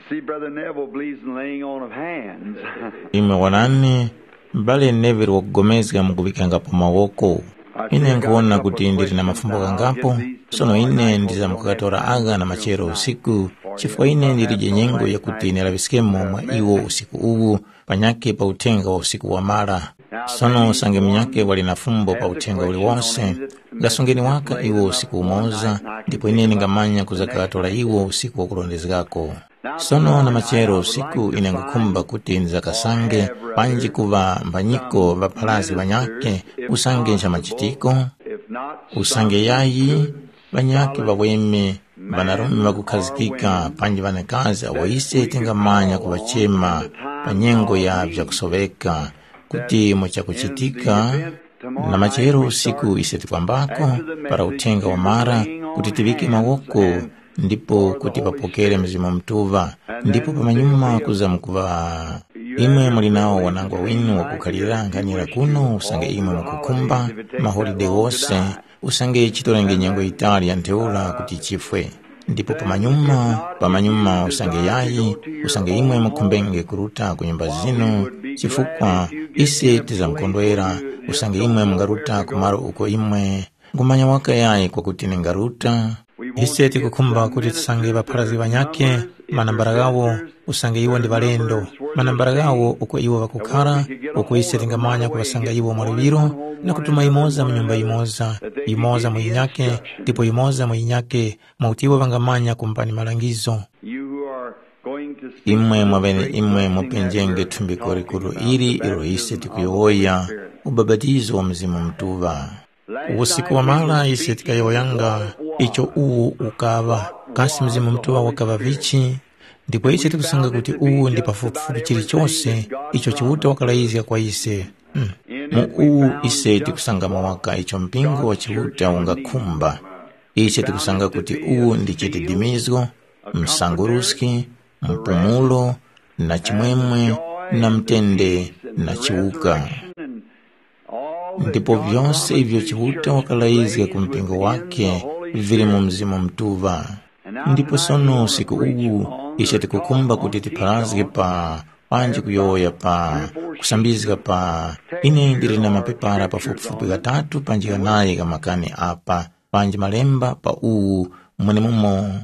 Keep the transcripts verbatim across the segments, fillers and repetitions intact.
See, Brother Neville believes in laying on of hands. Imwe wonani, m'bale Neville wakugomezga mu kuŵikangapo mawoko. Ine nkuwona kuti ndili na mafumbo ghangapo, sono ine ndizamkukatora agha na machero usiku, chifukwa ine ndilije nyengo yakuti ndilaŵiskemo mwa iwo usiku uwu, panyakhe pa uthenga wa usiku wamara. Sono usange munyakhe wali na fumbo pa uthenga uliwose, ngasungeni waka iwo usiku umoza, ndipo ine ndingamanya kuzakatora iwo usiku wakurondezgako. Sono na machero usiku ine ngukhumba kuti ndizakasange panji kuŵa mbanyiko ŵapharazgi ŵanyakhe usange ncha machitiko, usange yayi, ŵanyakhe ŵaweme, ŵanarume ŵakukhazikika panji ŵanakazi awo ise tingamanya kuŵachema pa nyengo ya vyakusoŵeka, kuti mu chakuchitika na machero usiku ise tikwambako para uthenga wamara, kuti tiŵike mawoko ndipo kuti ŵapokere Mzimu Mutuŵa, ndipo pamanyuma kuza mukuŵa imwe muli nawo wanangwa winu wakukhalira nkhanira kuno usange imwe mukukhumba maholide wose, usange chitorenge nyengo yitali ya ntheura kuti chifwe. Ndipo pamanyuma, pamanyuma usange yayi, usange imwe mukhumbenge kuruta ku nyumba zinu, chifukwa ise tizamkondwera usange imwe mungaruta ku malo uko imwe nkhumanya waka yayi kwakuti ningaruta. Ise tikukhumba kuti tisange ŵapharazgi ŵanyakhe manambala ghawo, usange iwo ndi ŵalendo, manambala ghawo uko iwo ŵakukhara, uko ise tingamanya kuŵasanga iwo mwa liŵiro, na kutuma yimoza mu nyumba yimoza, yimoza mu yinyakhe, ndipo yimoza mu yinyakhe, mwakuti iwo ŵangamanya kumpani malangizo. You who are going to see imwe mwavene imwe mupenjenge thumbiko likuru ili ilo ise tikuyowoya, ubabatizo wa Mzimu Mutuŵa. Usiku wamala ise tikayowoyanga icho uwu ukaŵa, kasi Mzimu Mutuŵa wakaŵa vichi? Ndipo ise tikusanga kuti uwu ndi pafupifupi chilichose icho Chiuta wakalayizga kwa ise. Mm. Mu uwu ise tikusangamo waka icho mpingo wa Chiuta ungakhumba. Ise tikusanga kuti uwu ndi chididimizgo, msanguruski, mpumulo, na chimwemwe, na mtende, na chiwuka. Ndipo vyose ivyo Chiuta wakalayizga ku mpingo wakhe vili mu Mzimu Mutuŵa. Ndipo sono usiku uwu, ise tikukhumba kuti tipharazge pa panji kuyowoya pa kusambizga pa ine ndili na mapepara pafupifupi ghatatu panji ghanayi gha makani apa, panji malemba pa uwu mwenemumo.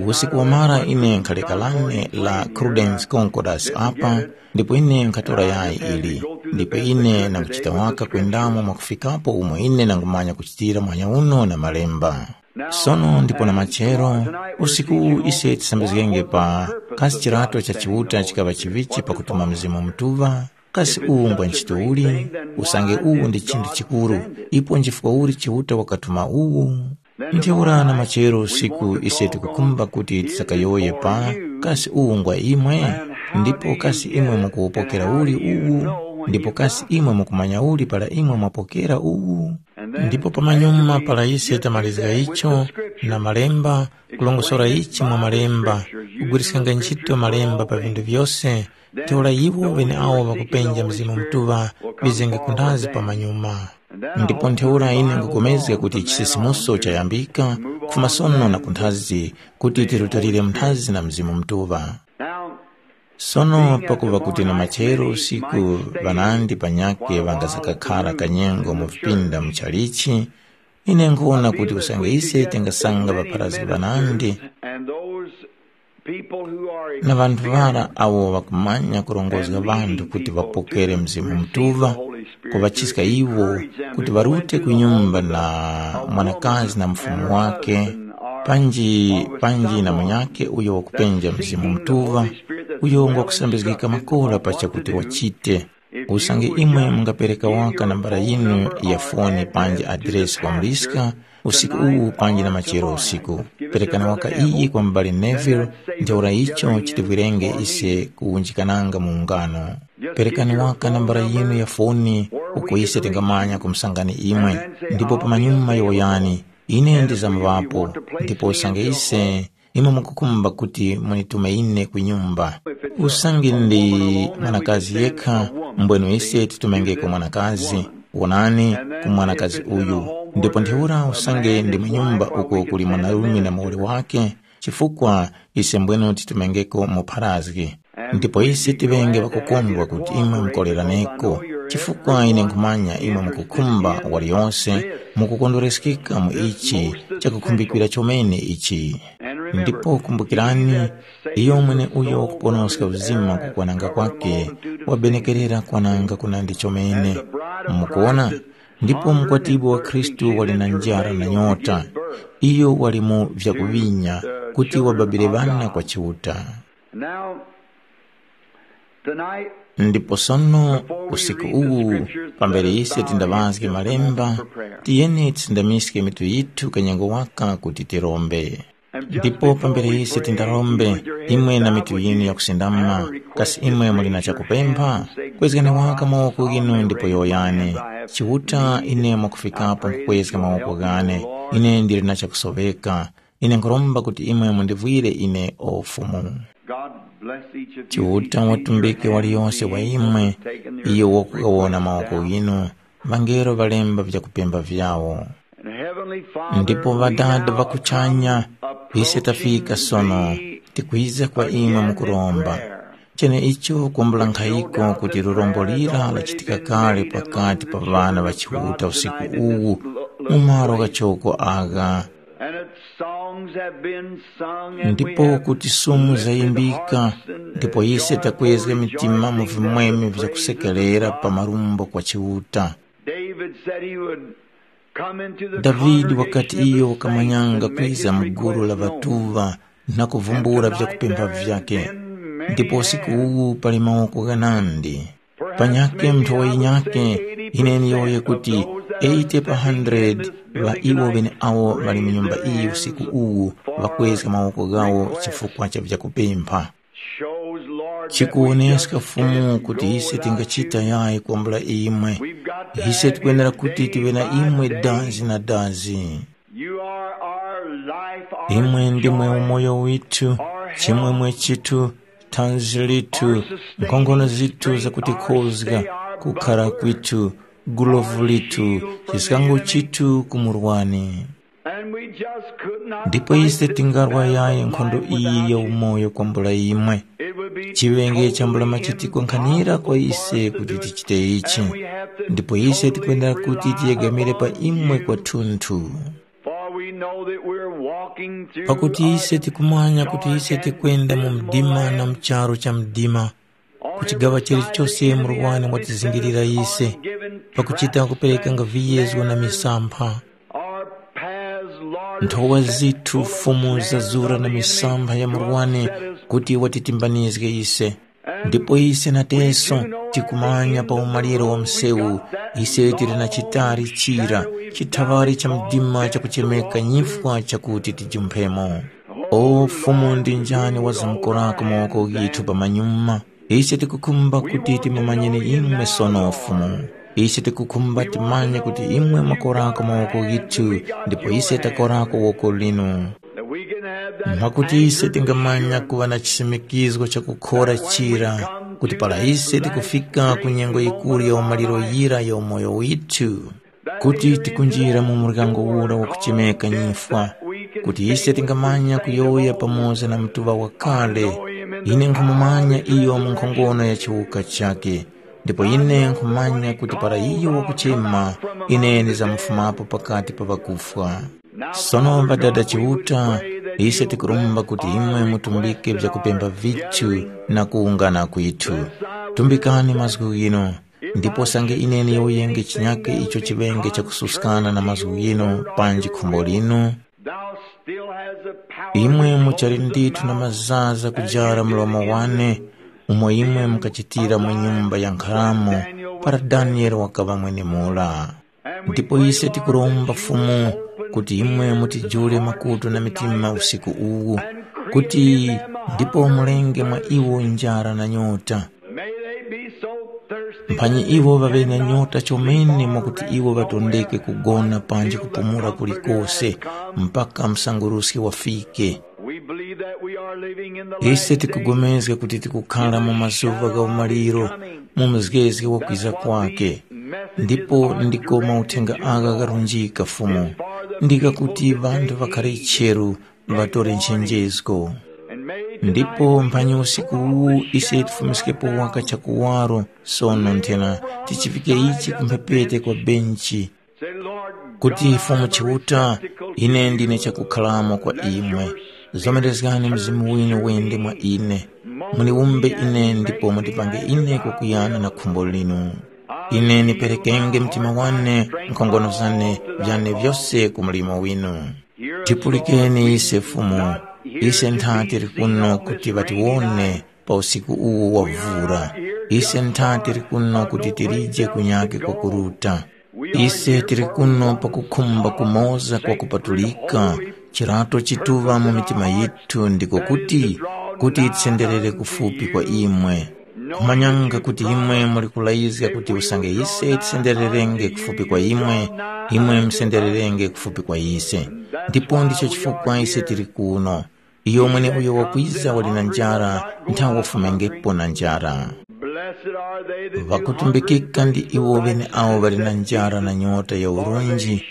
Usiku wamara ine nkhalekalane la Crudens Concordas apa, ndipo ine nkhatora yayi ili, ndipo ine nanguchita waka kwendamo mwakufikapo umo ine nangumanya kuchitira muhanya uno na malemba. Sono ndipo na machero, usiku uwu ise tisambizgenge pa kasi chirato cha Chiuta chikaŵa chivichi pakutuma Mzimu Mutuŵa, kasi uwu ngwa nchito uli? Usange uwu ndi chinthu chikuru, ipo nchifukwa uli Chiuta wakatuma uwu? Ntheura na machero usiku ise tikukhumba kuti tisakayowoye pa kasi uwu ngwa imwe? Ndipo kasi imwe mukuwupokera uli uwu? Ndipo kasi imwe mukumanya uli para imwe mwapokera uwu? Ndipo pamanyuma para ise tamalizga icho na malemba, kulongosora ichi mwa malemba, kugwiriskanga ntchito malemba pa vinthu vyose, ntheura iwo ŵeneawo ŵakupenja Mzimu Mutuŵa ŵizenge kunthazi pamanyuma. Ndipo ntheura ine nkupulikana kuti chisisimuso chayambika kufuma sono na kunthazi, kuti tirutilire munthazi na Mzimu Mutuŵa. Sono pakuŵa kuti na machero usiku ŵanandi panyakhe ŵangazakakhara kanyengo mu vipinda muchalichi, ine nkhuwona kuti usange ise tingasanga ŵapharazgi ŵanandi na ŵanthu ŵara awo ŵakumanya kurongozga ŵanthu kuti ŵapokere Mzimu Mutuŵa, kuŵachiska iwo kuti ŵarute ku nyumba na mwanakazi na mufumu wake, panji panji na munyakhe uyo wakupenja Mzimu Mutuŵa, uyo ngwakusambizgika makora pa chakuti wachite. Usange imwe mungapereka waka nambala yinu ya foni panji adiresi kwa muliska usiku uwu panji na machero usiku, perekani waka iyi kwa m'bale Neville, ntheura icho chitivwirenge ise kuwunjikananga mu ungano. Perekani waka nambala yinu ya foni uko ise tingamanya kumusangani imwe, ndipo pamanyuma yowoyani, ine ndizamvapo, ndipo usange ise imwe mukukhumba kuti munitume ine ku nyumba. Usange ndi mwanakazi yekha, mbwenu ise titumengeko mwanakazi, wonani, ku mwanakazi uyu. Ndipo ntheura usange ndi mu nyumba uko kuli mwanarume na muwoli wake, chifukwa ise mbwenu titumengeko mu pharazgi. Ndipo ise tiŵenge ŵakukondwa kuti imwe mukoleraneko, chifukwa ine nkhumanya imwe mukukhumba waliyose mukukondwereskeka mu ichi chakukhumbikira chomene ichi. Ndipo kumbukirani, iyo mweneuyo wakuponoska uzima kukwananga kwake, wabenekerera kwananga kunandi chomene. Mukuona? Ndipo mukwatibwi wa Khristu wali na njara na nyota. Iyo wali mu vyakuŵinya kuti wababire ŵana kwa Chiuta. Now, tonight, Ndipo sono, usiku uwu, pambere ise tindaŵazge malemba, tiyeni tisindamiske mitu yithu kanyengo waka kuti tirombe. Ndipo pambere ise tindarombe, imwe na mitu yinu yakusindama, kasi imwe muli na chakupempha? Kwezgani waka mawoko ghinu ndipo yowoyani. Chiuta, ine mwakufikapo nkukwezga mawoko ghane. Ine ndili na chakusoŵeka. Ine nkhuromba kuti imwe mundivwire ine o Fumu. God bless each of you. Chiuta watumbike waliyonse wa imwe, iyo wakugawona mawoko ghinu, ŵangelo ŵalemba vyakupemba vyawo. And Heavenly Father, ndipo we ŵadada now ŵakuchanya, come ise tafika approaching sono, thee tikwiza kwa imwe again mukuromba. In prayer. Cheneicho kwambula nkhayiko kuti lurombo lira lachitika kale pakati pa ŵana ŵa Chiuta usiku uwu, mu malo ghachoko agha. And its songs have been sung, and we ndipo have kuti sumu lifted zayimbika, hearts and ndipo ise joyful takwezga mitima mu rejoicings vimwemwe and praises vyakusekerera unto pa God. Marumbo kwa Chiuta. David said he would come into the davide wakati congregation of iyo the saints kamanyanga and make kwiza his mu gulu la request known. Vatuva na kuvumbula vyakupempha vyake. Ndipo usiku uwu pali mawoko ghanandi. Panyakhe mnthu wayinyakhe, ine niyowoye kuti eighty pa hundred ŵa iwo ŵeneawo ŵali mu nyumba iyi usiku uwu ŵakwezga mawoko ghawo chifukwa cha vyakupempha. Chikuwoneska Fumu kuti ise tingachita yayi kwambula imwe. Ise tikwenera kuti tive na imwe dazi na dazi. Imwe ndimwe umoyo withu, chimwemwe chithu, thanzi lithu, nkhongono zithu zakutikhozga, kukhara kwithu, gulovu lithu, chiskango chithu ku murwani. Ndipo ise tingarwa yayi nkhondo iyi ya umoyo kwambula imwe. Chiŵenge chambula machitiko nkhanira kwa ise kuti tichite ichi. Ndipo ise tikwenera kuti tiyegamire pa imwe kwathunthu. Pakuti ise tikumanya kuti ise tikwenda mu mdima na mu charu cha mdima, ku chigaŵa chilichose murwani watizingirira ise, pakuchita kuperekanga viyezgo na misampha. Nthowa zithu fumu zazura na misampha ya murwani kuti watitimbanizge ise. Ndipo ise nateso tikumanya pa umaliro wa msewu, ise tili na chitari chira, chithaŵari cha mdima chakuchemeka nyifwa chakuti tijumphemo. O Fumu, ndi njani wazamkorako mawoko ghithu pamanyuma? Ise tikukhumba kuti timumanyeni imwe sono Fumu. Ise tikukhumba timanye kuti imwe mwakorako mawoko ghithu, ndipo ise takorako woko linu. Mwakuti ise tingamanya kuŵa na chisimikizgo chakukhora chira, kuti para ise tikufika ku nyengo yikuru ya umaliro yira ya umoyo withu, kuti tikunjira mu muryango ura wakuchemeka nyifwa, kuti ise tingamanya kuyowoya pamoza na mutuŵa wakale. Ine nkhumumanya iyo mu nkhongono ya chiwuka chakhe, ndipo ine nkhumanya kuti para iyo wakuchema, ine ndizamfumapo pakati pa ŵakufwa. Sono Ŵadada Chiuta, ise tikuromba kuti imwe mutumbike vyakupemba vithu na kuwungana kwithu. Tumbikani mazgu ghinu, ndipo sange ine niyuyenge chinyake icho chiŵenge chakususkana na mazgu ghinu panji khumbo linu, imwe muchali ndithu na mazaza kujara mlomo wane, umo imwe mukachitira mu nyumba ya nkharamo para Daniele wakaŵa mwenemura. Ndipo ise tikuromba Fumu kuti imwe mutijule makutu na mitima usiku uwu, kuti ndipo mulenge mwa iwo njara na nyota. Mphanyi iwo ŵaŵe na nyota chomene mwakuti iwo ŵatondeke kugona panji kupumula kulikose mpaka msanguruski wafike. Ise tikugomezga kuti tikukhara mu mazuŵa gha umaliro, mu mzgezge wa kwiza kwake. Ndipo ndiko mauthenga agha gharunjika Fumu, ndi ghakuti ŵanthu ŵakhare cheru, ŵatore nchenjezgo. Ndipo mphanyi usiku uwu ise tifumiskipo waka chakuwaro, sono nthena tichifike ichi ku mphepete kwa benchi, kuti Fumu Chiuta, ine ndine chakukhalamo kwa imwe. Zomerezgani Mzimu winu wende mwa ine, muniwumbe ine ndipo mundipange ine kwakuyana na khumbo linu. Ine niperekenge mtima wane, nkhongono zane, vyane vyose ku mlimo winu. Tipulikeni ise Fumu, ise ntha tili kuno kuti ŵatiwone pa usiku uwu wa vura. Ise ntha tili kuno kuti tilije kunyake kwakuruta. Ise tili kuno pakukhumba kumoza kwa kupatulika, chirato chituŵa mu mitima yithu ndiko kuti, kuti tisenderere kufupi kwa imwe. Kumanyanga kuti imwe muli kulayizga kuti usange ise tisendererenge kufupi kwa imwe, imwe musendererenge kufupi kwa ise. Ndipo ndicho chifukwa ise tili kuno. Iyo mweneuyo wakwiza wali na njara, nthawe wafumengepo na njara. Blessed are they that do hunger. Ŵakutumbikika ndi iwo ŵeneawo ŵali na njara na nyota ya urunji,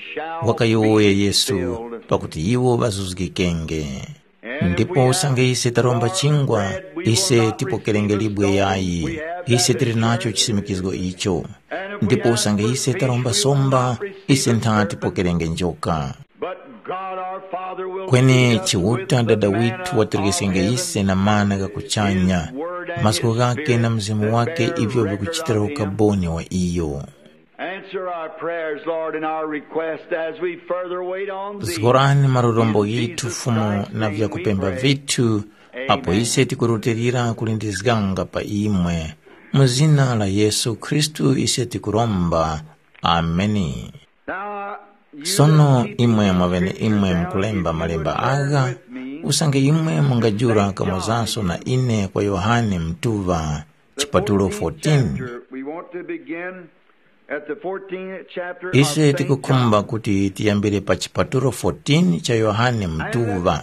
wakayowoya Yesu, pakuti iwo ŵazuzgikenge. Ndipo usange ise taromba chingwa, ise tipokerenge libwe yayi, ise tili nacho chisimikizgo icho. Ndipo usange ise taromba somba, ise ntha tipokerenge njoka. But God our Father will Kweni fill us with Chiuta the Dada manna withu of waterekeskenge heaven, ise na mana gha kuchanya, his word and mazgu his ghake na spirit mzimu that wake bear ivyo record vikuchitira of him. Ukaboni wa iyo. Answer our prayers, Lord, and our request as we further wait on thee. Zgorani marorombo In ghithu Jesus Fumu Christ's na name we vyakupemba pray. Vithu, apo Amen. Ise tikurutilira kulindizganga pa imwe. Mu zina la Yesu Khristu ise tikuromba. Ameni. Now, you Sono that teach imwe the mwavene scriptures imwe now, mukulemba if you malemba would turn agha, with me usange imwe to mungajura Saint John, kamozanso na ine kwa Yohane Mtuŵa, the chipatulo fourteenth fourteen. Chapter. We want to begin at the fourteenth chapter of Ise Saint tikukhumba John. Kuti tiyambire pa chipatulo fourteen cha Yohane Mtuŵa.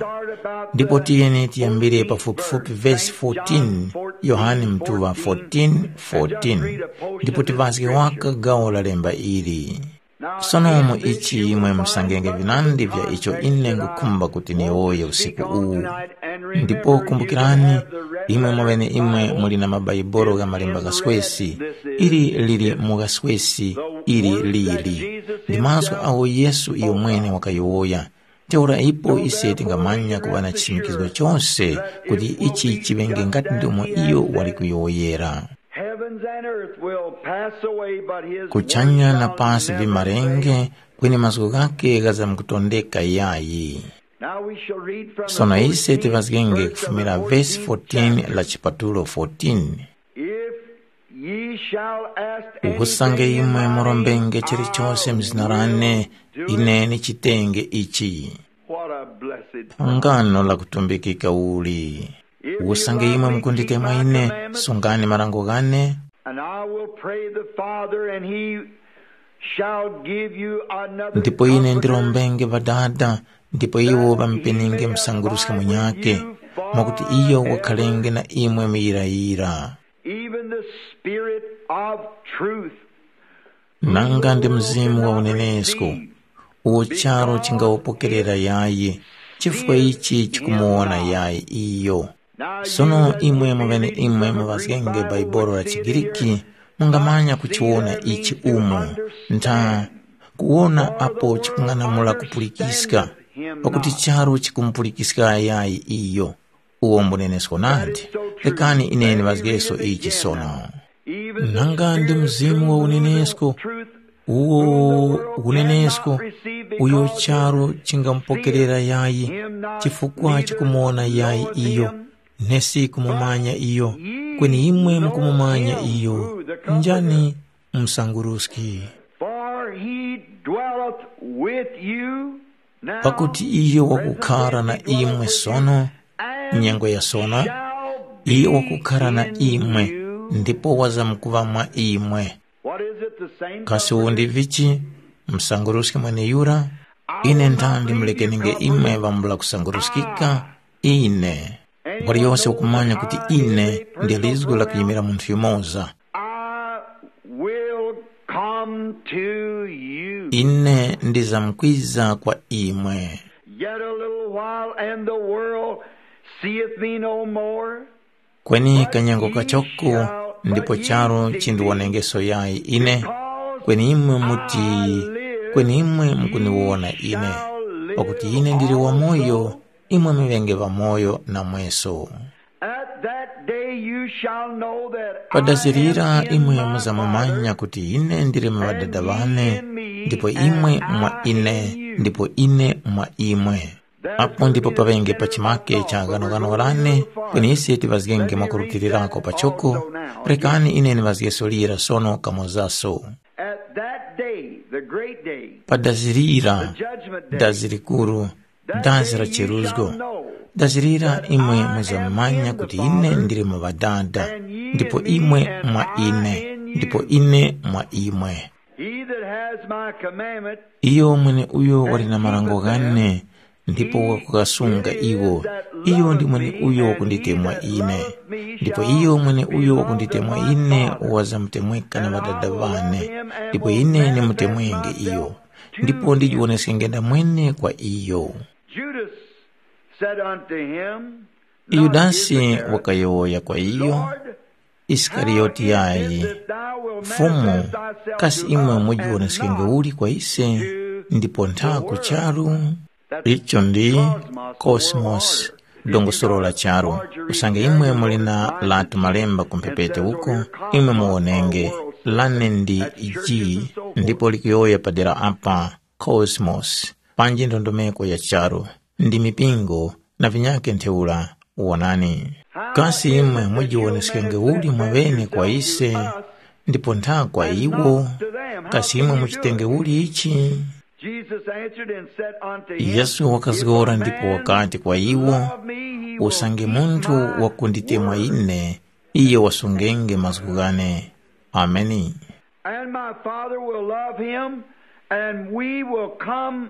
Ndipo tiyeni tiyambire pafupifupi vesi fourteen, Yohane Mtuŵa fourteen fourteen, ndipo tivazge waka gawo la lemba ili. Sono mu ichi imwe musangenge vinandi vya icho ine ngukhumba kuti niyowoye usiku uwu. Ndipo kumbukirani, imwe mweneimwe muli na mabaibulo gha malemba ghaswesi, ili lili mu ghaswesi, ili lili. Ndi mazgu agho Yesu iyo mwene wakayowoya. Ntheura ipo ise tingamanya kuŵa na chisimikizgo chose kuti ichi chiŵenge ngati ndomwe iyo wali kuyowoyera. Heavens and earth will pass away, but his Kuchanya na pasi vimarenge, kweni mazgu ghake ghazamkutondeka yayi. Now we shall read from the Sono ise fourteenth tivazgenge verse of the kufumira vesi fourteenth fourteen chapter. La chipatulo fourteen. If ye shall ask anything Usange in imwe my murombenge name, chilichose I mzina will lane, do it. Ine nichitenge ichi. What a blessed Ngano la kutumbikika uli. Usange imwe mukunditemwa ine, sungani marango ghane. And I will pray the Father, and he shall give you another Ndipo ine comforter, ndirombenge Ŵadada, ndipo iwo ŵamupenenge msanguruski munyake, mwakuti iyo wakhalenge na imwe muyirayira. Even the Spirit of truth. Nanga ndi Mzimu wa unenesko, uwo charu chingawupokerera yayi, chifukwa ichi chikumuwona yayi iyo. Sono imwe mweneimwe muŵazgenge Baibolo la chiGriki, mungamanya kuchiwona ichi umu, ntha kuwona apo chikung'anamula kupulikiska, pakuti charu chikumupulikiska yayi iyo. Uwo mbunenesko nadi. Rekani ine ndiŵazgeso ichi sono. Nanga ndi Mzimu wa unenesko, uwo unenesko, uyo charu chingamupokerera yayi, chifukwa chikumuwona yayi iyo, nesi kumumanya iyo, kweni imwe mukumumanya iyo. Njani msanguruski? For he dwelleth with you now. Pakuti iyo wakukhara na imwe sono, nyengo ya sono, iyo wakukhara na imwe, ndipo wazamkuŵa mwa imwe. What is it the same Kasi uwu ndi vichi? Msanguruski mweneyura? Ine nthandi mulekenenge imwe ŵambula kusanguruskika, ine. Waliyose ukumanya kuti ine ndi lizgu lakuyimira munthu yumoza. I will come to you. Ine ndizamkwiza kwa imwe. Yet a little while, and the world seeth me no more. Kweni kanyengo kachoko, ndipo charu chindiwonengeso yayi ine. Kweni imwe muti, kweni imwe mukuniwona ine. Pakuti ine ndili wamoyo, imwe muŵenge ŵamoyo namweso. At that day you shall know that I am Padazirira in imwe my muzamumanya Father, kuti ine ndili mu Ŵadada ŵane, ndipo imwe mwa ine, ndipo ine mwa imwe. Apo ndipo paŵenge pachimake cha ghanoghano lane, kweni ise tiŵazgenge mwakurutirirako pachoko. Rekani ine ndiŵazgeso lira sono kamozaso. At that day, the great day, Padazirira, the judgment day, dazi likuru, dazi la cheruzgo. Dazirira imwe muzamanya kuti ine ndili mu Ŵadada, ndipo imwe mwa ine, ndipo ine mwa imwe. He that has my commandment, Iyo mwene uyo wali na marango ghane, ndipo wakukasunga iwo, iyo ndi mwene uyo wakunditemwa ine. Ndipo iyo mwene uyo wakunditemwa ine wazamutemweka na Ŵadada wane, ndipo ine nimutemwenge iyo, ndipo ndijiwoneskenge ndamwene kwa iyo. Judas said unto him, Yudasi wakayowoya kwa iyo, Lord, Isikariyoti yayi, Fumu, kasi imwe mujiwoneskenge uli kwa ise, ndipo ntha ku charu? Icho ndi Cosmos, dongosolo la charu. Usange imwe muli na latu malemba ku mphepete uko, imwe muwonenge, lane ndi G, ndipo likuyowoya padera apa, Cosmos, panji ndondomeko ya charu, ndi mipingo, na vinyakhe ntheura. Wonani, kasi imwe mujiwoneskenge uli mwaŵene kwa ise, ndipo ntha kwa iwo? Kasi imwe muchitenge uli ichi? Jesus answered and said unto him, Yesu wakazgora ndipo wakati kwa iwo, Love me, he will usange keep munthu my wakunditemwa word. Ine, iye wasungenge mazgu ghane. Ameni. And my Father will love him, and we will come.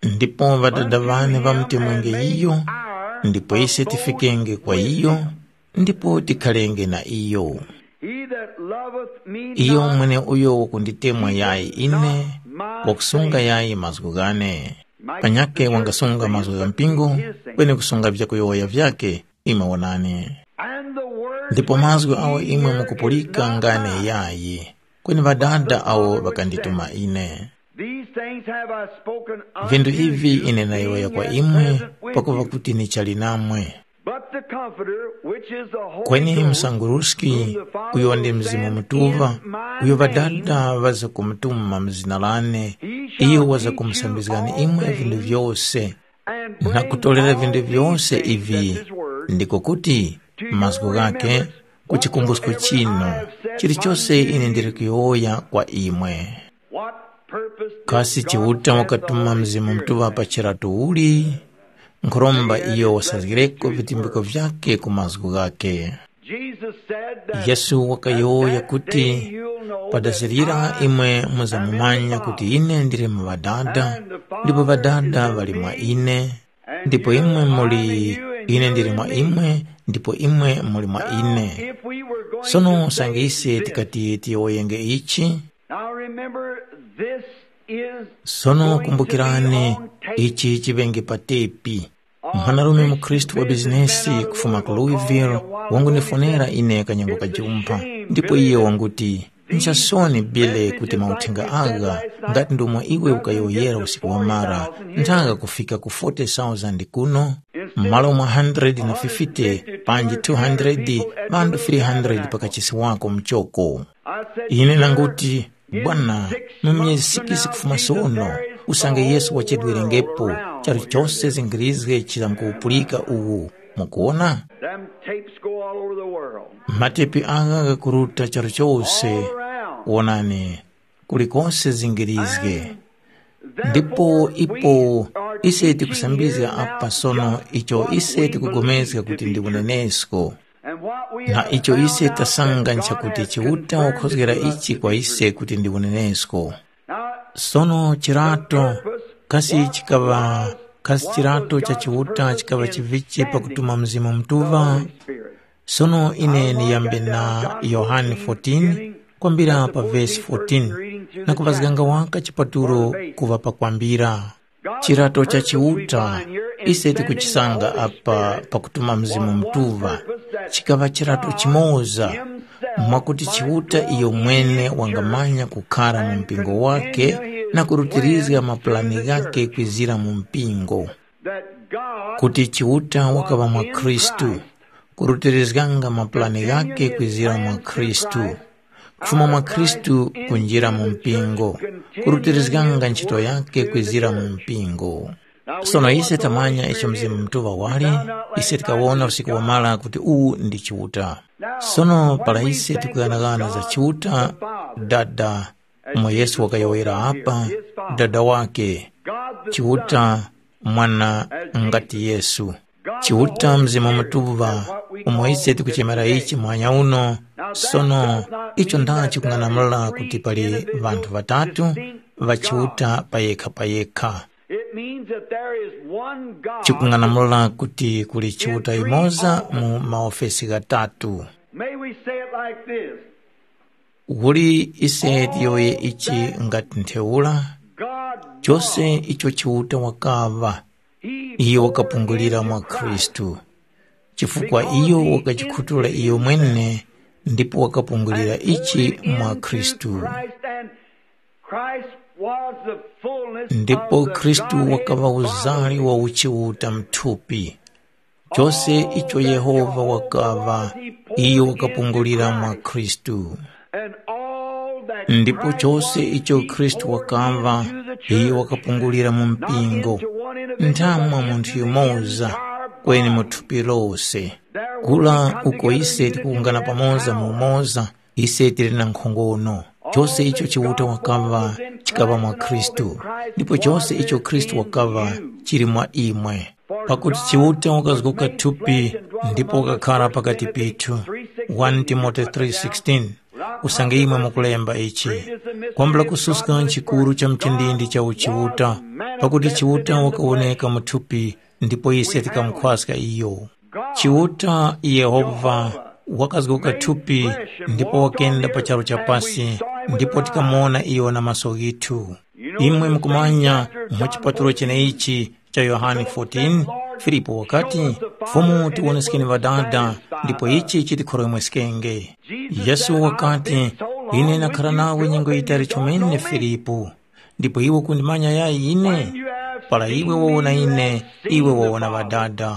Ndipo Ŵadada ŵane ŵamutemwenge iyo, ndipo ise tifikenge kwa iyo, ndipo tikhalenge na iyo. He that loveth me iyo not mwene uyo wakunditemwa yayi ine, wakusunga yayi mazgu ghane. Panyakhe wangasunga mazgu gha mpingo, kweni kusunga vyakuyowoya vyakhe, imwe wonani. And the word ndipo mazgu awo imwe mukupulika ngane yayi, kweni Ŵadada awo ŵakandituma ine. These things have I spoken unto Vintu ivi you, ine nayowoya kwa imwe, pakuva kuti nichali namwe. But the Comforter, which is the Holy Kweni Ghost, msanguruski, uyo ndi Mzimu Mutuŵa, uyo Ŵadada ŵazakumutuma mu zina lane, iyo wazakumusambizgani imwe vintu vyose, na kutolera vintu vyose ivi, ndiko kuti mazgu ghakhe ku chikumbusko chinu, chilichose ine ndili kuyowoya kwa imwe. Kasi Chiuta wakatuma Mzimu Mutuŵa pa chiratu uli? Nkhoromba iyo wasazgireko vitumbiko vyakhe ku mazgu ghakhe. Yesu wakayowoya kuti, padazirira imwe muzamumanya kuti ine ndili mu Ŵadada, ndipo Ŵadada ŵali mwa ine, ndipo imwe muli, ine ndili mwa imwe, ndipo imwe muli mwa ine. Sono usange ise tikati tiyowoyenge ichi, Now remember, this is sono kumbukirani, ichi chiŵenge pa tepi. Mwanarume mukhristu wa bizinesi kufuma ku Louisville wangundifonera ine kanyengo kajumpha, ndipo iye wanguti, nchasoni Billy kuti mauthenga agha ngati ndomwe iwe ukayowoyera usiku wamara, nthaka kufika ku forty thousand kuno, m'malo mwa hundred na fifty panji two hundred, ŵanthu three hundred pakachisi wako mchoko. Ine nanguti, Bwana, mu myezi sikisi kufuma sono, usange Yesu wachedwerengepo, charu chose zingirizge chizamkuwupulika uwu. Mukuwona? Them tapes go all over the world. Matepi agha ghakuruta charu chose. All around. Wonani, kulikose zingirizge. Ndipo ipo ise tikusambizga apa sono icho ise tikugomezga kuti ndi unenesko. Na icho ise tasanga nchakuti Chiuta wakhozgera ichi kwa ise kuti ndi unenesko. Sono chirato, kasi chikaŵa, kasi chirato cha Chiuta chikaŵa chivichi pakutuma Mzimu Mutuŵa? Sono ine niyambe na Yohane fourteen, kwambira pa vesi fourteen, na kuŵazganga waka chipatulo kuŵa pakwambira. Chirato cha Chiuta ise tikuchisanga apa pakutuma Mzimu Mutuŵa, chikaŵa chirato chimoza, mwakuti Chiuta iyo mwene wangamanya kukhara mu mpingo wakhe na kurutirizga mapulani ghakhe kwizira mu mpingo. Kuti Chiuta wakaŵa mwa Khristu, kurutirizganga mapulani ghakhe kwizira mwa Khristu. Kufuma mwa Khristu kunjira mu mpingo, kurutirizganga ntchito yakhe kwizira mu mpingo. Sono ise tamanya icho Mzimu Mutuŵa wali, ise tikawona usiku wamara kuti uwu ndi Chiuta. Sono para ise tikughanaghana za Chiuta, Dada, umo Yesu wakayowoyera apa, Dada wake, Chiuta, Mwana ngati Yesu. Chiuta Mzimu Mutuŵa, umo ise tikuchemera ichi muhanya uno, sono icho ndachi kung'anamula kuti pali ŵanthu ŵatatu ŵa Chiuta payekha payekha. It means that there is one God. Chikung'anamula kuti kuli Chiuta yumoza mu maofesi ghatatu. May we say it like this. Uli ise tiyowoye ichi ngati ntheura, God chose icho Chiuta wakaŵa, he iyo wakapungulira mwa Khristu, chifukwa iyo wakachikhutula iyo mwene ndipo wakapungulira ichi mwa Khristu. Christ and Christ was the fullness ndipo of the Khristu Godhead wakaŵa uzali bodily. Wa uchiuta mthupi. Chose icho Yehova wakaŵa, iyo wakapungulira mwa Khristu. And all that ndipo Christ chose was, icho he Khristu poured wakaŵa, into the church. Iyo wakapungulira mu mpingo. Not into one individual, nthamwa but munthu into the yumoza entire kweni mu body. Thupi lose. There we kula come uko together ise in unity tikuwungana and pamoza mu now umoza, ise tili na nkhongono. Chose icho Chiuta wakaŵa chikaŵa mwa Khristu, ndipo chose icho Khristu wakaŵa chili mwa imwe. Pakuti Chiuta wakazgoka thupi ndipo wakakhara pakati pithu. One Timote three sixteen. Usange imwe mukulemba ichi, kwambula kususka nchikuru cha mchindindi cha uchiuta, pakuti Chiuta wakawoneka mu thupi ndipo ise tikamukhwaska iyo. Chiuta Yehova wakazgoka thupi ndipo wakenda pa charu cha pasi, ndipo tikamuwona iyo na maso ghithu. Imwe mukumanya mu chipatulo cheneichi cha Yohane fourteen, Filipo wakati, Fumu tiwoneskeni Ŵadada, ndipo ichi chitikhoromweskenge. Yesu wakati, ine ndakhara nawe nyengo yitali chomene Filipo, ndipo iwe ukundimanya yayi ine? Para iwe wawona ine, iwe wawona Ŵadada.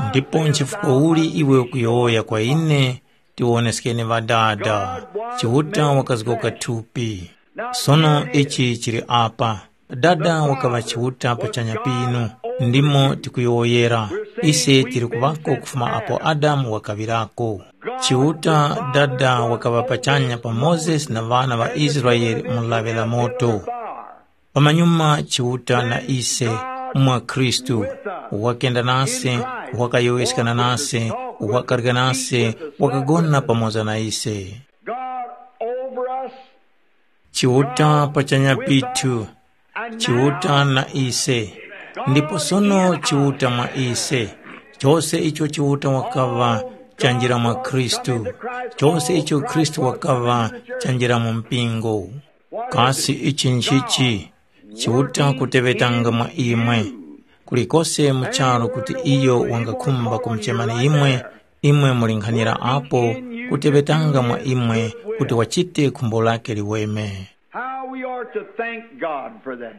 Ndipo nchifukwa uli iwe ukuyowoya kwa ine, tiwoneskeni Ŵadada? Chiuta wakazgoka thupi. Sono ichi chili apa. Dada wakaŵa Chiuta pachanya pinu, ndimo tikuyowoyera. Ise tili kuŵako kufuma apo Adamu wakaŵirako. Chiuta Dada wakaŵa pachanya pa Mozesi na ŵana ŵa Israele mu lawi la moto. Pamanyuma Chiuta na ise mwa Khristu, wakenda nase, wakayowoyeskana nase, wakarya nase, wakagona pamoza na ise. God over us. Chiuta pachanya pithu, Chiuta na ise, ndipo sono Chiuta mwa ise. Chose icho Chiuta wakaŵa chanjira mwa Khristu, chose icho Khristu wakaŵa chanjira mu mpingo. Kasi ichi nchichi? Chiuta kuteŵetanga mwa imwe. Kulikose mu charu kuti iyo wangakhumba kumuchemani imwe, imwe muli nkhanira apo, kuteŵetanga mwa imwe kuti wachite khumbo lake liweme. How we are to thank God for that.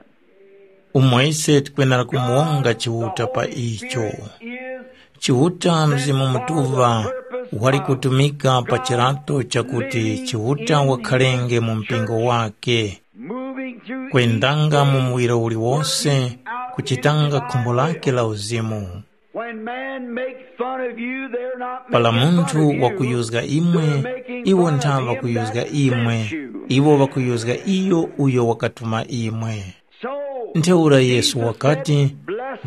Umo ise tikwenera kumuwonga Chiuta pa icho. Is Chiuta Mzimu Mutuŵa wali kutumika pa chirato chakuti Chiuta wakhalenge mu mpingo wake, moving through kwendanga mu muwiro uliwonse, kuchitanga khumbo lake la uzimu. When man make fun of you, they're not pala making fun munthu of you. Wakuyuzga imwe, iwo ntha ŵakuyuzga imwe, iwo ŵakuyuzga iyo uyo wakatuma imwe. So ntheura Yesu wakati,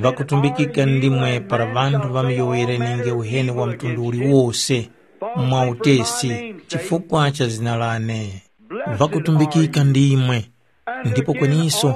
ŵakutumbikika ndimwe para ŵanthu ŵamiyowoyerenenge uheni wa mtundu uliwose mwa utesi chifukwa cha zina lane. Ŵakutumbikika ndimwe, ndipo kweniso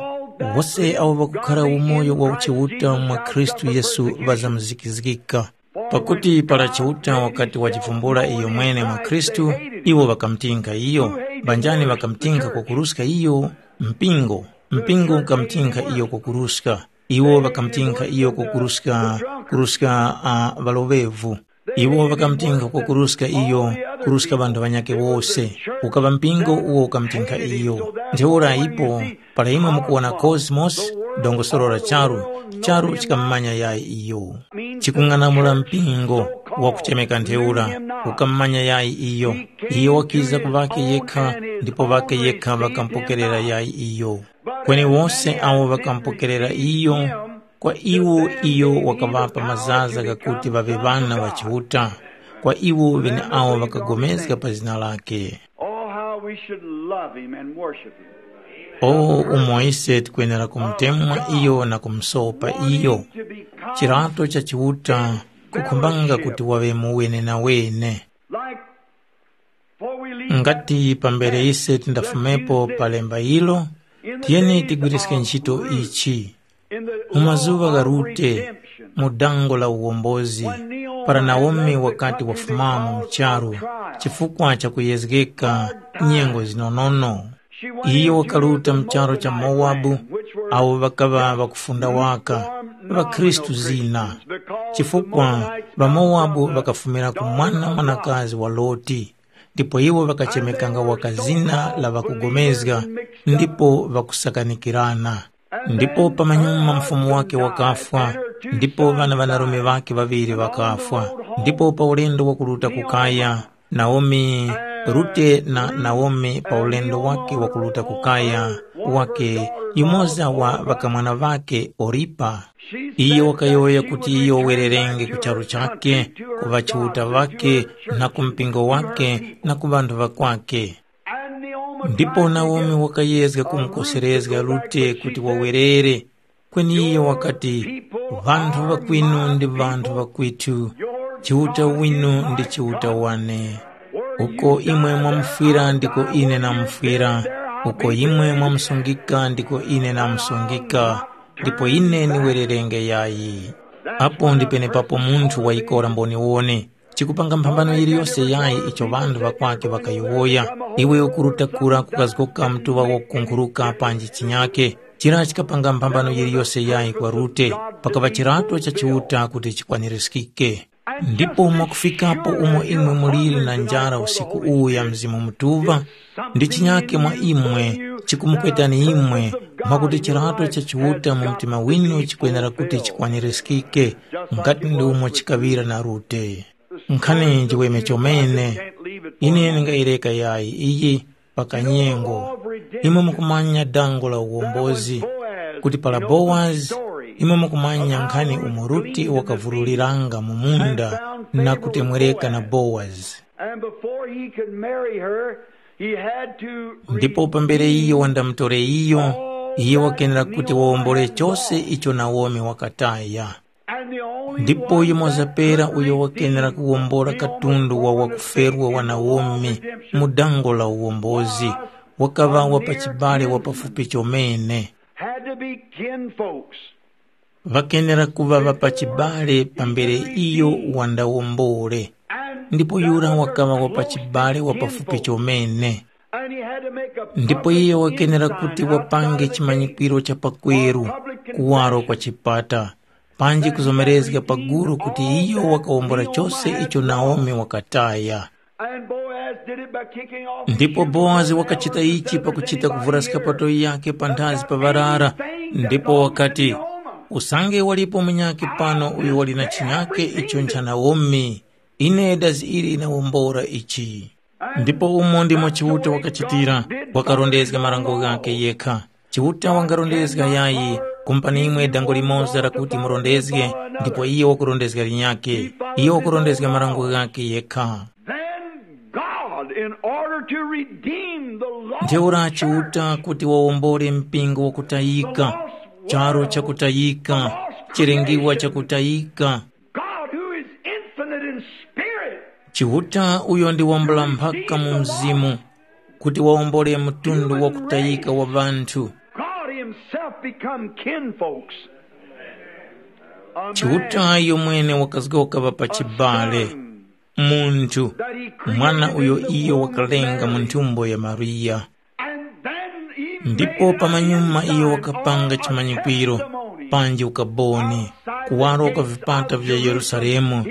wose awo ŵakukhara umoyo wa uchiuta mwa Khristu Yesu ŵazamzikizgika. Pakuti para Chiuta wakati wajivumbula iyomwene mwa Khristu, iwo ŵakamutinkha iyo. Mbanjani ŵakamutinkha kwakuruska iyo? Mpingo. Mpingo ukamutinkha iyo kukuruska. Iwo ŵakamutinkha iyo kukuruska, kuruska uh, ŵaloŵevu. Iwo ŵakamutinkha kukuruska iyo, kuruska ŵanthu ŵanyakhe wose. Ukaŵa mpingo uwo ukamutinkha iyo. Ntheura ipo, para imwe mukuwona cosmos, dongosolo la charu, charu chikammanya yayi iyo. Chikung'anamula mpingo wakuchemeka ntheura, ukammanya yayi iyo. Iyo wakiza ku ŵakhe yekha, ndipo ŵakhe yekha ŵakampokerera yayi iyo. Kweni wose awo ŵakampokerera iyo, kwa iwo iyo wakaŵapa mazaza ghakuti ŵaŵe ŵana ŵa Chiuta, kwa iwo ŵeneawo ŵakapulikana pa zina lakhe. Oh, how we should love him and worship him. O umo ise tikwenera kumutemwa iyo na kumusopa iyo. Chirato cha Chiuta kukhumbanga kuti waŵe mu wenenawene. Like, for we leave ngati pambere ise tindafumepo pa lemba ilo, tiyeni tigwiriske ntchito ichi. Mu mazuŵa gha Rute, mu dango la uwombozi, para Naomi wakati wafumamo mu charu chifukwa cha kuyezgeka nyengo zinonono, iyo wakaruta mu charu cha Mowabu, awo ŵakaŵa ŵakufunda waka, ŵakhristu zina, chifukwa ŵaMowabu ŵakafumira ku mwana mwanakazi wa Loti. Ndipo iwo ŵakachemekanga waka zina la ŵakupulikana ndipo ŵakusakanikirana. Ndipo pamanyuma mfumu wake wakafwa, ndipo ŵana ŵanarume ŵakhe ŵaŵiri ŵakafwa. Ndipo pa ulendo wakuruta ku kaya, Naomi, Rute na Naomi pa ulendo wake wakuruta ku kaya wake, yumoza wa ŵakamwana ŵakhe Oripa, iyo wakayowoya kuti iyo wererenge ku charu chakhe, ku ŵachiuta ŵakhe, na ku mpingo wakhe, na ku ŵanthu ŵakwakhe. Ndipo Naomi wakayezga kumukoserezga Rute kuti wawerere, kweni iyo wakati, “Ŵanthu ŵakwinu ndi ŵanthu ŵakwitu, Chiuta winu ndi Chiuta wane. Uko imwe mwamufwira ndiko ine namufwira, uko imwe mwamusungika ndiko ine namusungika, ndipo ine niwererenge yayi.” Apo ndi penepapo munthu wayikora mboniwone. Chikupanga mphambano yiliyose yayi icho ŵanthu ŵakwake ŵakayowoya, iwe ukuruta kura kukazgoka mtuŵa wakukunkhuruka panji chinyake. Chira chikapanga mphambano yiliyose yayi kwa Rute, pakaŵa chirato cha Chiuta kuti chikwanirizgike. Ndipo mwakufikapo umo imwe muliri na njara usiku uwu ya Mzimu Mutuŵa, ndi chinyake mwa imwe chikumukwetani imwe, mwakuti chirato cha Chiuta mu mtima winu chikwenera kuti chikwanirizgike, ngati ndi umo chikaŵira na Rute. Nkhani njiweme chomene, ine ndingayireka yayi iyi pakanyengo. Imwe mukumanya dango la uwombozi, kuti para Bowazi, imwe mukumanya nkhani umo Rute wakavuruliranga mu munda na kutemwereka na Bowazi. And before he could marry her, he had to ndipo pambere iyo wandamutore iyo, iye wakenera kuti wawombole chose icho Naomi wakataya. And the only ndipo one yumoza that pera could uyo wakenera redeem kuwombola the only katundu wa one that wakuferwa wa Naomi mu dango la uwombozi, wakaŵa wa pachibale wa pafupi chomene. Had to be kin folks. Ŵakenera kuŵa ŵa pachibale pambere iyo wandawombole. Ndipo yura wakaŵa wa pachibale wa pafupi chomene. Ndipo iye wakenera kuti wapange chimanyikwiro cha pakweru kuwaro kwa chipata, panji kuzomerezga paguru kuti iyo wakawombora chose icho Naomi wakataya. And Boaz did it by kicking off his ndipo shoes boazi on the wakachita ground ichi and pakuchita setting kuvura fire. Skapato yake panthazi pa ŵarara. Ndipo wakati, usange walipo munyakhe pano uyo wali na chinyakhe icho ncha Naomi, ine dazi ili linawombora ichi. Ndipo umo ndimo Chiuta wakachitira, wakarondezga marango ghakhe yekha. Chiuta wangarondezga yayi, kumupani imwe dango limoza lakuti murondezge, ndipo iye wakurondezga linyakhe. Iye wakurondezga marango ghakhe yekha. Then God, in order to redeem the lost Ntheura church, Chiuta kuti wawombole mpingo wakutayika, charo chakutayika, chilengiwa chakutayika, God, who is infinite in spirit, Chiuta uyo ndi wambula mphaka mu mzimu, kuti wawombole mtundu wakutayika wa ŵanthu. God himself become kinfolks. A man Chiuta iyo mwene wakazgoka ŵa pachibale, munthu, that he created mwana uyo in the iyo womb of wakalenga mu Mary. Nthumbo ya Mariya. And then he Ndipo pamanyuma iyo wakapanga chimanyikwiro, panji ukaboni, kuwaro kwa vipata vya Yerusalemu.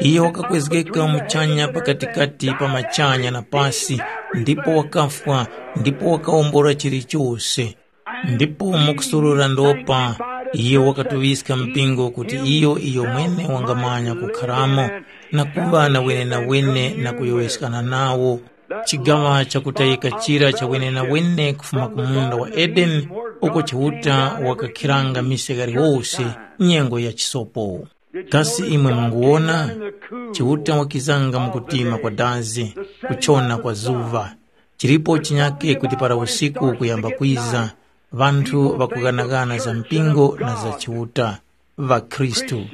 Iyo wakakwezgeka muchanya pakatikati pa machanya na pasi, ndipo wakafwa, ndipo wakawombora chilichose. Ndipo mukusurura ndopa, iyo wakatuŵiska mpingo kuti iyo iyo mwene wangamanya kukharamo na kuŵa na wenenawene na kuyowoyeskana nawo. Chigaŵa chakutayika chira cha wenenawene kufuma ku munda wa Edeni, uko Chiuta wakakhiranga mise ghaliwose nyengo ya chisopo. Kasi imwe munguwona? Chiuta wakizanga mu kutima kwa dazi, kuchona kwa zuŵa. Chilipo chinyake kuti para usiku ukuyamba kwiza, ŵanthu ŵakughanaghana za mpingo na za Chiuta, ŵakhristu.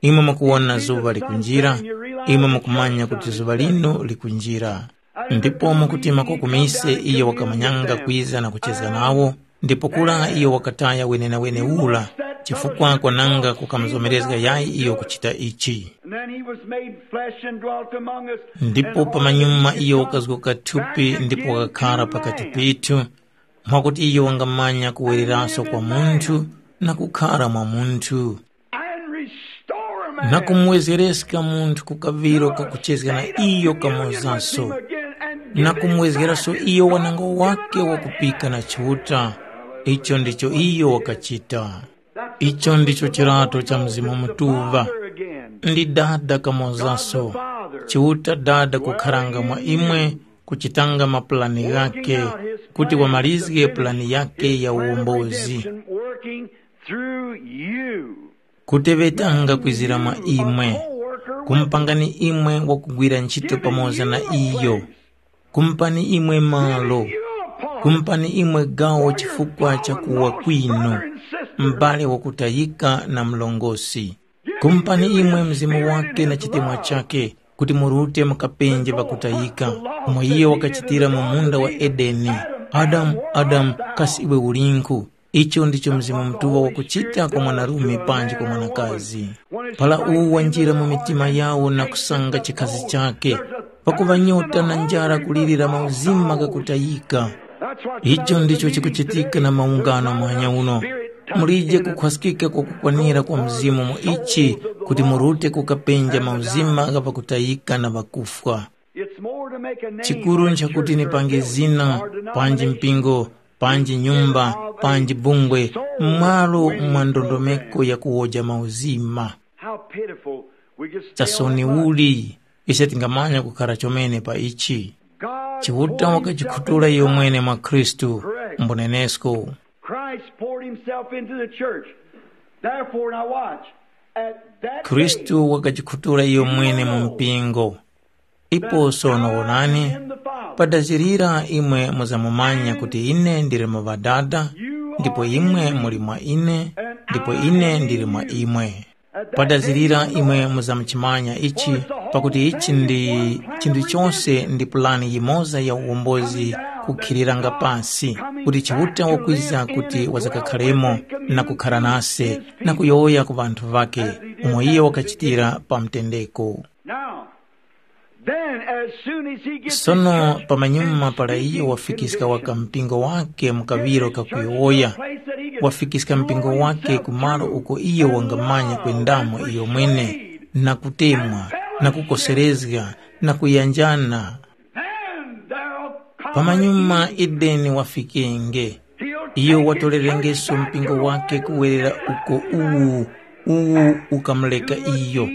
Imwe mukuwona zuŵa likunjira, imwe mukumanya kuti zuŵa linu likunjira. Ndipo mu kutima kwakumi ise iyo wakamanyanga kwiza na kucheza nawo, ndipo kura iyo wakataya wenenawene ura, chifukwa kwananga kukamuzomerezga yayi iyo kuchita ichi. And then he was made flesh and dwelt among us. Ndipo pamanyuma iyo wakazgoka thupi ndipo wakakhara pakati pethu, mwakuti iyo wangamanya kuwereraso kwa munthu na kukhara mwa munthu, and restore a man na kumuwezereska munthu ku kaŵiro kakuchezga na iyo kamozaso, na kumwezgeraso iyo wanango wake wakupika na Chiuta. Icho ndicho iyo wakachita. Icho ndicho chirato cha Mzimu Mutuŵa. Ndi Dada kamozaso, Chiuta Dada kukharanga mwa imwe, kuchitanga mapulani ghake, kuti wamalizge pulani yake ya uwombozi. Working through you. Kuteŵetanga kwizira mwa imwe, kumupangani imwe wakugwira ntchito pamoza na iyo, kumupani imwe malo, kumupani imwe gawo chifukwa cha kuwa kwinu, m'bale wakutayika na mlongosi. Kumupani imwe Mzimu wake na chitemwa chake, kuti murute mukapenje ŵakutayika, umo iyo wakachitira mu munda wa Edeni. Adamu, Adamu, kasi iwe ulinkhu? Icho ndicho Mzimu Mutuŵa wakuchita kwa mwanarume panji kwa mwanakazi. Para uwo wanjira mu mitima yawo na kusanga chikhazi chakhe, pakuŵa nyota na njara kulirira mauzima ghakutayika. Icho ndicho chikuchitika na maungano muhanya uno. Mulije kukhwaskika kwakukwanira kwa Mzimu mu ichi kuti murute kukapenja mauzima gha ŵakutayika na ŵakufwa. It's more to make a name Chikuru nchakuti nipange zina, panji mpingo, panji nyumba, panji bungwe, m'malo mwa ndondomeko ya kuwoja mauzima. How pitiful. We just fail Chasoni that much. Uli, ise tingamanya kukhara chomene pa ichi. God Chiuta poured himself wakajikhutura into iyo mwene mwa Khristu, Christ. Mbunenesko. Christ poured himself into the church. Therefore, now watch. At that Khristu day, wakajikhutura iyo mwene mu mpingo. Ipo sono wonani, padazirira imwe muzamumanya kuti ine ndili mu Ŵadada, ndipo imwe muli mwa ine, ndipo ine ndili mwa imwe. Padazirira imwe muzamuchimanya ichi, pakuti ichi ndi chinthu chose ndi pulani yimoza ya uwombozi kukhiliranga pasi, kuti Chiuta wakwiza kuti wazakakharemo na kukhara nase na kuyowoya ku ŵanthu ŵakhe, umo iyo wakachitira pa mtendeko. Now, then, as soon as he gets Sono his church pamanyuma para iyo wafikiska waka mpingo wake mu kaŵiro kakuyowoya, wafikiska mpingo wake ku malo uko iyo wangamanya kwendamo iyo mwene, na kutemwa, na kukoserezga, na kuyanjana. Pamanyuma Edeni wafikenge. Iyo watolerengeso mpingo wake kuwerera uko uwu, uwu ukamureka iyo,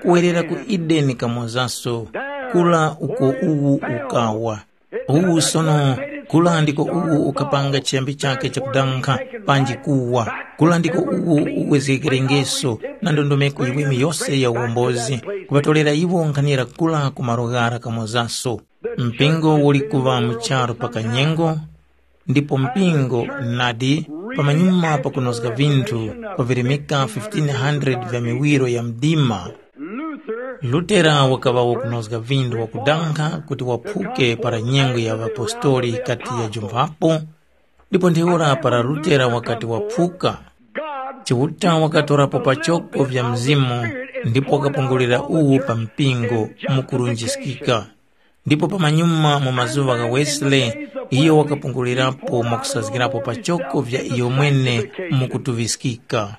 kuwerera ku Edeni kamozaso, kura uko uwu ukawa. Uwu sono, kura ndiko uwu ukapanga chiyambi chake chakudankha, panji kuwa. Kura ndiko uwu uwezgekerengeso na ndondomeko yiweme yose ya uwombozi, kuŵatolera iwo nkhanira kura ku malo ghara kamozaso. Mpingo uli kuŵa mu charu pa kanyengo, ndipo mpingo nadi pamanyuma pakunozga vinthu, kwavirimika fifteen hundred vya miwiro ya mdima. Lutera wakaŵa wakunozga vinthu wakudankha kuti waphuke para nyengo ya ŵapostoli yikati yajumphapo, ndipo ntheura para Lutera wakati waphuka, Chiuta wakatorapo pachoko vya Mzimu ndipo wakapungulira uwu pa mpingo mu kurunjiskika. Ndipo pamanyuma mu mazuŵa gha Wesley, iyo wakapungulirapo mwakusazgirapo pachoko vya iyomwene mukutuŵiskika.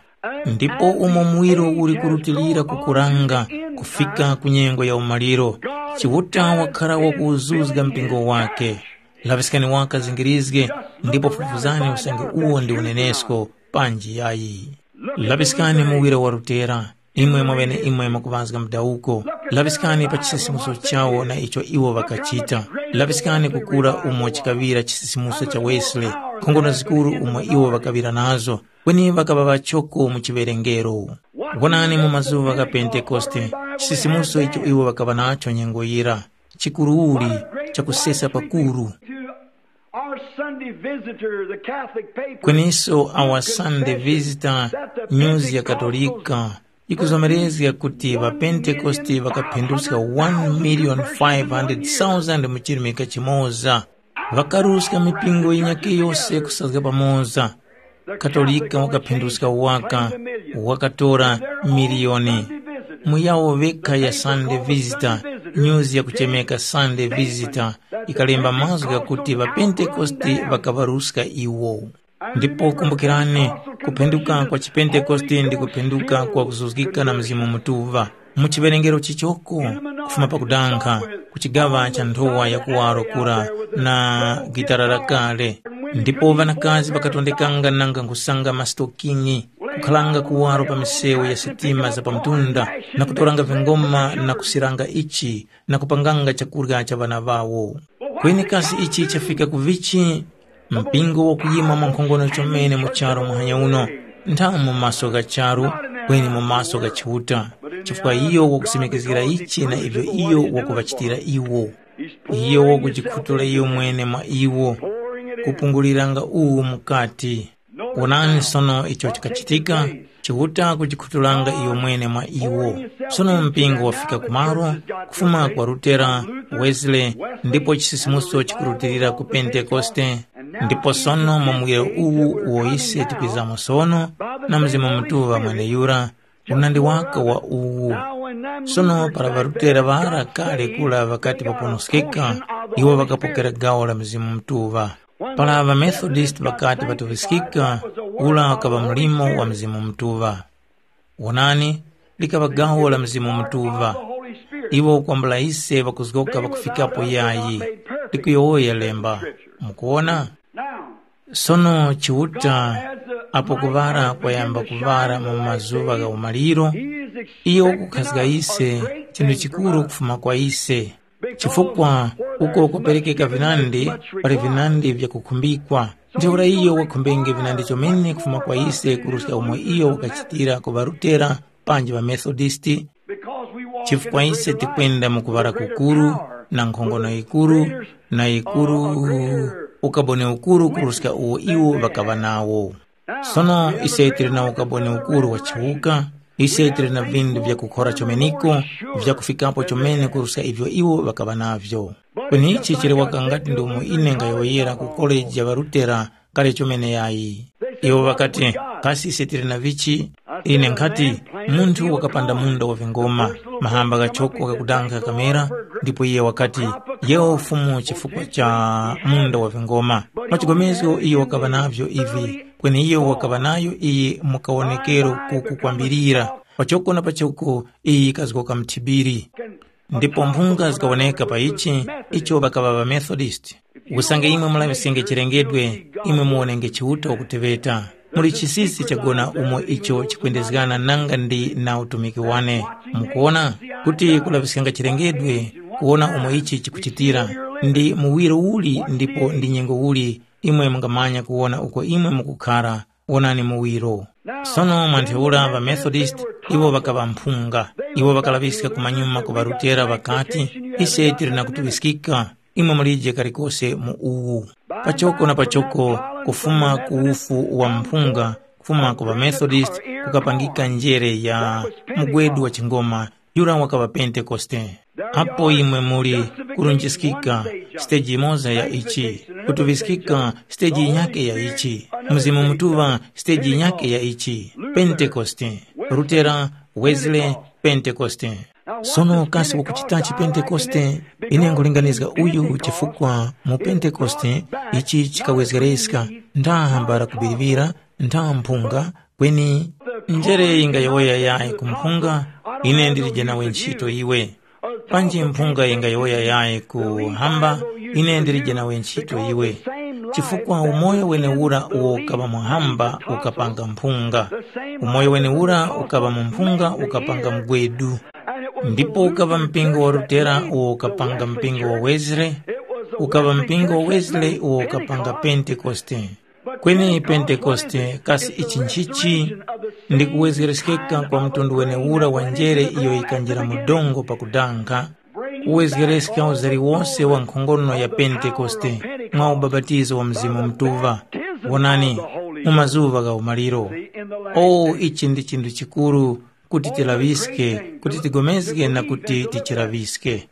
Ndipo umo muwiro uli kurutilira kukuranga kufika ku nyengo ya umaliro, Chiuta wakhara wakuwuzuzga mpingo wake. Laŵiskani waka zingirizge, ndipo fufuzani usange uwo ndi unenesko, panji yayi. Laŵiskani muwiro wa Lutera, imwe mwaŵeneimwe mukuŵazga mudawuko. Laŵiskani pa chisisimuso chawo na icho iwo ŵakachita. Laŵiskani kukura umo chikaŵira chisisimuso cha Wesley, nkhongono zikuru umo iwo ŵakaŵira nazo, kweni ŵakaŵa ŵachoko mu chiwerengero. Wonani mu mazuŵa gha Pentekoste, chisisimuso icho iwo ŵakaŵa nacho nyengo yira, chikuruuli, chakusesa pakuru. Our Sunday visitor, the Catholic paper, Kweninso awa Sunday Visitor, news ya Katolika, ikuzomerezga kuti ŵapentekoste ŵakaphinduska one million five hundred thousand mu chirimika chimoza. Ŵakaruska mipingo yinyakhe yose kusazga pamoza. Katolika wakaphinduska waka, wakatora miliyoni. Mu yawo vekha ya Sunday Visitor, news yakuchemeka Sunday Visitor, ikalemba mazgu ghakuti ŵapentekoste ŵakaŵaruska iwo. Ndipo kumbukirani, kuphenduka kwa chipentekoste ndi kuphenduka kwa kuzuzgika na Mzimu Mutuŵa. Mu chiwerengero chichoko, kufuma pakudankha, ku chigaŵa cha nthowa ya kuwaro kura na gitara lakale. Ndipo ŵanakazi ŵakatondekanga nanga nkhusanga masitokini, kukhalanga kuwaro pa misewu ya sitima za pamtunda, na kutoranga vingoma na kusiranga ichi, na kupanganga chakurya cha ŵana ŵawo. Kweni kasi ichi chafika ku vichi? Mpingo wakuyima mwankhongono chomene mu charu muhanya uno, nthamu mu maso gha charu, kweni mu maso gha Chiuta, chifukwa iyo wakusimikizgira ichi na ivyo iyo wakuŵachitira iwo. Iyo wakujikhutula iyo mwene mwa iwo, kupunguliranga uwu mukati. Wonani sono icho chikachitika, Chiuta kujikhutulanga iyo mwene mwa iwo. Sono mpingo wafika kumaro, kufuma kwa Lutera, Wesley, ndipo chisisimuso chikurutilira ku Pentekoste, ndipo sono mu muwiro uwu uwo ise tikwizamo sono, na Mzimu Mutuŵa mweneyura, unandi waka wa uwu. Sono para ŵaRutera ŵara kale kura ŵakati ŵaponoskeka, iwo ŵakapokera gawo la Mzimu Mutuŵa. Para ŵaMethodisti ŵakati ŵatuŵiskika, ura wakaŵa mlimo wa Mzimu Mutuŵa. Wonani, likaŵa gawo la Mzimu Mutuŵa. Iwo kwambula ise ŵakuzgoka ŵakufikapo yayi, likuyowoya lemba. Mukuwona? Sono Chiuta, apo kuŵala kwayamba kuŵala mu mazuŵa gha umaliro, iyo wakukhazga ise chinthu chikuru kufuma kwa ise. Chifukwa uko kuperekeka vinandi, pali vinandi vyakukhumbikwa. Ntheura iyo wakhumbenge vinandi chomene kufuma kwa ise kuruska umo iyo wakachitira ku ŵaRutera panji ŵaMethodisti, chifukwa ise tikwenda mu kuŵala kukuru, na nkhongono yikuru, na yikuru, ukaboni ukuru kuruska uwo iwo ŵakaŵa nawo. Sono ise tili na ukaboni ukuru wa chiwuka, ise tili na vindu vyakukhora chomeniko, vyakufikapo chomene kuruska ivyo iwo ŵakaŵa navyo. Kweni ichi chili waka ngati ndi umo ine ngayowoyera ku koleji ya ŵaRutera kale chomene yayi. Iwo ŵakati, kasi ise tili na vichi? Ine nkhati, munthu wakapanda munda wa vingoma, mahamba ghachoko ghakudankha kamera, ndipo iye wakati, yewo Fumu chifukwa cha munda wa vingoma. Mwa chigomezgo iyo wakaŵa navyo ivi, kweni iyo wakaŵa nayo iyi mu kawonekero kuku kwambirira, pachoko na pachoko iyi yikazgoka mthibiri. Ndipo mphunga zikawoneka pa ichi, icho ŵakaŵa ŵaMethodisti. Usange imwe mulaŵiskenge chilengedwe, imwe muwonenge Chiuta wakuteŵeta. Muli chisisi chagona umo icho chikwendezgana nanga ndi na utumiki wane. Mukuwona kuti kulaŵiskanga chilengedwe, kuwona umo ichi chikuchitira, ndi muwiro uli ndipo ndi nyengo uli imwe mungamanya kuwona uko imwe mukukhara, wonani muwiro. Sono mwa ntheura ŵaMethodisti iwo ŵakaŵa mphunga. Iwo ŵakalaŵiska kumanyuma ku ŵaRutera ŵakati, ise tili na kutuŵiskika, imwe mulije kalikose mu uwu. Pachoko na pachoko, kufuma ku ufu wa mphunga, kufuma ku ŵaMethodisti kukapangika njere ya mugwedu wa chingoma, yura wakaŵa Pentekoste. Apo imwe muli kurunjiskika siteji yimoza ya ichi, kutuŵiskika siteji yinyakhe ya ichi, Mzimu Mutuŵa siteji yinyakhe ya ichi, Pentekoste, Lutera, Wesley, Pentekoste. Sono kasi wakuchitachi Pentekoste? Ine nkhulinganizga uyu chifukwa mu Pentekoste ichi chikawezgereska, ntha hambala kubiriŵira, ntha mphunga, kweni njere yingayowoya yayi ku mphunga, ine ndilije nawe ntchito iwe. Panji mphunga yingayowoya yayi ku hamba, ine ndilije nawe ntchito iwe. Chifukwa umoyo wenewura uwo ukaŵa mu hamba ukapanga mphunga. Umoyo wenewura ukaŵa mu mphunga ukapanga mgwedu. Ndipo ukaŵa mpingo wa Lutera uwo ukapanga mpingo wa Wesley, ukaŵa mpingo wa Wesley uwo ukapanga Pentekoste. Kweni Pentekoste kasi ichi nchichi? Ndi kuwezgereskeka kwa mtundu wenewura wa njere iyo yikanjira mu dongo pakudankha, kuwezgereska uzari wose wa nkhongono ya Pentekoste mwa ubapatizo wa Mzimu Mutuŵa. Wonani, mu mazuŵa gha umaliro. O, ichi ndi chinthu chikuru kuti tilaŵiske, kuti tigomezge na kuti tichilaŵiske.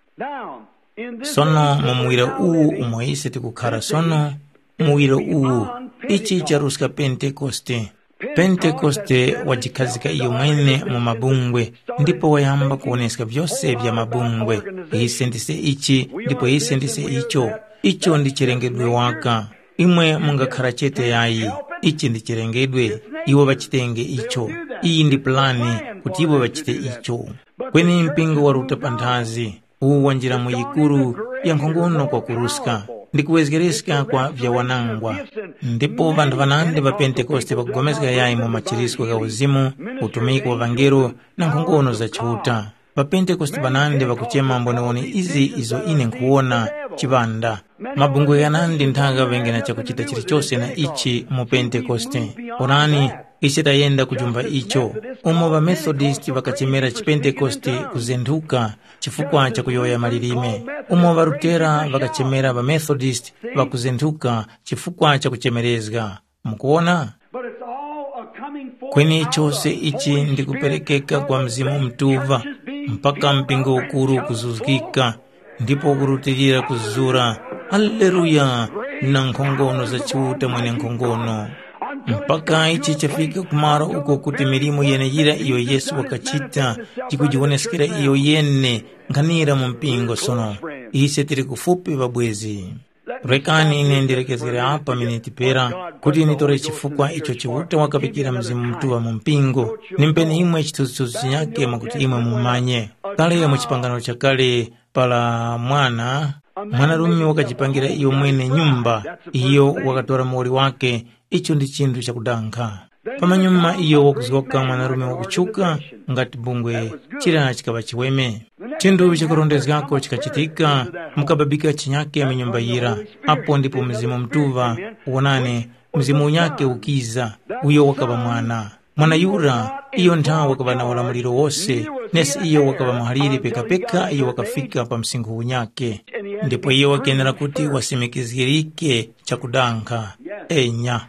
Sono mu muwiro uwu umo ise tikukhara sono, muwiro uwu, ichi charuska Pentekoste. Pentekoste wajikhazika iyo mwene mu mabungwe, ndipo wayamba kuwoneska vyose vya mabungwe. Ise ndise ichi, ndipo ise ndise icho. Icho ndi chilengedwe waka. Imwe mungakhara chete yayi. Ichi ndi chilengedwe. Iwo ŵachitenge icho. Iyi ndi pulani kuti iwo ŵachite icho. Kweni mpingo waruta panthazi, uwu wanjira mu yikuru ya nkhongono kwakuruska, ndi kuwezgereska kwa vyawanangwa. Ndipo ŵanthu ŵanandi ŵa Pentekoste ŵakupulikana yayi mu machirisco gha uzimu, utumiki wa ŵangelo, na nkhongono za Chiuta. Ŵapentekoste ŵanandi ŵakuchema mboniwoni izi izo ine nkhuwona chiŵanda. Mabungwe ghanandi ntha ghaŵenge na chakuchita chilichose na ichi mu Pentekoste. Onani, ise tayenda kujumba icho. Umo ŵaMethodisti ŵakachemera chiPentekoste kuzenthuka chifukwa cha kuyowoya malilime, umo ŵaRutera ŵakachemera ŵaMethodisti ŵakuzenthuka chifukwa cha kuchemerezga. Mukuwona? But it's all a coming forth Kweni out of chose the ichi Holy ndi Spirit kuperekeka kwa Mzimu Mutuŵa, mpaka mpingo ukuru ukuzuzgika, ndipo ukurutilira kuzura. Haleluya! Na nkhongono za Chiuta mwene nkhongono. Mpaka ichi chafika kumaro uko kuti milimo yeneyira iyo Yesu wakachita yikujiwoneskera iyo yene nkhanira mu mpingo sono. Ise tili kufupi ŵabwezi. Rekani ine ndilekezgere apa miniti pera kuti nitore chifukwa icho Chiuta wakaŵikira Mzimu Mutuŵa mu mpingo, nimpeni imwe chithunzithunzi chinyakhe mwakuti imwe mumanye. Kale mu chipangano chakale para mwana, mwanarume wakajipangira iyo mwene nyumba, iyo wakatora muwoli wake, icho ndi chinthu chakudankha. Pamanyuma iyo wakuzgoka mwanarume wakutchuka ngati bungwe chira chikaŵa chiweme. Chinthu chakurondezgako chikachitika, mukababika chinyake mu nyumba yira, apo ndipo Mzimu Mutuŵa, wonani, Mzimu unyake ukiza, uyo wakaŵa mwana. Mwana yura, iyo nthawe wakaŵa na ulamuliro wose, nesi iyo wakaŵa muhaliri pekapeka iyo wakafika pa msinkhu unyake. Ndipo iyo wakenera kuti wasimikizgirike chakudankha. Enya.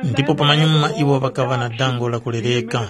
Ndipo pamanyuma iwo ŵakaŵa na dango la kulereka.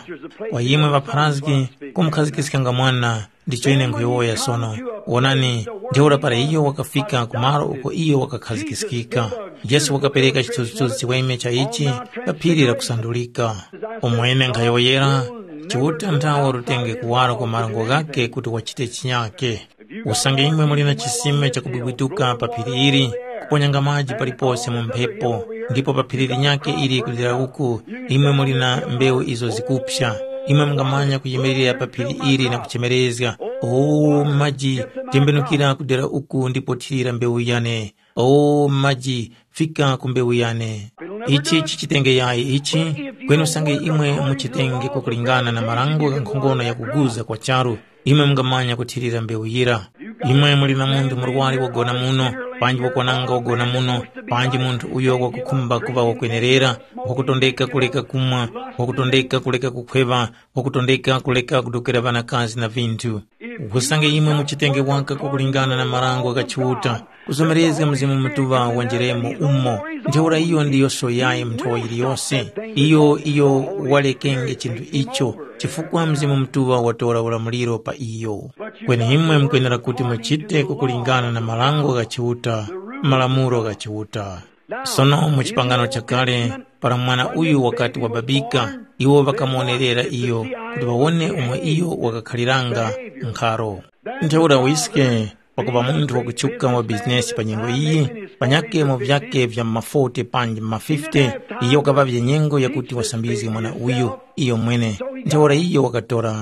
Kwa imwe ŵapharazgi, kumukhazikiskanga mwana, ndicho ine nkhuyowoya sono. Wonani, ntheura para iyo wakafika ku malo uko iyo wakakhazikiskika, Yesu wakapereka chithunzithunzi chiweme cha ichi pa phiri la kusandulika. Umo ine nkhayowoyera, Chiuta nthawe watenge kuwara kwa marango ghakhe kuti wachite chinyake. Usange imwe muli na chisime chakubwibwituka pa phiri ili, kuponyanga maji palipose mu mphepo, ndipo pa phiri linyakhe ili kulira uku, imwe muli na mbewu izo zikupsa, imwe mungamanya kuyimirira pa phiri ili na kuchemerezga, “O maji, tembenukira kudera uku ndipo thirira mbewu yane. O maji, fika ku mbewu yane.” Ichi chichitenge yayi ichi, kweni usange imwe muchitenge kwakulingana na marango gha nkhongono yakuguza kwa charu, imwe mungamanya kuthirira mbewu yira. Imwe muli na munthu murwari wagona muno, panji wakwananga wagona muno, panji munthu uyo wakukhumba kuŵa wakwenerera, wakutondeka kuleka kumwa, wakutondeka kuleka kukhweŵa, wakutondeka kuleka kudokera ŵanakazi na vinthu. Usange imwe muchitenge waka kwakulingana na marango gha Chiuta, kuzomerezga Mzimu Mutuŵa wanjeremo umo, ntheura iyo ndiyo soyayi mu nthowa yiliyose. Iyo, iyo walekenge chinthu icho, chifukwa Mzimu Mutuŵa watora ulamuliro pa iyo. Kweni imwe mukwenera kuti muchite kukulingana na marango gha Chiuta, malamulo gha Chiuta. Sono mu chipangano chakale, Para mwana uyu wakati wababika, iwo ŵakamuwonerera iyo kuti ŵawone umo iyo wakakhaliranga nkharo. Ntheura Wiske pakuŵa munthu wakuchuka wa bizinesi pa nyengo iyi, panyakhe mu vyake vya ma forty panji ma fifty, iyo wakaŵavye nyengo yakuti wasambizge mwana uyu iyomwene. Ntheura iyo wakatora.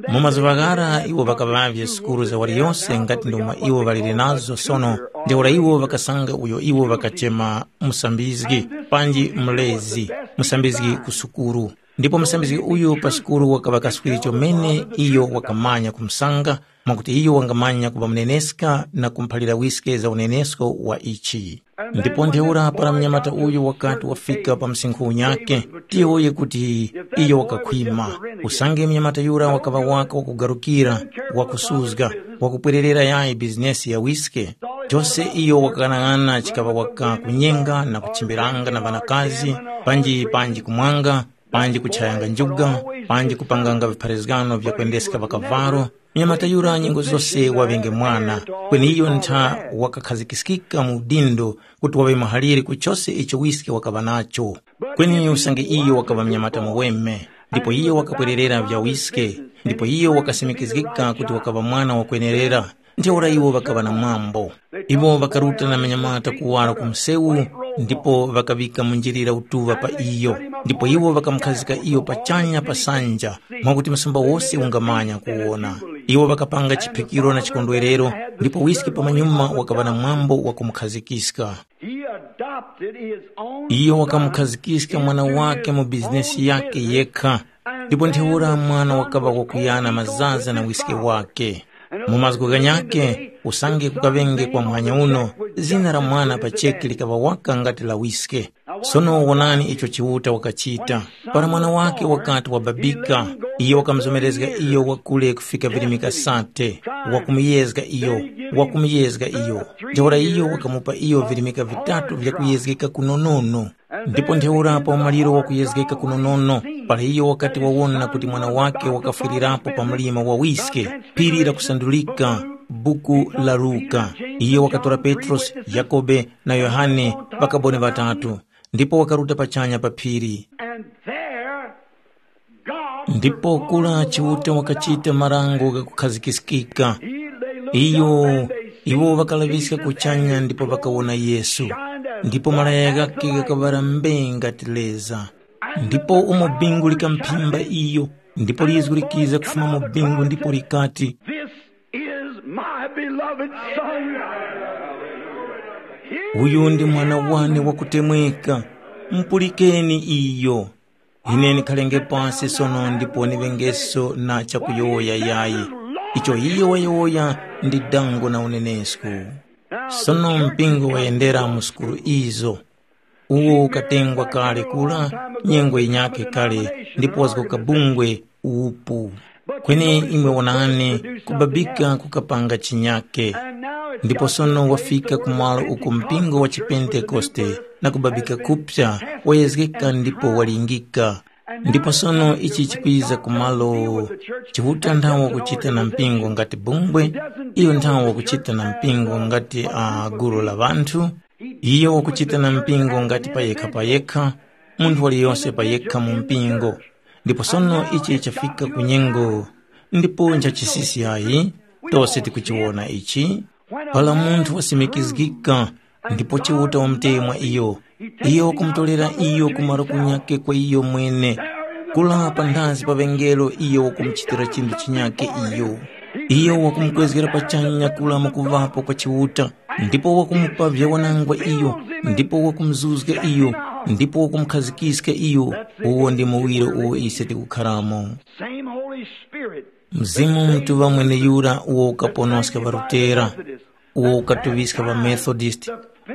Mu mazuŵa ghara iwo ŵakaŵavye sukulu za waliyose ngati ndomwe iwo ŵaliri nazo sono, ntheura iwo ŵakasanga uyo iwo ŵakachema musambizgi panji mlezi, musambizgi ku sukulu. Ndipo musambizgi uyu pa sukulu wakaŵa kaswiri chomene iyo wakamanya kumusanga, mwakuti iyo wangamanya kuŵa muneneska na kumuphalira wiske za unenesko wa ichi. Ndipo ntheura para mnyamata uyu wakati wafika pa msinkhu unyakhe, tiyowoye kuti iyo wakakhwima. Usange mnyamata yura wakaŵa waka wakugarukira, wakusuzga, wakupwererera yayi bizinesi ya wiske, chose iyo wakaghanag'ana chikaŵa waka kunyenga na kuchimbiranga na ŵanakazi, panji panji kumwanga, panji kuchayanga njuga, panji kupanganga vipharazgano vya kwendeska ŵakavalo, mnyamata yura nyengo zose waŵenge mwana, kweni iyo ntha wakakhazikiskika mu udindo kuti waŵe muhaliri ku chose icho wiske wakaŵa nacho. Kweni usange iyo wakaŵa mnyamata muweme, ndipo iyo wakapwererera vya wiske, ndipo iyo wakasimikizgika kuti wakaŵa mwana wakwenerera, ntheura iwo ŵakaŵa na mwambo. Iwo ŵakaruta na manyamata kuwara ku msewu, ndipo ŵakaŵika mu njilira utuŵa pa iyo, ndipo iwo ŵakamukhazika iyo pachanya pa sanja, mwakuti msumba wose ungamanya kuwona. Iwo ŵakapanga chiphikiro na chikondwerero, ndipo wiske pamanyuma wakaŵa na mwambo wa kumukhazikiska. He adopted his own Iyo son wakamukhazikiska mwana into wake his mu bizinesi own yake business. Yekha, ndipo ntheura mwana wakaŵa wakuyana mazaza na wiske wake. Mu mazgu ghanyakhe, usange kukaŵenge kwa muhanya uno, zina la mwana pa cheke likaŵa waka ngati la wiske. Sono wonani icho Chiuta wakachita. Para mwana wake wakati wababika, iyo wakamuzomerezga iyo wakule kufika virimika sate, wakumuyezga iyo, wakumuyezga iyo. Ntheura iyo wakamupa iyo virimika vitatu vya kuyezgeka kunonono. Ndipo ntheura pa umaliro wa kuyezgeka kunonono, para iyo wakati wawona kuti mwana wake wakafwirirapo pa mlima wa wiske, phiri lakusandulika, buku la Luka, iyo wakatora Petrosi, Yakobe na Yohane, ŵakaboni ŵatatu, ndipo wakaruta pachanya pa phiri. And there God Ndipo kula Chiuta wakachita marango ghakukhazikikika. Iyo, iwo ŵakalaŵiska kuchanya ndipo ŵakawona Yesu, ndipo malaya ghakhe ghakaŵala mbee ngati leza. Ndipo umo bingu likamphimba iyo, ndipo lizgu likiza kufuma mu bingu ndipo likati, This is my beloved Son. Uyu ndi mwana wane wakutemweka, mupulikeni iyo. Ine ndikhalenge pasi sono ndipo ndiŵengeso na chakuyowoya yayi. Icho iyo wayowoya ndi dango na unenesko. Sono mpingo wayendera mu sukulu izo. Uwo ukatengwa kale kula, nyengo yinyakhe kale, ndipo wazgoka bungwe upu. Kweni imwe wonani, kubabika kukapanga chinyake. Ndipo sono wafika kumalo uko mpingo wa chipentekoste na kubabika kupsa wayezgeka ndipo walingika. Ndipo sono ichi chikwiza kumalo Chiuta nthawa kuchita na mpingo ngati bungwe, iyo nthawa kuchita na mpingo ngati a gulu la ŵanthu, iyo wakuchita na mpingo ngati payekha payekha, munthu waliyose payekha mu mpingo. Ndipo sono ichi chafika ku nyengo, ndipo nchachisisi ayi, tose tikuchiwona ichi. Para munthu wasimikizgika, ndipo Chiuta wamuteye mwa iyo, iyo wakumutolera iyo ku malo kunyake kwa iyo mwene. Kula panthazi pa ŵengelo iyo wakumuchitira chinthu chinyake iyo. Iyo wakumukwezgera pachanya kula mu kuŵapo kwa Chiuta, ndipo wakumupa vyawanangwa iyo, ndipo wakumuzuzga iyo, ndipo wakumukhazgiska iyo. Uwo ndi muwiro uwo ise tikukharamo. Same Holy Spirit. Mzimu Mutuŵa mweneyura uwo ukaponoska ŵaLutera, uwo ukatuŵiska ŵaMethodist,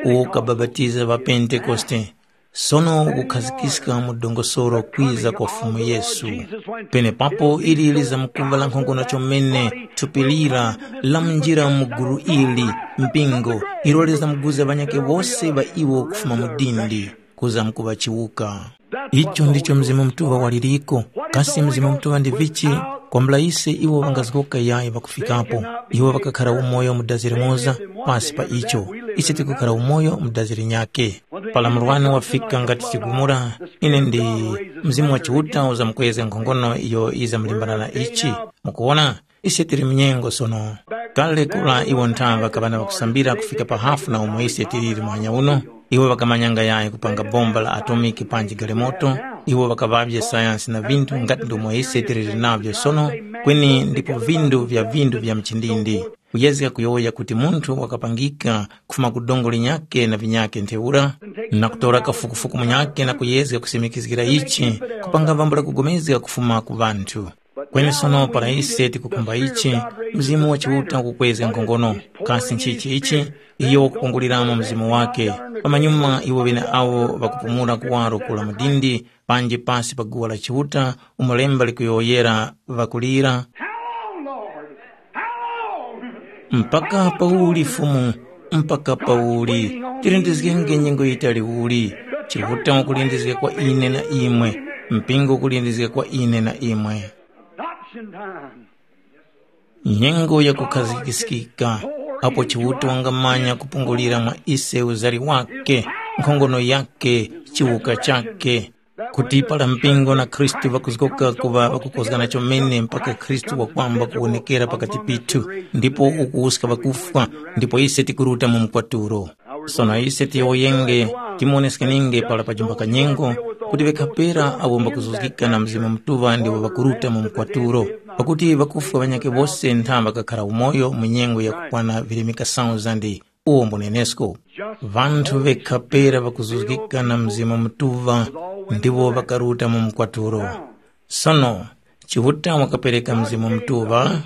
uwo ukabapatiza ŵaPentekoste, sono ukukhazikiska mu dongosolo kwiza kwa Fumu Yesu. Penepapo ili lizamkuŵa lankhongono chomene thupi lira lamunjira mu gulu ili, mpingo, ilo lizamguza ŵanyakhe wose ŵa iwo kufuma mu dindi, kuzamkuŵa chiwuka. Icho ndicho Mzimu Mutuŵa waliriko. Kasi Mzimu Mutuŵa ndi vichi? Kwambula ise iwo ŵangazgoka yayi ŵakufikapo. Iwo ŵakakhara umoyo mu dazi limoza, pasi pa icho, ise tikukhara umoyo mu dazi linyakhe. Para murwani wafika ngati chigumula, ine ndi Mzimu wa Chiuta uzamkwezga nkhongono iyo yizamlimbana na ichi. Mukuwona? Ise tili mu nyengo sono. Kale kura iwo nthaŵa ŵakaŵa na ŵakusambira kufika pa hafu na umo ise tiliri muhanya uno. Iwo ŵakamanyanga yayi kupanga bomba la atomiki panji galemoto. Iwo ŵakaŵavye sayansi na vinthu ngati ndomwe ise tiliri navyo sono, kweni ndipo vindu vya vindu vya mchindindi. Kuyezga kuyowoya kuti munthu wakapangika kufuma ku dongo linyakhe na vinyakhe ntheura, na kutora kafukufuku munyakhe na kuyezga kusimikizgira ichi, kupanga vambula kugomezga kufuma ku ŵanthu. Kweni sono para ise tikukhumba ichi, Mzimu wa Chiuta ukukwezga nkhongono. Kasi nchichi ichi? Iyo wakupunguliramo Mzimu wake. Pamanyuma iwo ŵeneawo ŵakupumula kuwaro kula mudindi, panji pasi pa guwa la Chiuta, umo lemba likuyowoyera ŵakulira, How long, Lord? How long? Mpaka pauli Fumu? Mpaka pauli? Tilindizgenge nyengo yitali uli? Chiuta ukulindizga kwa ine na imwe, mpingo ukulindizga kwa ine na imwe. Adoption time. Nyengo ya kukhazikiskika, apo Chiuta wangamanya kupungulira mwa ise uzari wake, nkhongono yake, chiwuka chake. Kuti para mpingo na Khristu ŵakuzgoka kuŵa ŵakukozgana chomene mpaka Khristu wakwamba kuwonekera pakati pithu, ndipo ukuwuska ŵakufwa, ndipo ise tikuruta mu mkwaturo. Sono ise tiyowoyenge, timuwoneskeninge para pajimba kanyengo, kuti ŵekhapera awo mbakuzuzgika na Mzimu Mutuŵa ndiwo ŵakuruta mu mkwaturo. Pakuti ŵakufwa ŵanyakhe wose ntha ŵakakhara umoyo mu nyengo yakukwana virimika sauzandi. Uwo mbunenesko. Vanthu vekha pera ŵakuzuzgika na Mzimu Mutuŵa ndiwo ŵakaruta mu mkwaturo. Sono, Chiuta wakapereka Mzimu Mutuŵa.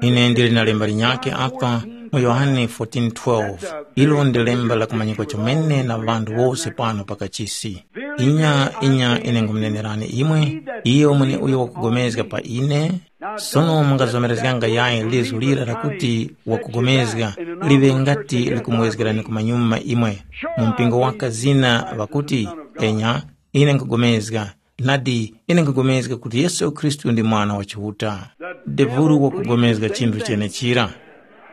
Ine ndili na lemba linyakhe apa mu Yohane fourteen twelve. Ilo ndi lemba lakumanyikwa chomene na ŵanthu wose pano pa kachisi. Inya, inya, ine nkhumunenerani imwe, iyo mweneuyo wakugomezga pa ine, sono mungazomerezganga yayi lizu lira lakuti wakugomezga liŵe ngati likumwezgerani kumanyuma imwe. Mu mpingo waka zina ŵakuti, enya, ine nkugomezga, nadi, ine nkugomezga kuti Yesu Khristu ndi Mwana wa Chiuta. Devulu wakugomezga chinthu chenechira.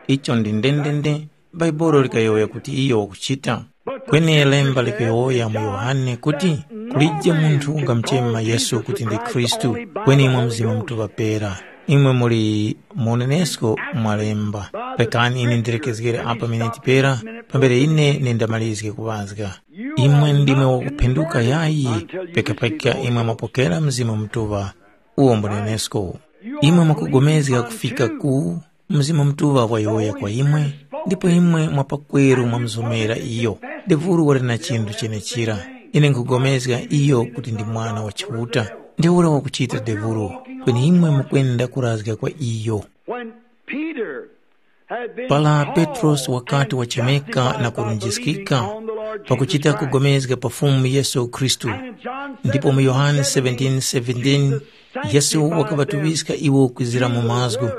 Icho ndi ndendende, Bhaibuli likayowoya kuti iyo wakuchita. Kweni lemba likayowoya mu Yohane kuti, kulije munthu ungamuchema Yesu kuti ndi Khristu, kweni imwe Mzimu Mutuŵa pera. Imwe muli munenesko mwa lemba. Rekani ine ndilekezgere apa miniti pera, pambere ine nindamalizge kuŵazga. Imwe ndimwe wakuphenduka yayi, pekapeka imwe mwapokera Mzimu Mutuŵa. Uwo mbunenesko. Imwe mwakugomezga kufika ku Mzimu Mutuŵa wayowoya kwa imwe, ndipo imwe mwa pakweru mwamuzomera iyo. Devulu wali na chinthu chenechira. Ine nkhupulikana iyo kuti ndi Mwana wa Chiuta. Ntheura wakuchita Devulu, kweni imwe mukwenda kurazga kwa iyo. When Peter had been Para called Petrosi wakati and wachemeka na justified by kurunjiskika believing on the Lord pakuchita Jesus Christ. Kugomezga pa Fumu Yesu Khristu. And in John Ndipo mu Yohane seventeen seventeen, Jesus Yesu sanctified wakaŵatuŵiska iwo kwizira mu mazgu,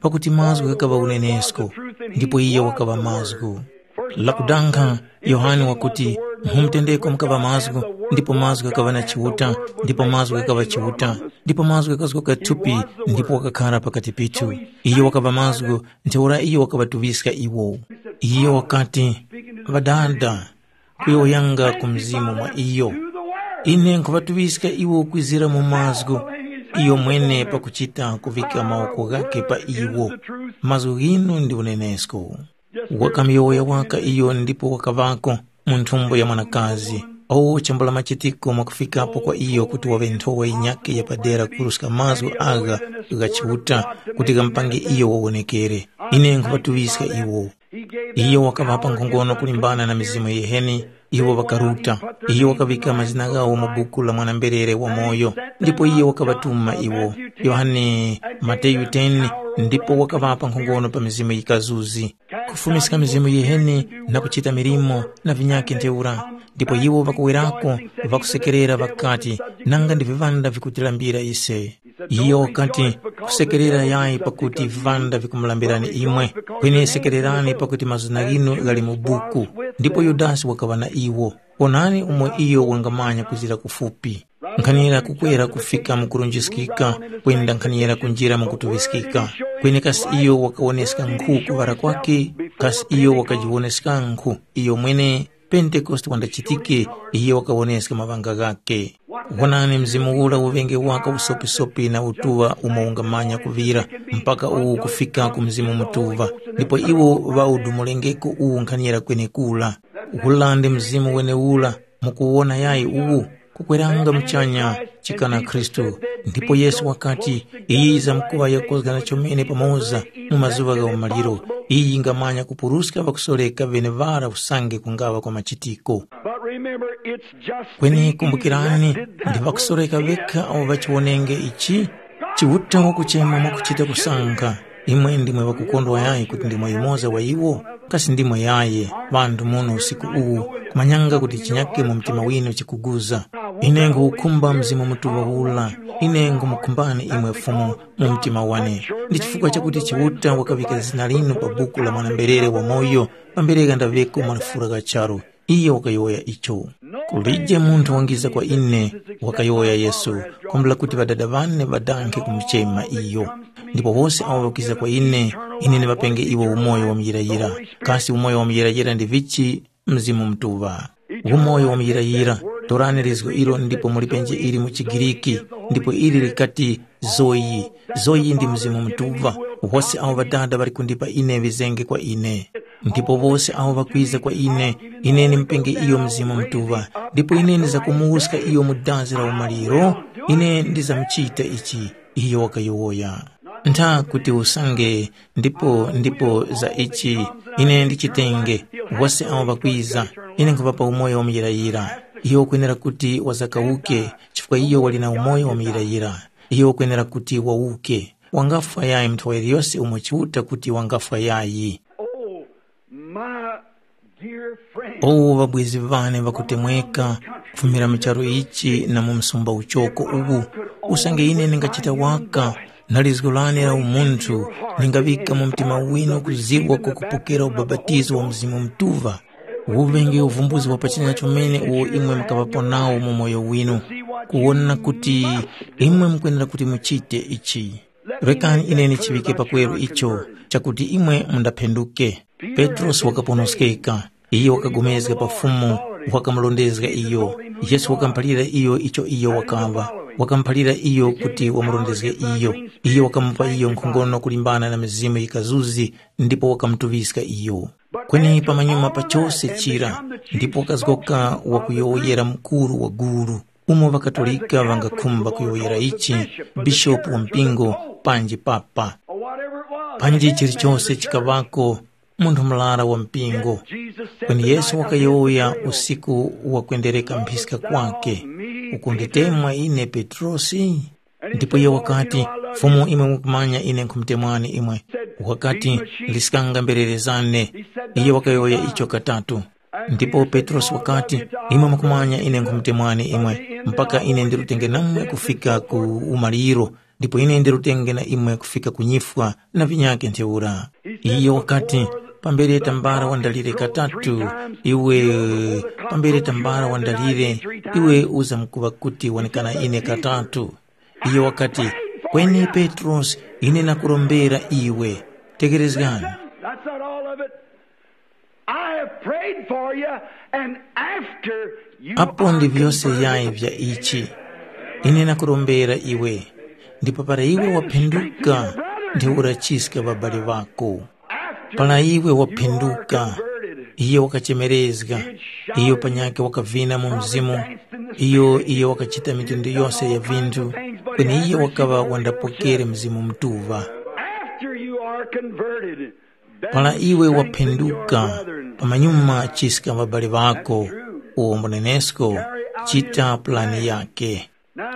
pakuti mazgu ghakaŵa unenesko, ndipo iye wakaŵa mazgu. Lakudankha, Yohane wakuti, mu mutendeko mukaŵa mazgu, ndipo mazgu ghakaŵa na Chiuta, ndipo mazgu ghakaŵa Chiuta, ndipo mazgu ghakazgoka thupi, ndipo wakakhara pakati pithu. Iyo wakaŵa mazgu, ntheura iyo wakaŵatuŵiska iwo. Iyo wakati, Ŵadada, kuyowoyanga ku mzimu mwa iyo. Ine nkhuŵatuŵiska iwo kwizira mu mazgu, iyo mwene pakuchita kuvika mawoko ghakhe pa iwo. Mazgu ghinu ndi unenesko. Wakamuyowoya waka iyo ndipo wakaŵako mu nthumbo ya mwanakazi. O chambula machitiko mwakufikapo kwa iyo kuti waŵe nthowa yinyakhe yapadera kuruska mazgu agha gha Chiuta kuti ghamupange iyo wawonekere. Ine nkhuŵatuŵiska iwo. Iyo wakaŵapa nkhongono kulimbana na mizimu yiheni, iwo ŵakaruta. Iyo wakaŵika mazina ghawo mu buku la mwana-mberere wamoyo, ndipo iyo wakaŵatuma iwo. Yohane, Mateyu ten, ndipo wakaŵapa nkhongono pa mizimu yikazuzi, kufumiska mizimu yiheni na kuchita milimo na vinyakhe ntheura. Ndipo iwo ŵakuwerako, ŵakusekerera ŵakati, nanga ndi viŵanda vikutilambira ise. Iyo wakati, kusekerera yayi pakuti viŵanda vikumulambirani imwe, kweni sekererani pakuti mazina ghinu ghali mu buku. Ndipo Yudasi wakaŵa na iwo. Onani umo iyo wangamanya kuzira kufupi. Nkhanira kukwera kufika mu kurunjiskika, kwenda nkhanira kunjira mu kutuŵiskika. Kweni kasi iyo wakawoneska nkhu kuŵara kwakhe? Kasi iyo wakajiwoneska nkhu iyo mwene? Pentekoste wandachitike, iyo wakawoneska maŵanga ghakhe. Wonani, Mzimu ura uŵenge waka usopisopi na utuŵa umo ungamanya kuŵira, mpaka uwu kufika ku Mzimu Mutuŵa, ndipo iwo ŵaudumulengeko uwu nkhanira kwenekura. Ura ndi Mzimu wenewura, mukuwona yayi uwu, kukweranga muchanya, chikana Khristu. Ndipo Yesu wakati, iyi yizamkuŵa yakozgana chomene pamoza mu mazuŵa gha umaliro. Iyi yingamanya kupuruska ŵakusoreka ŵeneŵara usange kungaŵa kwa machitiko. But remember, it's just Kweni these kumbukirani, that ndi ŵakusoreka ŵekha awo ŵachiwonenge ichi. Chiuta wakuchema mwakuchita kusankha. Imwe ndimwe ŵakukondwa yayi kuti ndimwe yumoza wa iwo? Kasi ndimwe yaye, ŵanthu muno usiku uwu, kumanyanga kuti chinyake mu mtima winu chikuguza. Ine nkhuwukhumba Mzimu Mutuŵa ula. Ine nkhumukhumbani imwe Fumu mu mtima wane. Ndi chifukwa chakuti Chiuta wakaŵika zina linu pa buku la mwana-mberere wamoyo, pambere ghandaŵeko malafura gha charu. Iyo wakayowoya icho. Kulije munthu wangiza kwa ine, wakayowoya Yesu, kwambula kuti Ŵadada ŵane ŵadankhe kumuchema iyo. Ndipo wose awo ŵakiza kwa ine, ine ndiŵapenge iwo umoyo wa muyirayira. Kasi umoyo wa muyirayira ndi vichi? Mzimu Mutuŵa. Umoyo wa muyirayira. Torani lizgo ilo ndipo mulipenje ili mu chiGiriki, ndipo ili likati, Zoyi. Zoyi ndi Mzimu Mutuŵa. Wose awo Ŵadada ŵali kundipa ine ŵizenge kwa ine. Ndipo wose awo ŵakwiza kwa ine, ine ndimupenge iyo Mzimu Mutuŵa, ndipo ine ndizakumuwuska iyo mu dazi la umaliro. Ine ndizamuchita ichi, iyo wakayowoya. Ntha kuti usange, ndipo ndipo za ichi ine ndichitenge, wose awo ŵakwiza, ine nkhuŵapa umoyo wamuyirayira. Iyo ukwenera kuti wazakawuke, chifukwa iyo wali na umoyo wamuyirayira. Iyo ukwenera kuti wawuke. Wangafwa yayi munthu waliyose umo Chiuta kuti wangafwa yayi. Oh, my dear friend. Owo ŵabwezi ŵane ŵakutemweka, kufumira mu charu ichi na mu msumba uchoko uwu, usange ine ndingachita waka, na lizgo lane la umunthu, ndingaŵika mu mtima winu kuziwa kwakupokera ubapatizo wa Mzimu Mutuŵa. Uŵenge uvumbuzi wa pachanya chomene uwo imwe mukaŵapo nawo mu moyo winu, kuwona kuti imwe mukwenera kuti muchite ichi. Rekani ine ndichiŵike pakweru icho, chakuti imwe mundaphenduke. Petrosi wakaponoskeka. Iyo wakapulikana pa Fumu, wakamurondezga iyo. Yesu wakamuphalira iyo icho iyo wakaŵa. Wakamuphalira iyo kuti wamurondezge iyo. Iyo wakamupa iyo nkhongono kulimbana na mizimu yikazuzi, ndipo wakamutuŵiska iyo. Kweni pamanyuma pa chose chira, ndipo wakazgoka wakuyowoyera mukuru wa gulu, umo ŵaKatolika ŵangakhumba kuyowoyera ichi, bishopu wa mpingo, panji papa. Panji chilichose chikaŵako, munthu murara wa mpingo. Kweni Yesu wakayowoya usiku wa kwendereka mphiska kwakhe, ukunditemwa ine Petrosi? Ndipo iyo wakati, Fumu, imwe mukumanya ine nkhumutemwani imwe. Wakati, liskanga mberere zane. Iyo wakayowoya icho katatu. Ndipo Petrosi wakati, imwe mukumanya ine nkhumutemwani imwe, mpaka ine ndirutenge namwe kufika ku umaliro, ndipo ine ndirutenge na imwe kufika ku nyifwa na vinyakhe ntheura. Iyo wakati, pambere tambala wandalire katatu, iwe, pambere tambala wandalire, iwe uzamkuŵa kuti wanekana ine katatu. Iyo wakati, kweni Petrosi, ine nakurombera iwe. Tekerezgani. That's not all of it. I have prayed for you, and after you apo ndi are vyose converted, yayi vya ichi. Ine nakurombera iwe, ndipo para iwe waphinduka, ndi urachiska babali ŵako. Para iwe waphinduka, iye wakachemerezga, iyo panyakhe wakavina mu mzimu, iyo iye wakachita mitundu yose ya vinthu, kweni iye wakaŵa wandapokere Mzimu Mutuŵa. After you are converted, then Para iwe waphenduka, pamanyuma chiska ŵabale ŵako, uwo mbunenesko, chita pulani yake.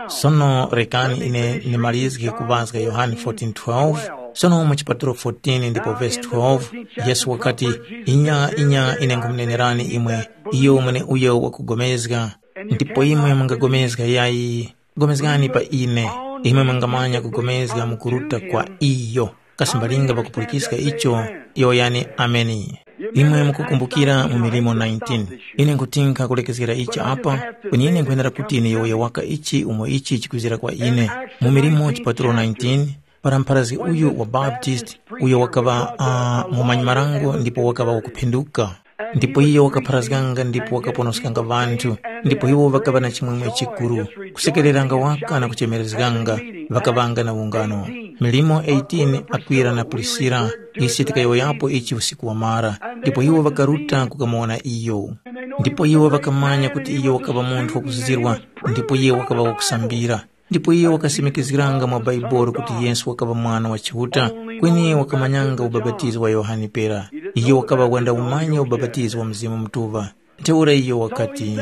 Sono rekani ine ndimalizge kuŵazga Yohane fourteen twelve. Sono mu chipatulo fourteen ndipo vesi twelve, Yesu wakati, inya, inya, ine nkhumunenerani imwe, iyo mweneuyo wakugomezga, ndipo imwe mungapulikana yayi, pulikani pa ine, imwe mungamanya kupulikana mu kuruta kwa iyo. Kasi mbalinga pakupulikiska icho, yowoyani, Ameni. Imwe mukukumbukira mu milimo nineteen, ine nkutinkha kulekezgera ichi apa, kweni ine nkwenera kuti ine yowoya waka ichi umo ichi chikwizira kwa ine. Mu milimo chipatulo nineteen, para mpharazgi uyu wa Baptist, uyo wakaŵa uh, mumanyi marango ndipo wakaŵa wakuphinduka. Ndipo iyo wakapharazganga ndipo wakaponoskanga ŵanthu, ndipo iwo ŵakaŵa na chimwemwe chikuru, kusekereranga waka na kuchemerezganga, ŵakaŵanga na ungano. Milimo eighteen, Akwila na Prisila, ise tikayowoyapo ichi usiku wamara, ndipo iwo ŵakaruta kukamuwona iyo. Ndipo iwo ŵakamanya kuti iyo wakaŵa munthu wakuzizirwa, ndipo iye wakaŵa wakusambira. Ndipo iyo wakasimikizgiranga mwa Bhaibuli kuti Yesu wakaŵa Mwana wa Chiuta, kweni wakamanyanga ubapatizo wa Yohane pera. Iyo wakaŵa wenda umanya ubapatizo wa Mzimu Mutuŵa. Ntheura iyo wakati,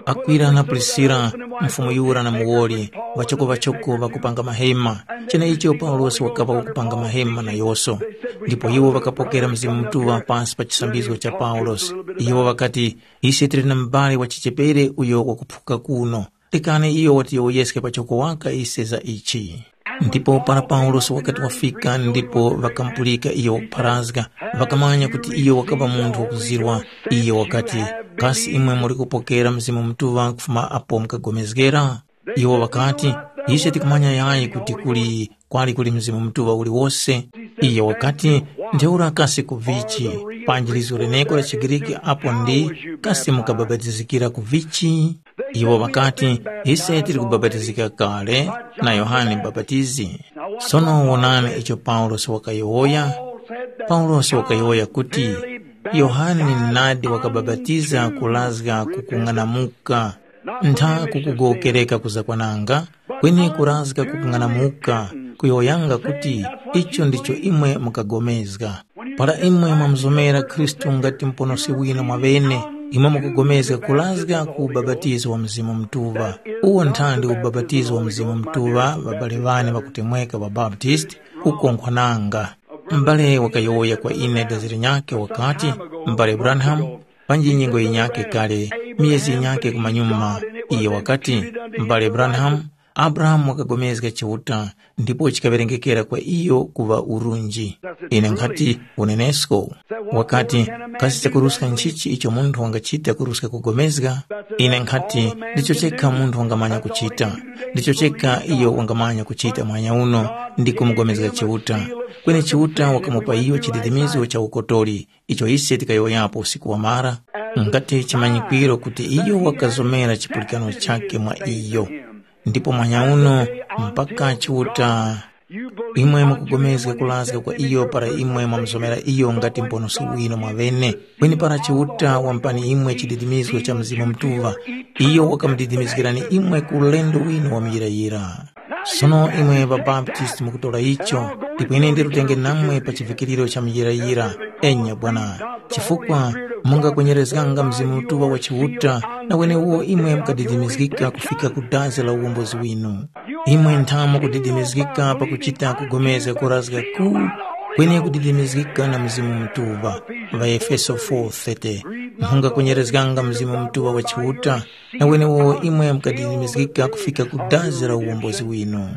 Akwila na Prisila, mfumu yura na muwoli, ŵachoko-ŵachoko ŵakupanga mahema, cheneicho Paulosi wakaŵa wakupanga mahema na yoso. Ndipo iwo ŵakapokera Mzimu Mutuŵa pasi pa chisambizgo cha Paulosi. Iwo ŵakati, ise tili na mubali wa chichepere uyo wakuphuka kuno. Rekani iyo watiyowoyeske pachoko waka ise za ichi. Ndipo para Paulosi wakati wafika ndipo ŵakamupulika iyo wakupharazga, ŵakamanya kuti iyo wakaŵa munthu wakuzirwa. Iyo wakati, kasi imwe muli kupokera Mzimu Mutuŵa kufuma apo mukagomezgera? Iwo ŵakati, ise tikumanya yayi kuti kuli kwali kuli Mzimu Mutuŵa uliwose. Iyo wakati, ntheura kasi ku vichi? Panji lizgu leneko la chiGriki apo ndi, kasi mukabapatizikira ku vichi? Iwo ŵakati, ise tili kubapatizika kale na Yohane Mubapatizi. Sono wonani icho Paulosi wakayowoya. Paulosi wakayowoya kuti, Yohane nadi wakabapatiza kulazga kukung'anamuka, ntha kukugowokereka kuzakwananga, kweni kurazga kukung'anamuka, kuyowoyanga kuti, icho ndicho imwe mukagomezga. Para imwe mwamuzomera Khristu ngati Muponoski winu mwaŵene, imwe mukugomezga kurazga ku ubapatizo wa Mzimu Mutuŵa. Uwo nthandi ubapatizo wa Mzimu Mutuŵa ŵabali ŵane ŵakutemweka ŵaBaptisti kukonkhwananga. M'bale wakayowoya kwa ine dazi linyakhe wakati, M'bale Branham, panji nyengo yinyakhe kale, miyezi yinyakhe kumanyuma, iyo wakati, M'bale Branham, Abrahamu wakagomezga Chiuta, ndipo chikaŵerengekera kwa iyo kuŵa urunji. Ine nkhati, unenesko. Wakati, kasi chakuruska nchichi icho munthu wangachita kuruska kugomezga? Ine nkhati, ndicho chekha munthu wangamanya kuchita. Ndicho chekha iyo wangamanya kuchita mwanya uno, ndi kumugomezga Chiuta. Kweni Chiuta wakamupa iyo chididimizo cha ukotori, icho ise tikayowoyapo usiku wamara, ngati chimanyikwiro kuti iyo wakazomera chipulikano chakhe mwa iyo. Ndipo mwanya uno, mpaka Chiuta, imwe mukugomezga kulazga kwa iyo para imwe mwamuzomera iyo ngati Muponoski winu mwaŵene, kweni para Chiuta wampani imwe chididimizgo cha Mzimu Mutuŵa, iyo wakamudidimizgirani imwe ku ulendo winu wa muyirayira. Sono imwe ŵaBaptisti mukutora icho, ndipo ine ndirutenge namwe pa chivikiriro cha muyirayira, enya bwana, chifukwa mungakwenyerezganga Mzimu Mutuŵa wa Chiuta, na wenewo imwe mukadidimizgika kufika ku dazi la uwombozi winu. Imwe ntha mukudidimizgika pakuchita kugomezga kurazga ku, kweni kudidimizgika na Mzimu Mutuŵa. ޣaEfeso four thirty. Mungakwenyerezganga Mzimu Mutuŵa wa Chiuta, na wenewo imwe mukadidimizgika kufika ku dazi la uwombozi winu.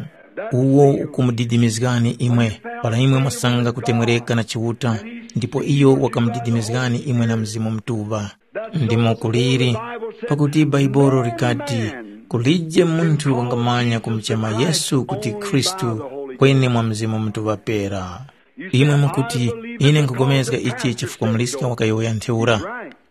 Uwo ukumudidimizgani imwe, para imwe mwasanga kutemwereka na Chiuta, ndipo iyo wakamudidimizgani imwe na Mzimu Mutuŵa. Ndimo kuliri, pakuti Bhaibuli likati, kulije munthu wangamanya kumuchema Yesu kuti Khristu, kweni mwa Mzimu Mutuŵa pera. Imwe mukuti, ine nkhupulikana ichi chifukwa Muliska wakayowoya ntheura.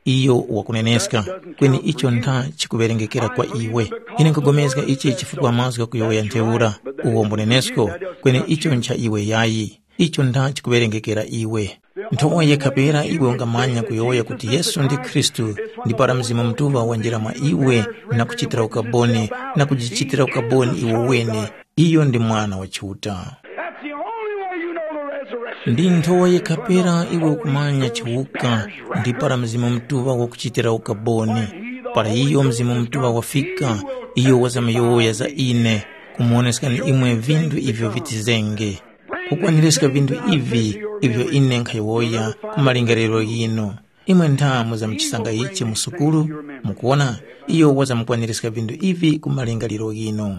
Iyo wakuneneska, kweni icho ntha chikuŵerengekera kwa iwe. Ine nkhupulikana ichi chifukwa mazgu ghakuyowoya ntheura, uwo mbunenesko, kweni icho ncha iwe yayi. Icho ntha chikuŵerengekera iwe. Nthowa yekha pera iwe ungamanya kuyowoya kuti Yesu ndi Khristu, ndi para Mzimu Mutuŵa wanjira mwa iwe na kuchitira ukaboni, na kujichitira ukaboni iwe wene, iyo ndi Mwana wa Chiuta. That's the only way you know the resurrection. Ndi nthowa yekha pera iwe ukumanya chiwuka, ndi para Mzimu Mutuŵa wakuchitira ukaboni. Para iyo Mzimu Mutuŵa wafika, iyo wazamyowoya za ine, kumuwoneskani imwe vinthu ivyo vitizenge. Kukwaniska vinthu ivi ivyo ine nkhayowoya ku malingaliro ghinu. Imwe ntha muzamuchisanga ichi mu sukulu, mukuwona, iyo wazamukwaniska vinthu ivi ku malingaliro ghinu.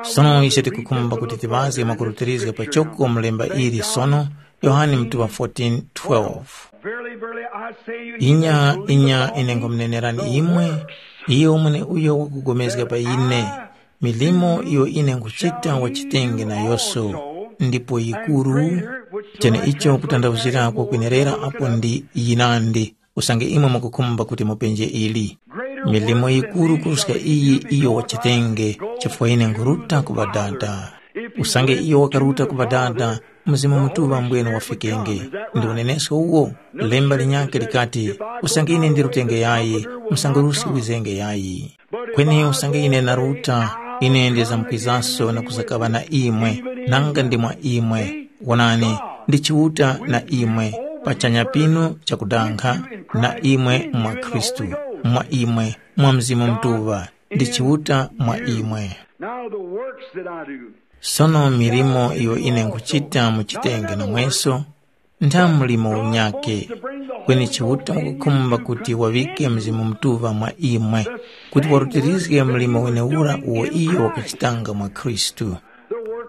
Sono ise tikukhumba kuti tiŵazge mwakurutirizga pachoko mu lemba ili sono, Yohane mutuŵa fourteen twelve. Verily, verily, I say you, inya inya ine ngumunenerani imwe, iye umwene uyo wakupulikana pa ine, milimo iyo ine nkuchita wachitenge nayonso, ndipo yikuru. Tene icho kutandawuzira kwakwenerera apo ndi yinandi, usange imwe mukukhumba kuti mupenje ili. Milimo yikuru kuruska iyi iyo wachitenge, chifukwa ine nkuruta ku Ŵadada. Usange iyo wakaruta ku Ŵadada, Mzimu Mutuŵa mbwene wafikenge. Ndi unenesko uwo? Lemba linyakhe likati, usange ine ndirutenge yayi, msanguruski wizenge yayi. Kweni usange ine naruta, ine ndizamkwizanso na kuzakaŵa na imwe, nanga ndi mwa imwe. Wonani, ndi Chiuta na imwe, pachanya pinu chakudankha, na imwe mwa Khristu, mwa imwe, mwa Mzimu Mutuŵa, ndi Chiuta mwa imwe. Now the works that I do. Sono milimo iyo ine nkuchita muchitenge namweso, ntha mlimo unyakhe, kweni Chiuta wakukhumba kuti waŵike Mzimu Mutuŵa mwa imwe, kuti warutirizge mlimo wenewura uwo iyo wakachitanga mwa Khristu.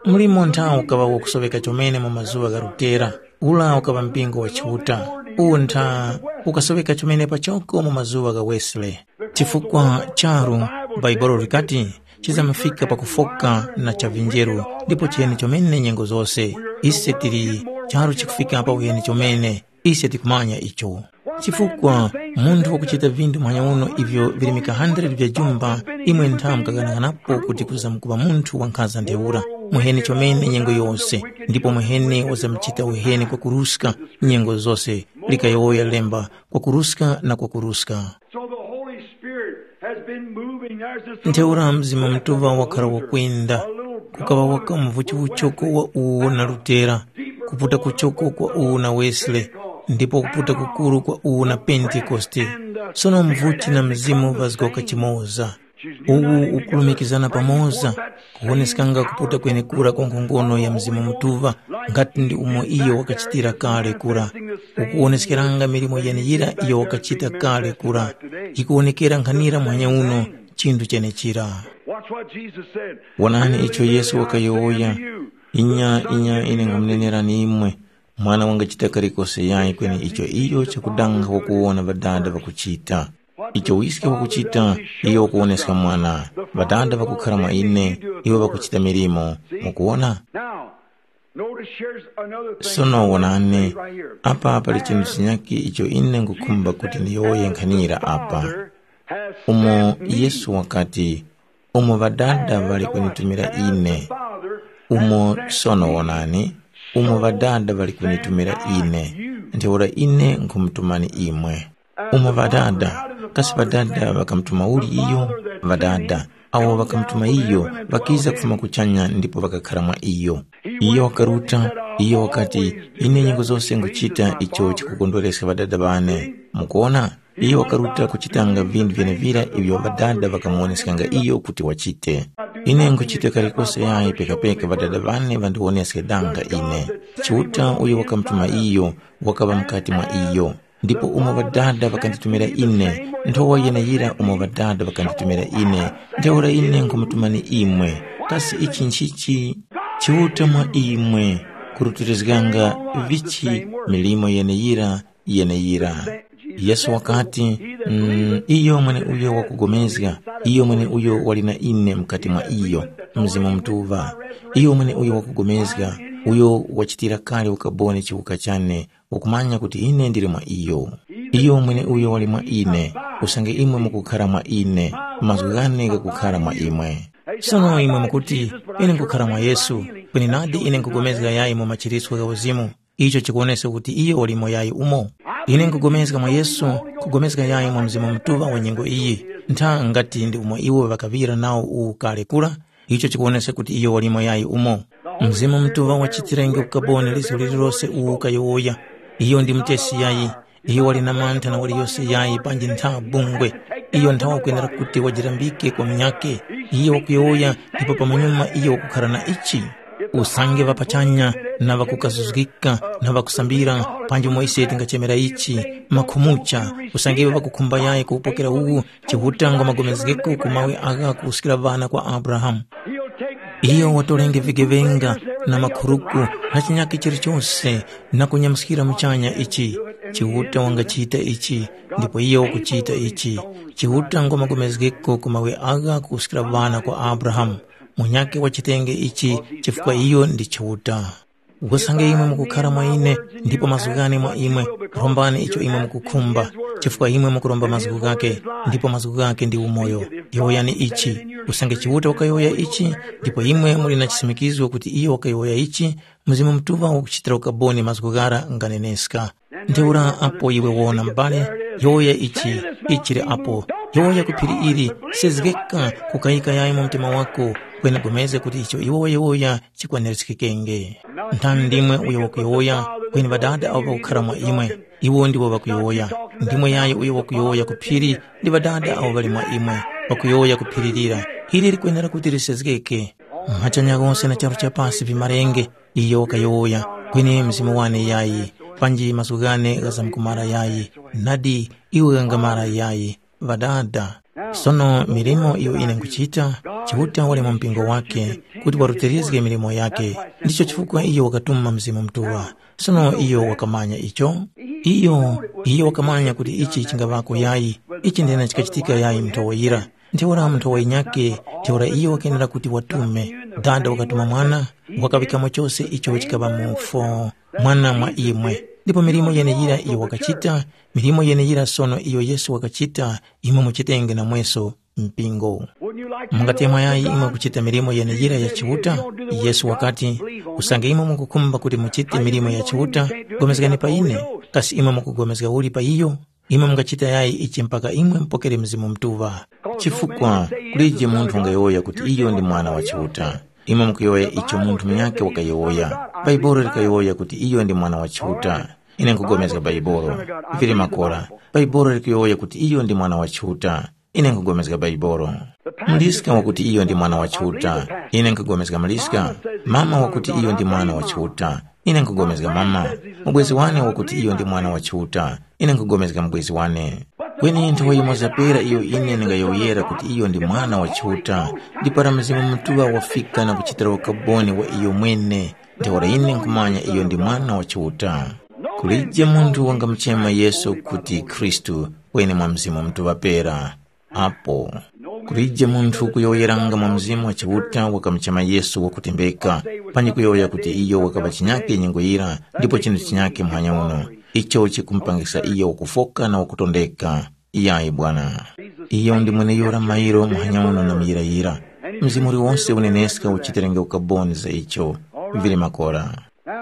Mlimo ntha ukaŵa wakusoŵeka chomene mu mazuŵa gha Lutera, ula ukaŵa mpingo wa Chiuta. Uwu ntha ukasoŵeka chomene pachoko mu mazuŵa gha Wesley. Chifukwa charu, Bhaibuli likati, chizamafika pakufoka na cha vinjeru, ndipo chiheni chomene nyengo zose. Ise tili charu chikufika pa uheni chomene, ise tikumanya icho. Chifukwa munthu wakuchita vindu muhanya uno ivyo vilimika hundred vya jumba, imwe ntha mukaghanaganapo kuti kuzamukupa munthu wankhanza ntheura. Muheni chomene nyengo yose, ndipo muheni wazamuchita uheni kwakuruska nyengo zose, likayowoya lemba, kwakuruska na kwakuruska. So the Holy Spirit has been moving. There's this Ntheura Mzimu Mutuŵa wakhala wakwenda, kukaŵa waka mvuchi uchoko wa uwo na Lutera, kuputa kuchoko kwa uwo na Wesley, ndipo kuputa kukuru kwa uwo na Pentekoste. Sono mvuchi na Mzimu vazgoka chimoza. Uwu ukulumikizana pamoza, kuwoneskanga kuputa kwenekura kwa nkhongono ya Mzimu Mutuŵa, ngati ndi umo iyo wakachitira kale kura. Ukuwoneskeranga milimo yeneyira iyo wakachita kale kura, yikuwonekera nkhanira muhanya uno chinthu chenechira. Watch what Jesus said. Wonani icho Yesu wakayowoya, inya inya ine nkhumunenerani imwe, mwana wangachita kalikose yayi kweni icho iyo chakudanga wakuwona ŵadada ŵakuchita. Icho wiske wakuchita, iyo wakuwoneska mwana. Ŵadada ŵakukhara mwa ine, iwo ŵakuchita milimo. Mukuwona? Now, notice here's another thing. Sono wonani, apa pali chinthu chinyakhe icho ine nkhukhumba kuti ndiyowoye nkhanira apa. Umo Yesu wakati, umo ŵadada ŵali kunitumira ine, umo sono wonani, umo ŵadada ŵali kunitumira ine, ntheura ine nkhumutumani imwe. Umo ŵadada, kasi ŵadada ŵakamutuma uli iyo? Ŵadada, awo ŵakamutuma iyo, ŵakiza kufuma kuchanya ndipo ŵakakhara mwa iyo. Iyo wakaruta, iyo wakati, ine nyengo zose nguchita icho chikukondwereska ŵadada ŵane. Mukuona? Iyo wakaruta kuchitanga vintu vyenevira ivyo ŵadada ŵakamuwoneskanga iyo kuti wachite. Ine nkuchita kalikose yayi pekapeka ŵadada ŵane ŵandiwoneske danga ine. Chiuta uyo wakamutuma iyo wakaŵa mukati mwa iyo. Ndipo umo ŵadada ŵakanditumira ine, nthowa yeneyira umo ŵadada ŵakanditumira ine, ntheura ine nkhumutumani imwe. Kasi ichi nchichi? Chiuta mwa imwe, kurutilizganga vichi milimo yeneyira yeneyira. Yesu wakati, mm, iyo mweneuyo wakugomezga, iyo mweneuyo wali na ine mukati mwa iyo, Mzimu Mutuŵa. Iyo mweneuyo wakugomezga, uyo wachitira kale ukaboni chiwuka chane, ukumanya kuti ine ndili mwa iyo. Iyo mweneuyo wali mwa ine, usange imwe mukukhara mwa ine, mazgu ghane ghakukhara mwa imwe. Sono imwe mukuti, ine nkukhara mwa Yesu, kweni nadi ine nkugomezga yayi mu machiritso gha uzimu. Icho chikuwonesa kuti iyo walimo yayi umo. Ine nkupulikana mwa Yesu, kupulikana yayi mwa Mzimu Mutuŵa wa nyengo iyi, ntha ngati ndi umo iwo ŵakaŵira nawo uwu kale kura, icho chikuwonesa kuti iyo walimo yayi umo. Mzimu Mutuŵa wachitirenge ukaboni liso lililose uwu kayowoya. Iyo ndi mutesi yayi, iyo wali na mantha na waliyose yayi panji ntha bungwe. Iyo ntha wakwenera kuti wajirambike kwa munyakhe. Iyo wakuyowoya ndipo pamanyuma iyo wakukhara na ichi. Usange ŵa pachanya na ŵakukazuzgika na ŵakusambira, panji umo ise tingachemera ichi, makhumucha, usange iwo ŵakukhumba yayi kuwupokera uwu, Chiuta ngwamagomezgeko ku mawe agha kuwuskira ŵana kwa Abrahamu. He'll take Iyo watorenge vigeŵenga na makhuruku na chinyakhe chilichose na kunyamuskira muchanya ichi. Chiuta wangachita ichi, ndipo iyo wakuchita ichi. Chiuta ngomagomezgeko ku mawe agha kuskira ŵana kwa Abrahamu. Munyakhe wachitenge ichi chifukwa iyo ndi Chiuta. Usange imwe mukukhara mwa ine, ndipo mazgu ghane mwa imwe, rombani icho imwe mukukhumba, chifukwa imwe mukuromba mazgu ghakhe, ndipo mazgu ghakhe ndi umoyo. Yowoyani ichi, usange Chiuta wakayowoya ichi, ndipo imwe muli na chisimikizgo kuti iyo wakayowoya ichi, Mzimu Mutuŵa wakuchitira ukaboni mazgu ghara nganeneska. Ntheura apo iwe wona m'bale, yowoya ichi, ichire apo, yowoya ku phiri ili, sezgeka kukayika yayi mu mtima wako, kweni pulikana kuti icho iwe wayowoya chikwanirizgikenge. Nthani ndimwe uyo wakuyowoya, kweni Ŵadada abo ŵakukhara mwa imwe, iwo ndiwo ŵakuyowoya. Ndimwe yayo uyo wakuyowoya ku phiri, ndi Ŵadada abo ŵali mwa imwe, ŵakuyowoya ku phiri lira, ili likwenera kuti lisezgeke. Machanya ghose na charu cha pasi vimarenge, iyo wakayowoya, kweni mzimu wane yayi, panji mazgu ghane ghazamkumara yayi, nadi iwe ghangamara yayi. Ŵadada. Sono milimo iyo ine nkuchita, Chiuta wali mu mpingo wake, kuti warutilizge milimo yake. Ndicho chifukwa iyo wakatuma Mzimu Mutuŵa. Sono iyo wakamanya icho? Iyo, iyo wakamanya kuti ichi chingaŵako yayi, ichi ndena chikachitika yayi nthowa yira. Ntheura nthowa yinyakhe, ntheura iyo wakenera kuti watume. Dada wakatuma mwana, wakaŵikamo chose icho chikaŵa mufo, mwana mwa imwe. Ndipo milimo yeneyira iyo wakachita, milimo yeneyira sono iyo Yesu wakachita, imwe muchitenge namweso mpingo. Mungatemwa yayi imwe kuchita milimo yeneyira ya Chiuta? Yesu wakati, usange imwe mukukhumba kuti muchite milimo ya Chiuta, pulikani pa ine. Kasi imwe mukupulikana uli pa iyo? Imwe mungachita yayi ichi mpaka imwe mupokere Mzimu Mutuŵa. Chifukwa kulije munthu wangayowoya kuti iyo ndi mwana wa Chiuta. Imwe mukuyowoya icho munthu munyakhe wakayowoya. Bhaibuli likayowoya kuti iyo ndi mwana wa Chiuta. Ine nkupulikana Bhaibuli. Vili makora. Bhaibuli likuyowoya kuti iyo ndi mwana wa Chiuta. Ine nkupulikana Bhaibuli. Muliska wakuti iyo ndi mwana wa Chiuta. Ine nkupulikana muliska. Mama wakuti iyo ndi mwana wa Chiuta. Ine nkupulikana mama. Mubwezi wane wakuti iyo ndi mwana wa Chiuta. Ine nkupulikana mubwezi wane. Kweni nthawi yimoza pera iyo ine ndingayowoyera kuti iyo ndi mwana wa Chiuta, ndi para Mzimu Mutuŵa wafika na kuchitira ukaboni wa iyo mwene, ntheura ine nkhumanya iyo ndi mwana wa Chiuta. Kulije munthu wangamuchema Yesu kuti Khristu, kweni mwa Mzimu Mutuŵa pera. Apo kulije munthu kuyowoyeranga mwa Mzimu wa Chiuta wakamuchema Yesu wakutembeka, panji kuyowoya kuti iyo wakaŵa chinyakhe nyengo yira ndipo chinthu chinyakhe muhanya uno, icho chikumupangisa iyo wakufoka na wakutondeka. Iyayi bwana. Iyo ndi mweneyura mairo muhanya uno na muyirayira. Mzimu uliwonse uneneska uchitirenge ukaboni za icho. Vili makora.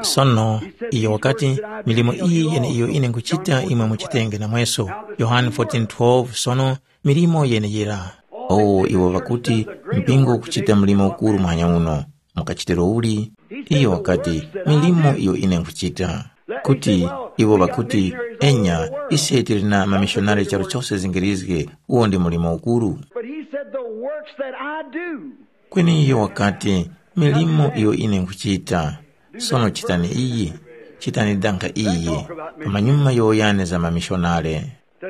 Sono, iyo wakati, milimo iyi yeneiyo ine nkuchita imwe muchitenge namweso. Yohane fourteen twelve. Sono, milimo yeneyira. O iwo ŵakuti, mpingo ukuchita mlimo ukuru muhanya uno. Mukachitiro uli? Iyo wakati, milimo iyo ine nkuchita. Kuti, iwo ŵakuti, enya, ise tili na mamishonari charu chose zingirizge, uwo ndi mlimo ukuru. But he said, the works that I do. Kweni iyo wakati, milimo iyo ine nkuchita. Sono chitani iyi, chitani danga iyi, pamanyuma yowoyani za mamishonare.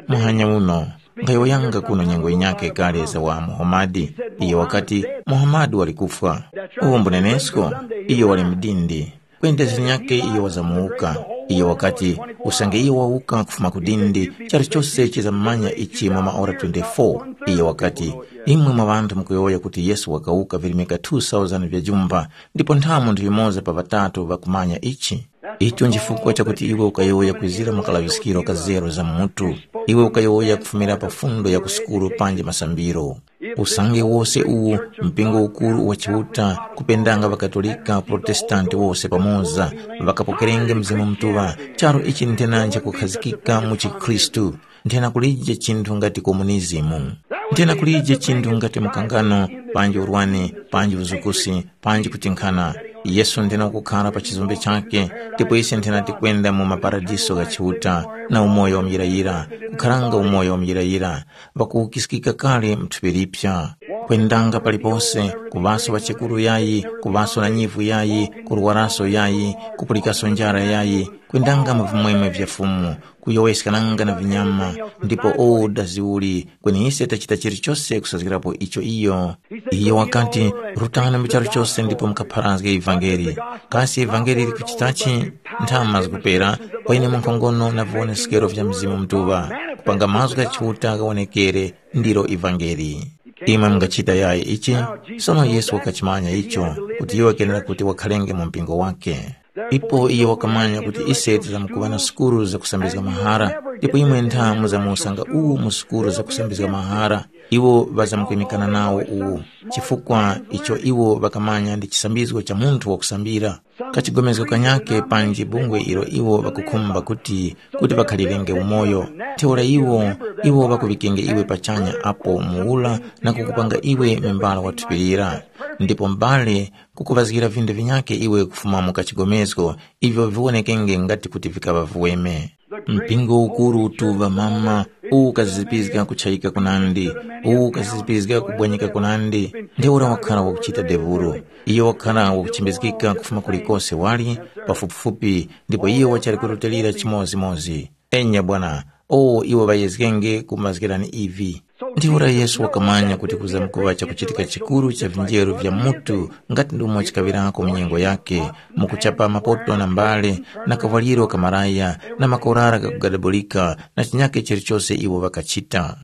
Muhanya uno, nkhayowoyanga kuno nyengo yinyakhe kale za wa Muhamadi. Iyo wakati, Muhamadi wali kufwa. Uwo mbunenesko, iyo wali mdindi. Kweni dazi linyakhe iyo wazamuwuka. Iyo wakati, usange iyo wawuka kufuma ku dindi, chalichose chizamumanya ichi mwa maora twenty-four. Iyo wakati, imwe mwa ŵanthu mukuyowoya kuti Yesu wakawuka virimika two thousand vya jumba, ndipo nthamu ndi yumoza pa ŵatatu ŵakumanya ichi. Icho nchifukwa chakuti iwe ukayowoya kwizira mu kalaŵiskiro ka zero za mutu. Iwe ukayowoya kufumira pa fundo ya ku sukulu panji masambiro. Usange wose uwu mpingo ukuru wa Chiuta kupendanga ŵaKatolika Protestanti wose pamoza ŵakapokerenge Mzimu Mutuŵa, charu ichi nthena nchakukhazikika mu chikhristu, nthena kulije chinthu ngati komunizimu. Nthena kulije chinthu ngati mukangano, panji urwani, panji uzukusi, panji kutinkhana. Yesu nthena wakukhara pa chizombe chakhe, ndipo ise nthena tikwenda mu maparadiso gha Chiuta, na umoyo wa muyirayira, kukharanga umoyo wa muyirayira, ŵakuwukiskika kale mu thupi lipya. Kwendanga palipose, kuŵaso ŵachekuru yayi, kuŵaso na nyivu yayi, kurwaraso yayi, kupulikaso njara yayi, kwendanga mu vimwemwe vya Fumu, kuyowoyeskananga na vinyama, ndipo o daziuli, kweni ise tachita chilichose kusazgirapo icho iyo. Iyo wakati, “Rutani mu charu chose ndipo mukapharazge ivangeli.” Kasi ivangeli likuchitachi? Nthama zikupera, kweni munkhongono na viwoneskero vya Mzimu Mutuŵa, kupanga mazgu gha Chiuta ghawonekere, ndilo ivangeli. Imwe mungachita yayi ichi? Sono Yesu wakachimanya icho, kuti iwo kenera kuti wakhalenge mu mpingo wake. Ipo iyo wakamanya kuti ise tizamkuŵa na sukuru zakusambizga mahara, ndipo imwe ntha muzamusanga uwu mu sukuru zakusambizga mahara, iwo ŵazamkwimikana nawo uwu, chifukwa icho iwo ŵakamanya ndi chisambizgo cha munthu wakusambira. Kachigomezgo kanyakhe panji bungwe ilo iwo ŵakukhumba kuti kuti ŵakhalirenge umoyo. Ntheura iwo, iwo ŵakuŵikenge iwe pachanya apo muwura na kukupanga iwe membala wa thupi lira. Ndipo m'bale, kukuŵazgira vindu vinyakhe iwe kufuma mu kachigomezgo, ivyo viwonekenge ngati kuti vikaŵa viweme. Mpingo ukuru utuŵa mama, uwu ukazizipizga kuchayika kunandi, uwu ukazizipizga kubwanyika kunandi, ntheura wakhala wakuchita devuro. Iyo wakhala wakuchimbizgika kufuma kulikose wali, pafupifupi, ndipo iyo wachali kurutilira chimozimozi. Enya bwana, o iwo ŵayezgenge kumazgirani ivi. Ntheura Yesu wakamanya kuti kuzamkuŵa chakuchitika chikuru cha vinjeru vya mutu ngati ndumo chikaŵirako mu nyengo yakhe, mukuchapa mapoto na mbale, na kavwaliro ka malaya, na makorara ghakugadabulika, na chinyakhe chilichose iwo ŵakachita.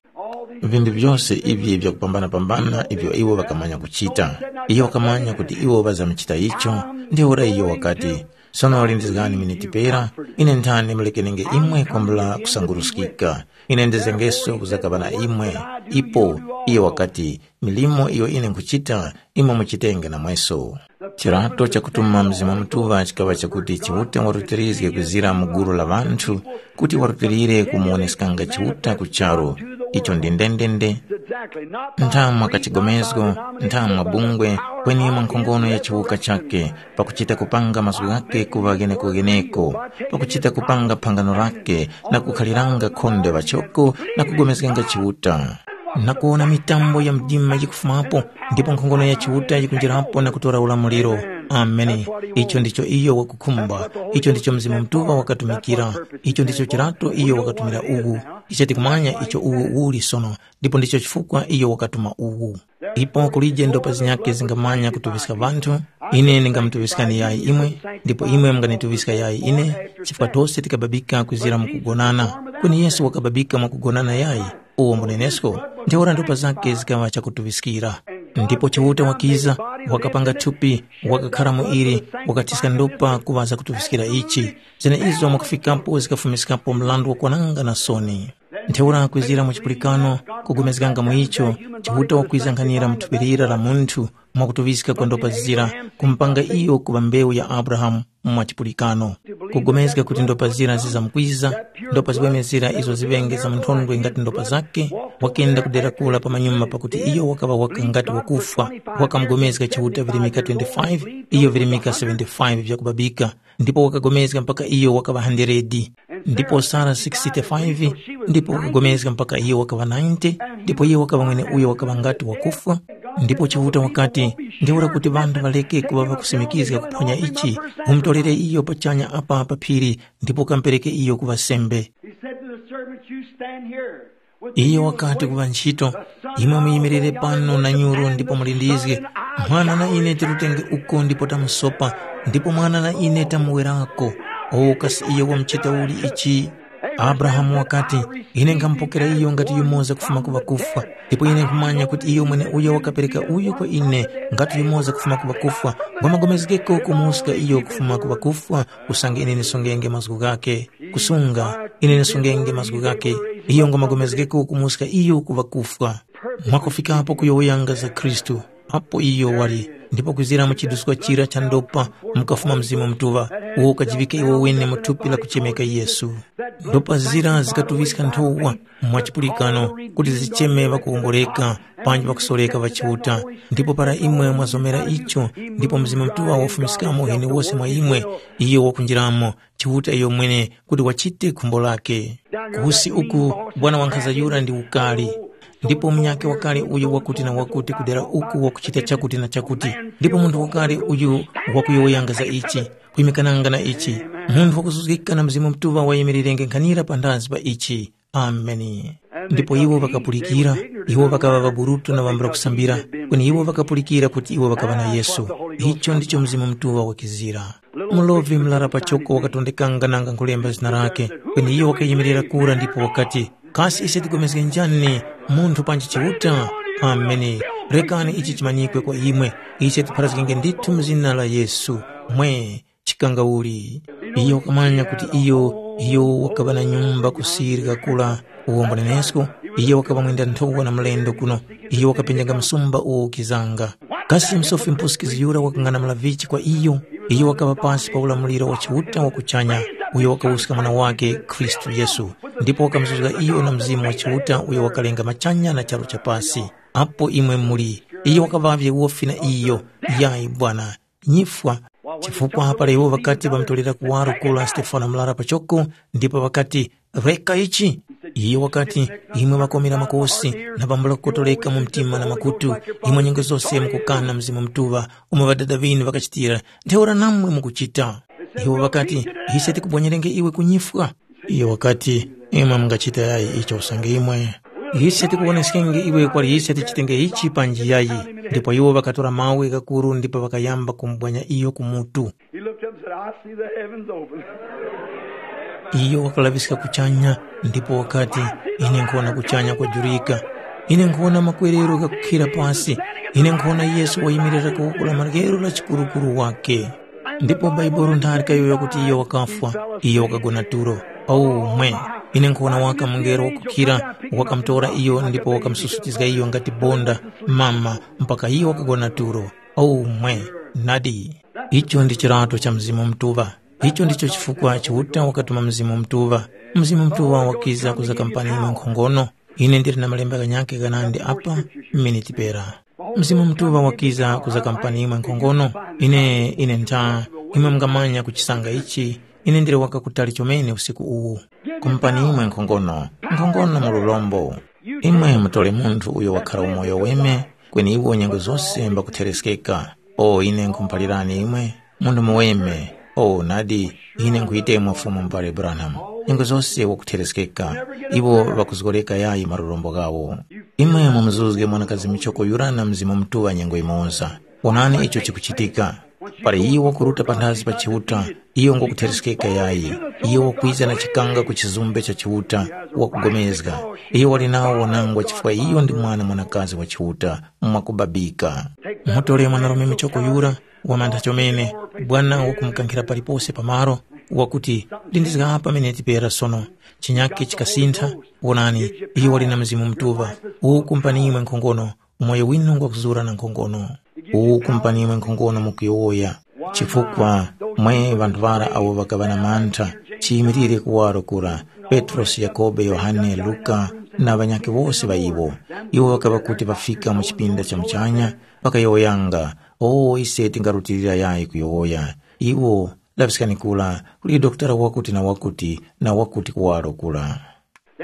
Vinthu vyose ivi vyakupambana-pambana ivyo iwo ŵakamanya kuchita. Iyo wakamanya kuti iwo ŵazamuchita icho, ntheura iyo wakati, “Sono lindizgani miniti pera, ine nthani mulekenenge imwe kwambula kusanguruskika. Ine ndizengeso kuzakaŵa na imwe.” Ipo iyo wakati, “Milimo iyo ine nkhuchita, imwe muchitenge namweso.” Chirato chakutuma Mzimu Mutuŵa chikaŵa chakuti Chiuta warutilizge kuzira mu gulu la ŵanthu kuti warutilire kumuwoneskanga Chiuta ku charu. Icho ndi ndendende. Nthamwa kachigomezgo, nthamwa bungwe, kweni mwa nkhongono ya chiwuka chakhe, pakuchita kupanga mazgu ghakhe kuŵa gheneko-gheneko, pakuchita kupanga phangano lakhe na kukhaliranga khonde ŵachoko na kugomezganga Chiuta, na kuwona mitambo ya mdima yikufumapo, ndipo nkhongono ya Chiuta yikunjirapo na kutora ulamuliro. Ameni. Icho ndicho iyo wakukhumba, icho ndicho Mzimu Mutuŵa wakatumikira, icho ndicho chirato iyo wakatumira uwu. Icho tikumanya icho uwu uli sono, ndipo ndicho chifukwa iyo wakatuma uwu. Ipo kulije ndopa zinyakhe zingamanya kutuŵiska ŵanthu, ine ndingamutuŵiskani yayi imwe, ndipo imwe munganituŵiska yayi ine, chifukwa tose tikababika kwizira mu kugonana. Kweni Yesu wakababika mwa kugonana yayi? Uwo mbunenesko, ntheura ndopa zakhe zikaŵa chakutuŵiskira. Ndipo Chiuta wakiza, wakapanga thupi, wakakhara mu ili, wakathiska ndopa kuŵa zakutuŵiskira ichi. Zene izo mwakufikapo zikafumiskapo mrandu wakwananga na soni. Ntheura kwizira mu chipulikano, kugomezganga mu icho, Chiuta wakwiza nkhanira mu thupi lira la munthu, mwakutuŵiska kwa ndopa zira, kumupanga iyo kuŵa mbewu ya Abrahamu mwa chipulikano. Kugomezga kuti ndopa zira zizamkwiza, ndopa ziweme zira izo ziŵenge za munthondwe ngati ndopa zakhe, wakenda kudera kula pa manyuma pakuti iyo wakaŵa waka ngati wakufwa, wakamugomezga Chiuta virimika twenty-five, iyo virimika seventy-five vyakubabika, ndipo wakagomezga mpaka iyo wakaŵa handeredi, ndipo Sara sixty-five, ndipo wakagomezga mpaka iyo wakaŵa ninety, ndipo iyo wakaŵa mweneuyo wakaŵa ngati wakufwa. Ndipo Chiuta wakati, ntheura kuti ŵanthu ŵareke kuŵa ŵakusimikizga kuphonya ichi, umutorere iyo pachanya apa pa phiri, ndipo ukamupereke iyo kuŵa sembe. He said to the servants, "You stand here with the Iyo youth of wakati ku wisdom, ŵantchito, the son imwe of muyimirire Almighty God pano na will nyuru stand ndipo in the mulindizge, sun and I mwana na shall ine return." Tirutenge uko ndipo tamusopa, ndipo mwana na ine tamuwerako. O kasi iyo wamuchita uli ichi? Abrahamu wakati, ine nkhamupokera iyo ngati yumoza kufuma ku ŵakufwa, ndipo ine nkhumanya kuti iyo mweneuyo wakapereka uyo kwa ine ngati yumoza kufuma ku ŵakufwa, ngwamagomezgeko kumuska iyo kufuma ku ŵakufwa, usange ine ndisungenge mazgu ghakhe. Kusunga, ine ndisungenge mazgu ghakhe, iyo ngwamagomezgeko kumuska iyo ku ŵakufwa. Mwakufikapo kuyowoyanga za Khristu, apo iyo wali, ndipo kwizira mu chiduskwa chira cha ndopa mukafuma Mzimu Mutuŵa, uwo ukajiŵika iwo wene mu thupi la kuchemeka Yesu. Ndopa zira zikatuŵiska nthowa mwa chipulikano kuti zicheme ŵakuwongoleka panji ŵakusoreka ŵa Chiuta, ndipo para imwe mwazomera icho, ndipo Mzimu Mutuŵa wafumiskamo yenewose mwa imwe, iyo wakunjiramo, Chiuta iyo mwene kuti wachite khumbo lake. Kusi uku, bwana wankhaza yura ndi ukali. Ndipo munyakhe wakale uyo wakuti na wakuti kudera uku wakuchita chakuti na chakuti, ndipo munthu wakale uyu wakuyowoyanga za ichi, kuyimikananga na ichi, munthu wakuzuzgika na Mzimu Mutuŵa wayimirenge nkhanira panthazi pa ichi. Ameni. Ndipo iwo ŵakapulikira, iwo ŵakaŵa ŵaburutu na ŵambula kusambira, kweni iwo ŵakapulikira kuti iwo ŵakaŵa na Yesu. Icho ndicho Mzimu Mutuŵa wakizira. Mulovi murara pachoko wakatondekanga nanga nkhulemba zina lakhe, kweni iyo wakayimirira kura ndipo wakati, kasi ise tigomezge njani munthu panji Chiuta? Ameni. Rekani ichi chimanyikwe kwa imwe, ise tipharazgenge ndithu mu zina la Yesu. Mwe, chikangauli. Iyo wakamanya kuti iyo iyo wakaŵa na nyumba kusirika kula uwombo nenesko, iyo wakaŵa mwenda nthowa na mlendo kuno, iyo wakapenjanga msumba uwo ukizanga. Kasi msofi mpusikizi yura wakang'anamula vichi kwa iyo? Iyo wakaŵa pasi pa ulamuliro wa Chiuta wa kuchanya, uyo wakawuska Mwana wake Khristu Yesu, ndipo wakamuzuzga iyo na Mzimu wa Chiuta uyo wakalenga machanya na charu cha pasi. Apo imwe muli, iyo wakaŵavye wofi na iyo. Yayi bwana, nyifwa. Chifukwa para iwo ŵakati ŵamutorera kuwaro kura Stefano murara pachoko, ndipo ŵakati, reka ichi. Iyo wakati, imwe ŵakomera makosi na pambula kukotoreka mu mtima na makutu, imwe nyengo zose mukukana Mzimu Mutuŵa, umo ŵadada ŵinu ŵakachitira, ntheura namwe mukuchita. Iwo ŵakati, ise tikubonyerenge iwe kunyifwa. Iyo wakati, imwe mungachita yayi icho usange imwe. Ise tikuwoneskenge iwe kwali ise tichitenge ichi panji yayi. Ndipo iwo ŵakatora mawe ghakuru ndipo ŵakayamba kumubwanya iyo ku mutu. He looked up and said, I see the heavens open. Iyo wakalaŵiska kuchanya ndipo wakati, ine nkhuwona kuchanya kwajurika. Ine nkhuwona makwerero ghakukhira pasi. Ine nkhuwona Yesu wayimirira ku wuku la maryero la chikurukuru wake. Ndipo Bhaibuli ntharika yoyo kuti iyo wakafwa, iyo wakagona tulo. Awu mwe, ine nkhuwona waka mungelo wakukhira, wakamutora iyo ndipo wakamususutizga iyo ngati bonda, mama, mpaka iyo wakagona tulo. Awu mwe, nadi. Icho ndi chirato cha Mzimu Mutuŵa. Icho ndicho chifukwa Chiuta wakatuma Mzimu Mutuŵa. Mzimu Mutuŵa wakiza kuza kampani imwe nkhongono. Ine ndili na malemba ghanyakhe ghanandi apa, miniti pera. Mzimu Mutuŵa wakiza kuza kampani imwe nkhongono. Ine, ine ntha, imwe mungamanya kuchisanga ichi, ine ndili waka kutali chomene usiku uwu. Kumpani imwe nkhongono, nkhongono mu lurombo. Imwe mutole munthu uyo wakhara umoyo weme, kweni iwo nyengo zose mbakuthereskeka. O ine nkhumuphalirani imwe, munthu muweme. O nadi, ine nkhuyitemwa Fumu Mubali Branham, nyengo zose wakuthereskeka. Iwo ŵakuzgoreka yayi malurombo ghawo. Imwe mumuzuzge mwanakazi michoko yura na Mzimu Mutuŵa nyengo yimoza. Wonani icho chikuchitika. Para iyo wakuruta panthazi pa Chiuta, iyo ngwakuthereskeka yayi. Iyo wakwiza na chikanga ku chizumbe cha Chiuta, wakugomezga. Iyo wali nawo wanangwa chifukwa iyo ndi mwana mwanakazi wa Chiuta, mwakubabika. Mutore mwanarume michoko yura, wamantha chomene, bwana wakumukankhira palipose pamaro, wakuti, lindizga apa mineti pera sono. Chinyake chikasintha, wonani, iyo wali na Mzimu Mutuŵa, uwu kumpani imwe nkhongono, umoyo winu ngwakuzura na nkhongono. Uwu kumpani imwe nkhongono mukuyowoya, chifukwa mwe ŵanthu ŵara awo ŵakaŵa na mantha, chiyimirire kuwaro kura, Petrosi, Yakhobe, Yohane, Luka, na ŵanyakhe wose ŵa iwo. Iwo ŵakaŵa kuti ŵafika mu chipinda cha muchanya, ŵakayowoyanga, o ise tingarutilira yayi kuyowoya. Iwo, laŵiskani kura, kuli dokotala wakuti na wakuti, na wakuti kuwaro kura.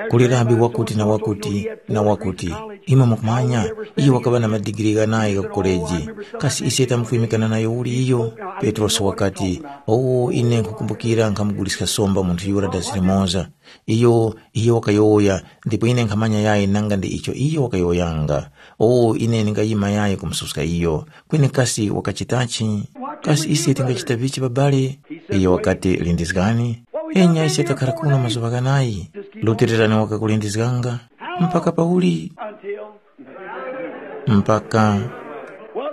Kuli rabi wakuti na wakuti na wakuti, imwe mukumanya, iyo wakaŵa na madigiri ghanayi gha ku koleji. Kasi ise tamufwimikana nayo uli iyo? Petrosi wakati, owo ine nkhukumbukira nkhamuguliska somba munthu yura dazi limoza. Iyo, iyo wakayowoya, ndipo ine nkhamanya yayi nanga ndi icho iyo wakayowoyanga. Owo ine ndingayima yayi kumususka iyo. Kweni kasi wakachitachi? Kasi ise tingachita vichi babale? Iyo wakati, lindizgani. Enya ise takhara kuno mazuŵa ghanayi. Lutirira ni wakakulindizganga. Mpaka pauli? Mpaka.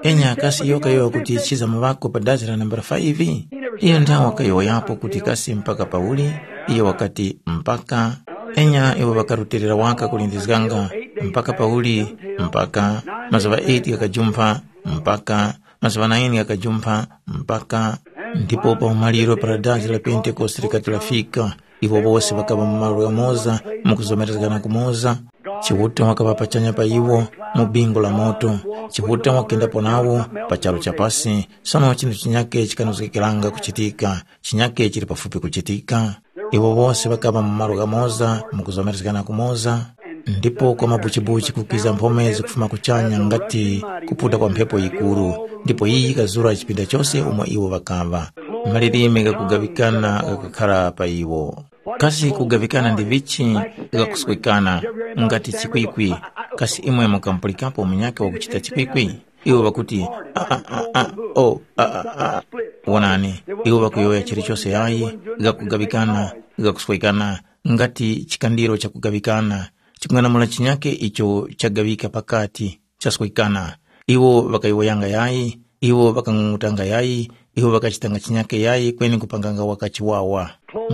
Enya kasi iyo kayowoya kuti chiza muŵako pa dazi la nambala five? Iyo nthawe wakayowoyapo kuti kasi mpaka pauli? Iyo wakati, mpaka. Enya iwo ŵakarutirira waka kulindizganga. Mpaka pauli? Mpaka. Mazuŵa eight ghakajumpha. Mpaka. Mazuŵa nine ghakajumpha. Mpaka. Ndipo pa umaliro para dazi la Pentekoste likati lafika, iwo wose ŵakaŵa mu malo ghamoza, mu kuzomerezgana kumoza. Chiuta wakaŵa pachanya pa iwo, mu bingu la moto. Chiuta wakendapo nawo pa charu cha pasi. Sono chinthu chinyake chikanozgekeranga kuchitika, chinyake chili pafupi kuchitika. Iwo wose ŵakaŵa mu malo ghamoza, mu kuzomerezgana kumoza. Ndipo kwa mabuchibuchi kukiza mphome zikufuma kuchanya ngati kuputa kwa mphepo yikuru, ndipo iyi yikazura chipinda chose umo iwo ŵakaŵa. Malilime ghakugaŵikana ghakakhara pa iwo. Kasi kugaŵikana ndi vichi ghakuswekana ngati chikwikwi? Kasi imwe mukamupulikapo munyakhe wakuchita chikwikwi? Iwo ŵakuti, "Aa, aa, aa, o, aa, aa." Wonani, iwo ŵakuyowoya chilichose yayi, ghakugaŵikana, ghakuswekana, ngati chikandiro chakugawikana, chikung'anamula chinyakhe icho chagawika pakati, chaswekana. Iwo ŵakayowoyanga yayi, iwo ŵakang'ung'utanga yayi, iwo ŵakachitanga chinyakhe yayi kweni kupanganga waka chiwawa.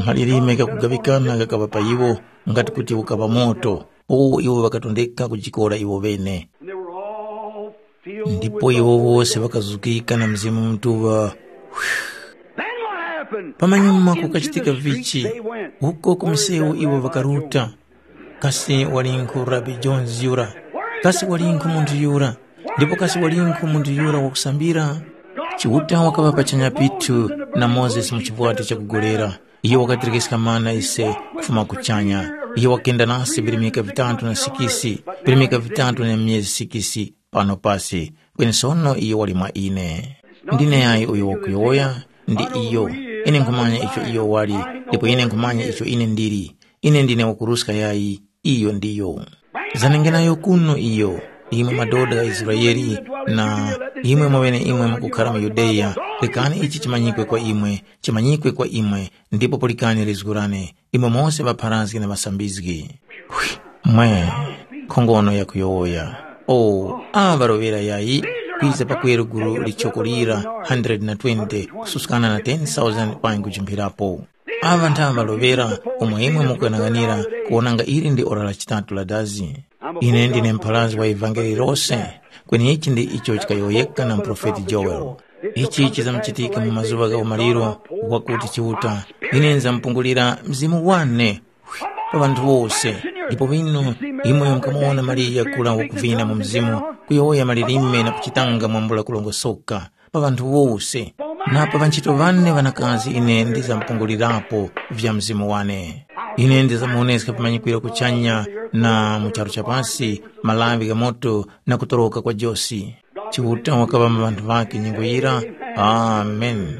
Malilime ghakugawikana ghakaŵa pa iwo, ngati kuti ukaŵa moto, uwo iwo ŵakatondeka kujikora iwo ŵene. And they were all filled Ndipo with iwo the Holy wose Ghost. Ŵakazukika na Mzimu Mutuŵa. Then what happened? Pamanyuma Out into kukachitika the streets vichi, they went. Uko ku misewu iwo ŵakaruta. Kasi walinkhu Rabi Jones yura? Kasi walinkhu munthu yura? Ndipo kasi walinkhu munthu yura wakusambira? Chiuta wakaŵa pachanya pithu na Mozesi mu chivwati chakugolera. Iyo wakaterekeska mana ise kufuma kuchanya. Iyo wakenda nasi virimika vitatu na sikisi, virimika vitatu na myezi sikisi pano pasi. Kweni sono iyo wali mwa ine. Ndine yayi uyo wakuyowoya? Ndi iyo. Ine nkhumanya icho iyo wali, ndipo ine nkhumanya icho ine ndili. Ine ndine wakuruska yayi, iyo ndiyo. Zanenge nayo kuno iyo, imwe madoda gha Israele, na imwe mwaŵeneimwe mukukhara mu Yudeya, rekani ichi chimanyikwe kwa imwe, chimanyikwe kwa imwe, ndipo pulikani lizgu lane, imwe mose ŵapharazgi na ŵasambizgi. Hwi, mwe, nkhongono yakuyowoya. O, aŵa ŵaloŵera yayi, kwiza pakweru gulu lichoko lira, one hundred twenty, kususkana na ten thousand panyi kujimphirapo. Aŵa nthaŵa ŵaloŵera umo imwe mukughanaganira kuwonanga ili ndi ora la chitatu la dazi. Ine ndine mpharazgi wa ivangeli lose, kweni ichi ndi icho chikayowoyeka na muprofeti Joel. Ichi chizamuchitika mu mazuŵa gha umaliro wakuti Chiuta, ine nzamupungulira Mzimu wane pa ŵanthu wose. Ndipo vino imwe mukamuwona Mariya kula wakuvina mu Mzimu, kuyowoya malilime na kuchitanga mwambula kulongosoka pa ŵanthu wose, na pa ŵanchito ŵane ŵanakazi ine ndizamupungulirapo vya Mzimu wane. Ine ndizamuwoneska vimanyikwiro kuchanya na mu charu cha pasi, malaŵi gha moto na kutoroka kwa josi. Chiuta wakaŵa mu ŵanthu ŵakhe nyengo yira. Amen.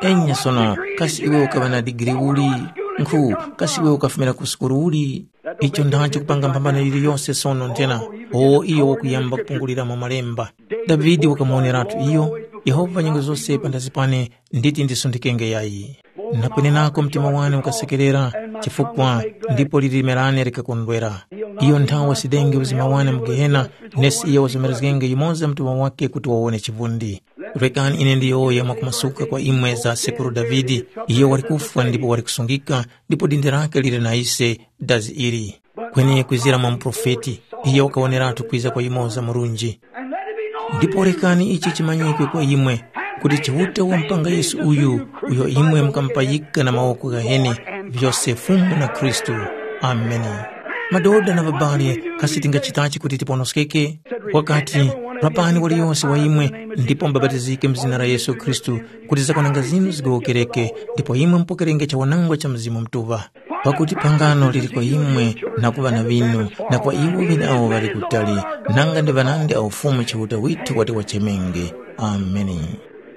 Enya sono, kasi iwe ukaŵa na digiri uli? Nkhu, kasi iwe ukafumira ku sukulu uli? Icho ndacho kupanga mphambano yiliyose sono nthena, o iyo wakuyamba kupungulira mu malemba. Davide wakamuoneratu iyo, Yehova nyengo zose panthazi pane nditi ndisundikenge yayi. Na kwenenako mtima wane ukasekerera, chifukwa ndipo lilime lane likakondwera. Iyo nthawe wasidenge uzima wane mu Gehena, nesi iyo wazomerezgenge yumoza mtima wake kuti wawone chivundi. Rekani ine ndiyowoye mwakumasuka kwa imwe za sekuru Davide, iyo wali kufwa ndipo wali kusungika, ndipo dindi lake lili na ise dazi ili. Kweni kwizira mwa muprofeti, iyo wakawoneratu kwiza kwa yumoza murunji. Ndipo rekani ichi chimanyikwe kwa imwe, kuti Chiuta wampanga Yesu uyu, uyo imwe mukamupayika na mawoko ghaheni, vyose Fumu na Khristu. Ameni. Madoda na ŵabali, kasi tingachitachi kuti tiponoskeke? Wakati, rapani waliyose wa imwe, ndipo mubapatizike mu zina la Yesu Khristu, kuti zakwananga zinu zigowokereke, ndipo imwe mupokerenge chawanangwa cha Mzimu Mutuŵa. Pakuti phangano lili kwa imwe na ku ŵana ŵinu, na kwa iwo ŵeneawo ŵali kutali, nanga ndi ŵanandi awo Fumu Chiuta withu wati wachemenge. Ameni.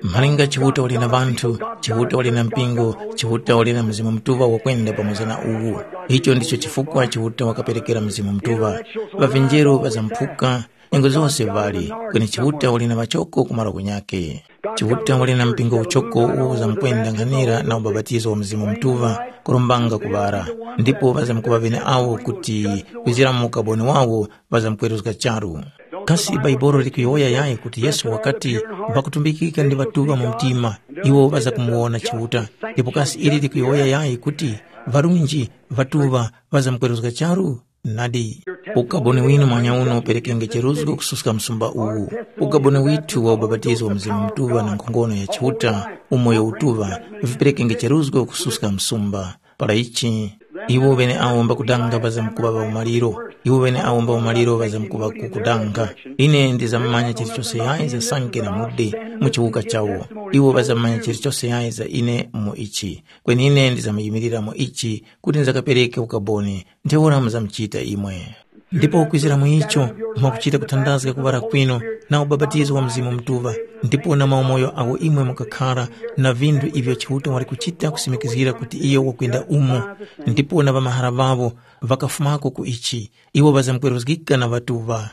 Malinga Chiuta wali na ŵanthu, Chiuta wali na mpingo, Chiuta wali na Mzimu Mutuŵa wakwenda pamoza na uwu. Icho ndicho chifukwa Chiuta wakaperekera Mzimu Mutuŵa. Ŵavinjeru ŵazamphuka, nyengo zose ŵali, kweni Chiuta wali na ŵachoko ku malo kunyakhe. Chiuta wali na mpingo uchoko uwo uzamkwenda nkhanira na ubapatizo wa Mzimu Mutuŵa kurombanga kuŵara, ndipo ŵazamkuŵa ŵeneawo kuti kwizira mu ukaboni wawo ŵazamkweruzga charu. Kasi Baibolo likuyowoya yayi kuti Yesu wakati, ŵakutumbikika ndi ŵatuŵa mu mtima, iwo ŵazakumuwona Chiuta? Ndipo kasi ili likuyowoya yayi kuti ŵarunji ŵatuŵa ŵazamkweruzga charu? Nadi, ukaboni winu mwanyauno uperekenge cheruzgo kususka msumba uwu. Ukaboni withu wa ubapatizo wa Mzimu Mutuŵa na nkhongono ya Chiuta, umoyo utuŵa, viperekenge cheruzgo kususka msumba. Para ichi, iwo ŵeneawo mbakudanga ŵazamkuŵa ŵa umaliro, iwo ŵeneawo mba umaliro ŵazamkuŵa kukudanga. Ine ndizamanya chilichose yayi za sanke na mudi mu chiwuka chawo. Iwo ŵazamanya chilichose yayi za ine mu ichi. Kweni ine ndizamuyimilira mu ichi kuti ndizakapereke ukaboni. Ntheura muzamuchita imwe. Ndipo kwizira mu icho, mwakuchita kuthandazga kuŵala kwinu na ubapatizo wa Mzimu Mutuŵa, ndipo na maumoyo agho imwe mukakhara na vinthu ivyo Chiuta wali kuchita kusimikizgira kuti iyo wakwenda umo, ndipo na ŵamahara ŵawo ŵakafumako ku ichi, iwo ŵazamkweruzgika na ŵatuŵa.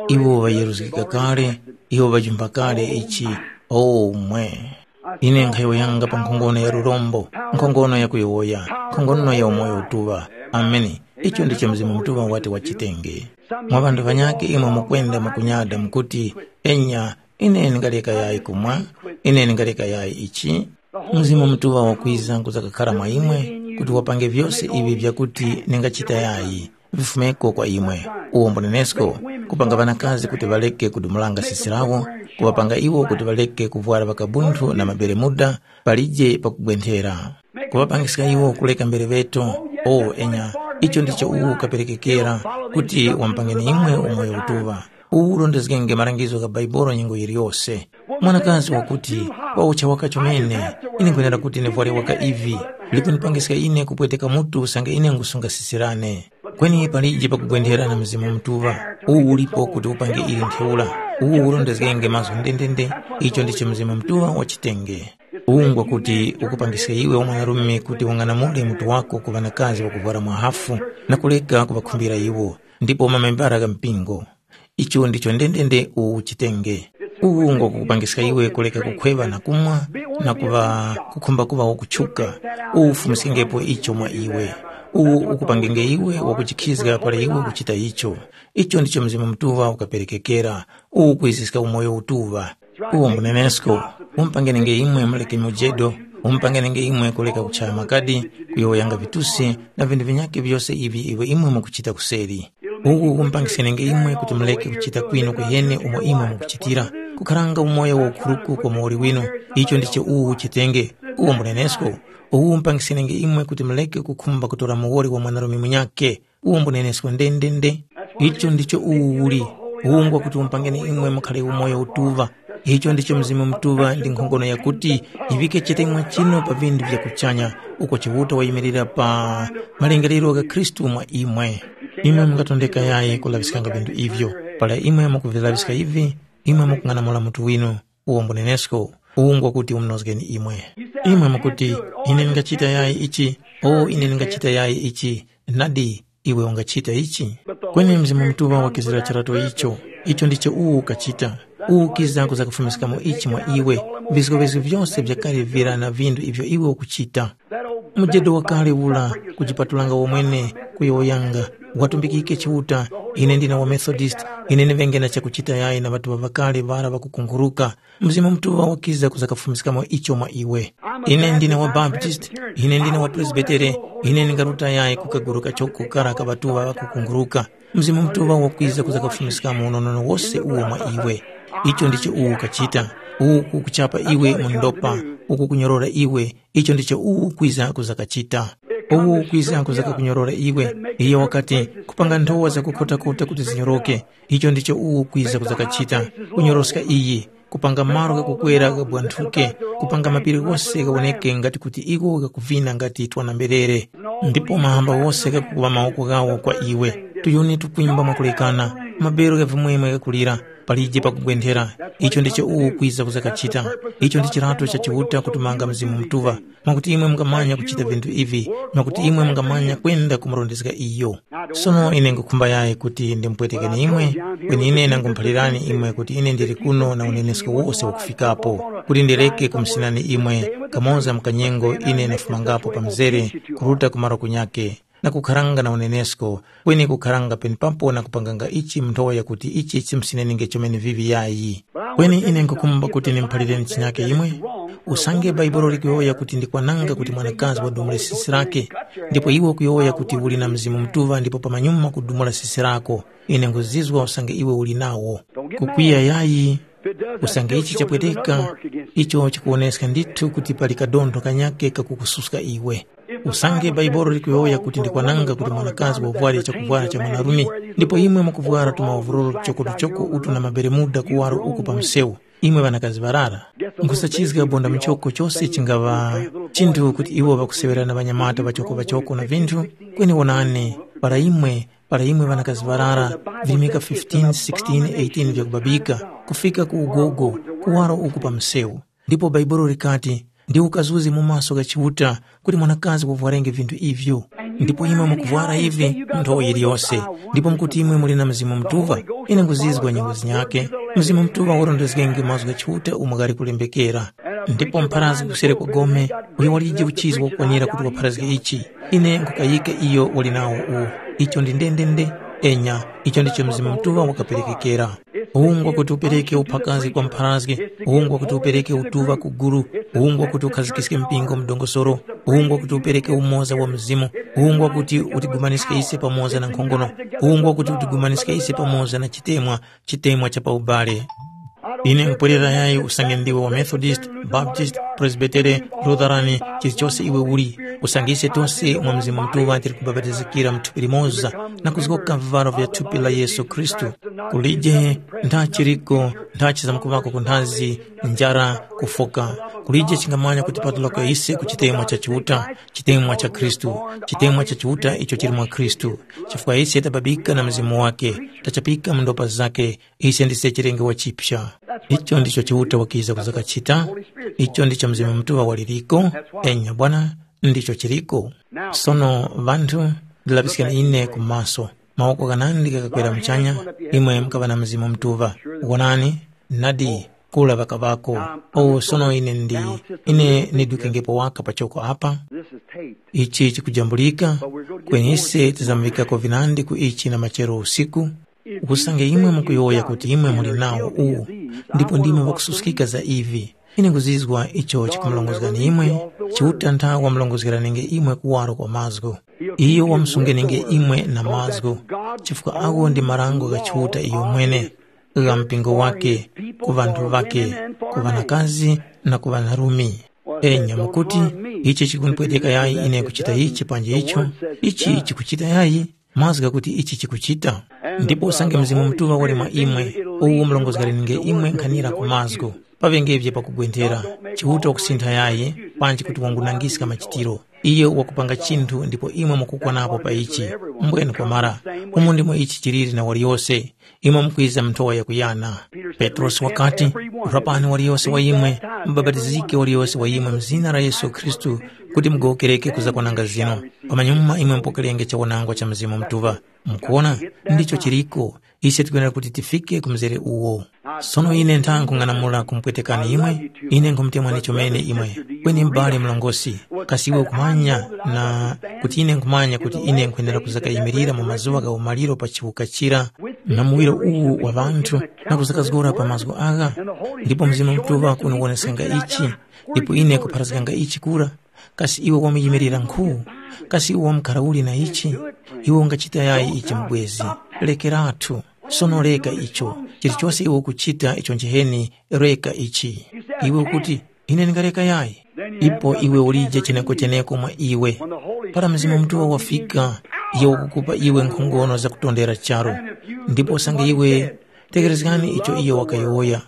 Iwo ŵayeruzgika kale, iwo ŵajumpha kale ichi. O mwe! Ine nkhayowoyanga pa nkhongono ya lurombo, nkhongono ya kuyowoya, nkhongono ya umoyo utuŵa. Ameni. Icho ndicho Mzimu Mutuŵa wati wachitenge. Mwa ŵanthu ŵanyakhe imwe mukwenda mukunyada mukuti, “Enya, ine ndingaleka yayi kumwa, ine ndingaleka yayi ichi.” Mzimu Mutuŵa wakwiza kuza kakhara mwa imwe kuti wapange vyose ivi vyakuti ningachita yayi. Vifumeko kwa imwe. Uwo mbunenesko, kupanga ŵanakazi kuti ŵareke kudumulanga sisi lawo, kuŵapanga iwo kuti ŵareke kuvwara ŵakabunthu na maberemuda palije pakugwenthera. Kuŵapangiska iwo kureka mbereŵeto. O enya, icho ndicho uwu kaperekekera kuti wamupangeni imwe umoyo utuŵa. Uwu urondezgenge malangizo gha Bhaibuli nyengo yiliyose. Mwanakazi wakuti, wawucha waka chomene, ine nkhwenera kuti ndivware waka ivi, likundipangiska ine kupweteka mutu usange ine ngusunga sisi lane. Kweni palije pakugwenthera na Mzimu Mutuŵa, uwu ulipo kuti upange ili ntheura. Uwu urondezgenge mazgu ndendende, icho ndicho Mzimu Mutuŵa wachitenge. Uwu ngwakuti ukupangiska iwe wamwanarume kuti ung'anamule mutu wako ku ŵanakazi ŵakuvwara mwa hafu na kuleka kuŵakhumbira iwo, ndipo mamembara gha mpingo. Icho ndicho ndendende uwu uchitenge. Uwu ngwakukupangiska iwe kuleka kukhweŵa na kumwa na kuŵa kukhumba kuŵa wakutchuka. Uwu ufumiskengepo icho mwa iwe. Uwu ukupangenge iwe wakujikhizga para iwe ukuchita icho. Icho ndicho Mzimu Mutuŵa ukaperekekera. Uwu ukwiziska umoyo utuŵa. Uwo mbunenesko, umpangenenge imwe muleke mujedo, umpangenenge imwe kuleka kuchaya makadi, kuyowoyanga vitusi na vinthu vinyakhe vyose ivi iwe imwe mukuchita kuseri. Uku kumpangisenenge imwe kuti muleke kuchita kwinu kuyene umo imwe mukuchitira, kukharanga umoyo waukhuruku kwa muwoli winu. Icho ndicho uwu uchitenge, uwo mbunenesko. Uwu umpangisenenge imwe kuti muleke kukhumba kutora muwoli wa mwanarume munyakhe. Uwo mbunenesko ndendende. Icho ndicho uwu uli. Uwu ngwakuti umpangeni imwe mukhale umoyo utuŵa. Icho ndicho Mzimu Mutuŵa ndi nkhongono yakuti yiŵike chitemwa chinu pa vinthu vya kuchanya, uko Chiuta wayimirira pa malingaliro gha Khristu mwa imwe. Imwe mungatondeka yayi kulaŵiskanga vinthu ivyo. Para imwe mukuvilaŵiska ivi, imwe mukung'anamula mutu winu. Uwo mbunenesko, uwu ngwakuti umunozgeni imwe. Imwe mukuti, “Ine ndingachita yayi ichi, o ine ndingachita yayi ichi.” Nadi, iwe ungachita ichi? Kweni Mzimu Mutuŵa wakizira charato icho. Icho ndicho uwu ukachita. Uwu ukiza kuzakufumiskamo ichi mwa iwe, vizgowezgo vyose vyakale vira na vinthu ivyo iwe ukuchita. Mujedo wakale ura kujipatulanga womwene kuyowoyanga, watumbikike Chiuta, ine ndine wa Methodist, ine ndiŵenge na chakuchita yayi na ŵatuŵa ŵakale ŵara ŵakukunghuruka. Mzimu Mutuŵa wakiza kuzakafumiskamo icho mwa iwe. Ine ndine wa Baptist, ine ndine wa Presbitere, ine ndingaruta yayi kukaguru kachoko kara ka ŵatuŵa ŵakukunghuruka. Mzimu Mutuŵa wakwiza kuzakafumiskamo unonono wose uwo mwa iwe. Icho ndicho uwu ukachita, uwu kukuchapa iwe mu ndopa, uku kunyorora iwe, icho ndicho uwu ukwiza kuzakachita. Uwu ukwiza kuzakakunyorora iwe. Iyo wakati, kupanga nthowa zakukhotakota kuti zinyoroke, icho ndicho uwu ukwiza kuzakachita, kunyoroska iyi, kupanga malo ghakukwera ghabwanthuke, kupanga mapiri ghose ghawoneke ngati kuti iwo ghakuvina ngati twana mberere. Ndipo mahamba ghose ghakukuŵa mawoko ghawo kwa iwe, tuyuni tukwimba mwakulekana, mabero gha vimwemwe ghakulira, palije pakugwenthera. Icho ndicho uwu ukwiza kuzakachita. Icho ndi chirato cha Chiuta kutumanga Mzimu Mutuŵa, mwakuti imwe mungamanya kuchita vinthu ivi, mwakuti imwe mungamanya kwenda kumurondezga iyo. Sono ine nkhukhumba yayi kuti ndimupwetekeni imwe, kweni ine nangumuphalirani imwe kuti ine ndili kuno na unenesko wose wakufikapo, kuti ndireke kumusinani imwe, kamoza mu kanyengo ine ndafumangapo pa mzere kuruta ku malo kunyake, na kukharanga na unenesko, kweni kukharanga penepapo na kupanganga ichi mu nthowa yakuti ichi chimusinenge chomene vivi yayi. Kweni ine nkhukhumba kuti ndimuphalireni chinyake imwe. Usange Bhaibuli likuyowoya kuti ndi kwananga kuti mwanakazi wadumule sisi lake, ndipo iwe ukuyowoya kuti uli na Mzimu Mutuŵa ndipo pamanyuma kudumula sisi lako, ine nkhuzizwa usange iwe uli nawo. Kukwiya yayi, usange ichi chapweteka, icho chikuwoneska ndithu kuti pali kadontho kanyake kakukususka iwe. Usange Bhaibuli likuyowoya kuti ndi kwananga kuti mwanakazi wavware chakuvwara cha mwanarume, ndipo imwe mukuvwara tumawuvururu tuchokotuchoko utu na maberemuda kuwaro uku pa msewu, imwe ŵanakazi ŵarara, nkhusachizga bonda muchoko chose chingaŵa chinthu kuti iwo ŵakuseŵera na ŵanyamata ŵachokoŵachoko na vinthu, kweni wonani, para imwe Para imwe ŵanakazi ŵarara, virimika fifteen, sixteen, eighteen vyakubabika, kufika ku ugogo, kuwaro uku pa msewu. Ndipo Bhaibuli likati, ndi ukazuzi mu maso gha Chiuta kuti mwanakazi wavwarenge vinthu ivyo. Ndipo imwe mukuvwara ivi nthowa yiliyose, ndipo mukuti imwe muli na Mzimu Mutuŵa. Ine nguzizwa nyengo zinyakhe. Mzimu Mutuŵa warondezgenge mazgu gha Chiuta umo ghali kulembekera. Ndipo mpharazgi kusere kwa gome, uyo walije uchizi wakukwanira kuti wapharazge ichi. Ine nkhukayika iyo wali nawo uwu. Icho ndi ndendende, enya, icho ndicho Mzimu Mutuŵa wakaperekekera. Ungwa kuti upereke uphakazi kwa mpharazge, ungwa kuti upereke utuŵa ku guru, ungwa kuti ukhazikiske mpingo mu dongosolo, ungwa kuti upereke umoza wa Mzimu, ungwa kuti utigumaniske ise pamoza na nkhongono, ungwa kuti utigumaniske ise pamoza na chitemwa, chitemwa cha pa ubale. Ine nkupwerera yayi usange ndiwe wa Methodist, Baptist, Presbytere, Lutheran, chilichose iwe uli, usange ise tose mwa Mzimu Mutuŵa tili kubapatizikira mu thupi limoza na kuzgoka vivaro vya thupi la Yesu Khristu. Kulije nthachi liko nthachi zamkuŵako ku nthazi, njara, kufoka. Kulije chingamanya kuti patulako ise ku chitemwa cha Chiuta, chitemwa cha Khristu, chitemwa cha Chiuta icho chili mwa Khristu. Chifukwa ise tababika na Mzimu wake, tachapika mu ndopa zake, ise ndise chilenge wachipsa. Icho ndicho Chiuta wakiza kuzakachita, icho ndicho Mzimu Mutuŵa waliriko, enya bwana, ndicho chiriko. Sono ŵanthu, ndilapiskeni ine ku maso. Mawoko ghanandi ghakakwera muchanya, imwe mukaŵa na Mzimu Mutuŵa. Wonani, nadi, kula ŵakaŵako. O sono ine ndi, ine nidukengepo waka pachoko apa. Ichi chikujambulika, kweni ise tizamuŵikako vinandi ku ichi na machero usiku. Usange imwe mukuyowoya kuti imwe muli nawo uwu, ndipo ndimwe ŵakususkika za ivi, ine nkuzizwa icho chikumulongozgani imwe, Chiuta ntha wamulongozgeranenge imwe kuwaro kwa mazgu. Iyo wamusungenenge imwe na mazgu, chifukwa agho ndi marango gha Chiuta iyo mwene, gha mpingo wake, ku ŵanthu ŵake, ku ŵanakazi na ku ŵanarume. Enya mukuti, ichi chikundipweteka yayi ine kuchita ichi panji icho, ichi chikuchita yayi, mazgu ghakuti ichi chikuchita. Ndipo usange Mzimu Mutuŵa wali mwa imwe, uwu umulongozgereninge imwe nkhanira ku mazgu, paŵengevye pakugwenthera, Chiuta wakusintha yayi, panji kuti wangunangiska machitiro. Iyo wakupanga chinthu ndipo imwe mukukwanapo pa ichi. Mbwenu kwamara, umo ndimo ichi chiliri na waliyose. Imwe mukwiza mu nthowa yakuyana. Petrosi wakati, rapani waliyose wa imwe, mubapatizike waliyose wa imwe mu zina la Yesu Khristu, kuti mugowokereke ku zakwananga zinu. Pamanyuma imwe mupokerenge chawanangwa cha Mzimu Mutuŵa. Mukuona, ndicho chiriko. Ise tikwenera kuti tifike ku mzere uwo. Sono ine ntha nkhung'anamula kumupwetekani imwe, ine nkhumutemwani chomene imwe, kweni m'bale mlongosi, kasi iwe ukumanya na kuti ine nkhumanya kuti ine nkhwenera kuzakayimirira mu mazuŵa gha umaliro pa chiwuka chira na muwiro uwu wa ŵanthu na kuzakazgora pa mazgu agha? Ndipo Mzimu Mutuŵa kunowonesenga ichi, ndipo ine kupharazganga ichi kura. Kasi iwe wamuyimirira nkhu? Kasi iwe wamkhara uli na ichi? Iwe ungachita yayi ichi mubwezi? Lekeratu. Sono reka icho. Chilichose iwe ukuchita icho njiheni, reka ichi. Iwe ukuti, ine ndingareka yayi? Ipo iwe ulije cheneko-cheneko mwa iwe. Para Mzimu Mutuŵa wafika, iyo wakukupa iwe nkhongono zakutondera charu. Ndipo usange iwe, tegherezgani icho iyo wakayowoya.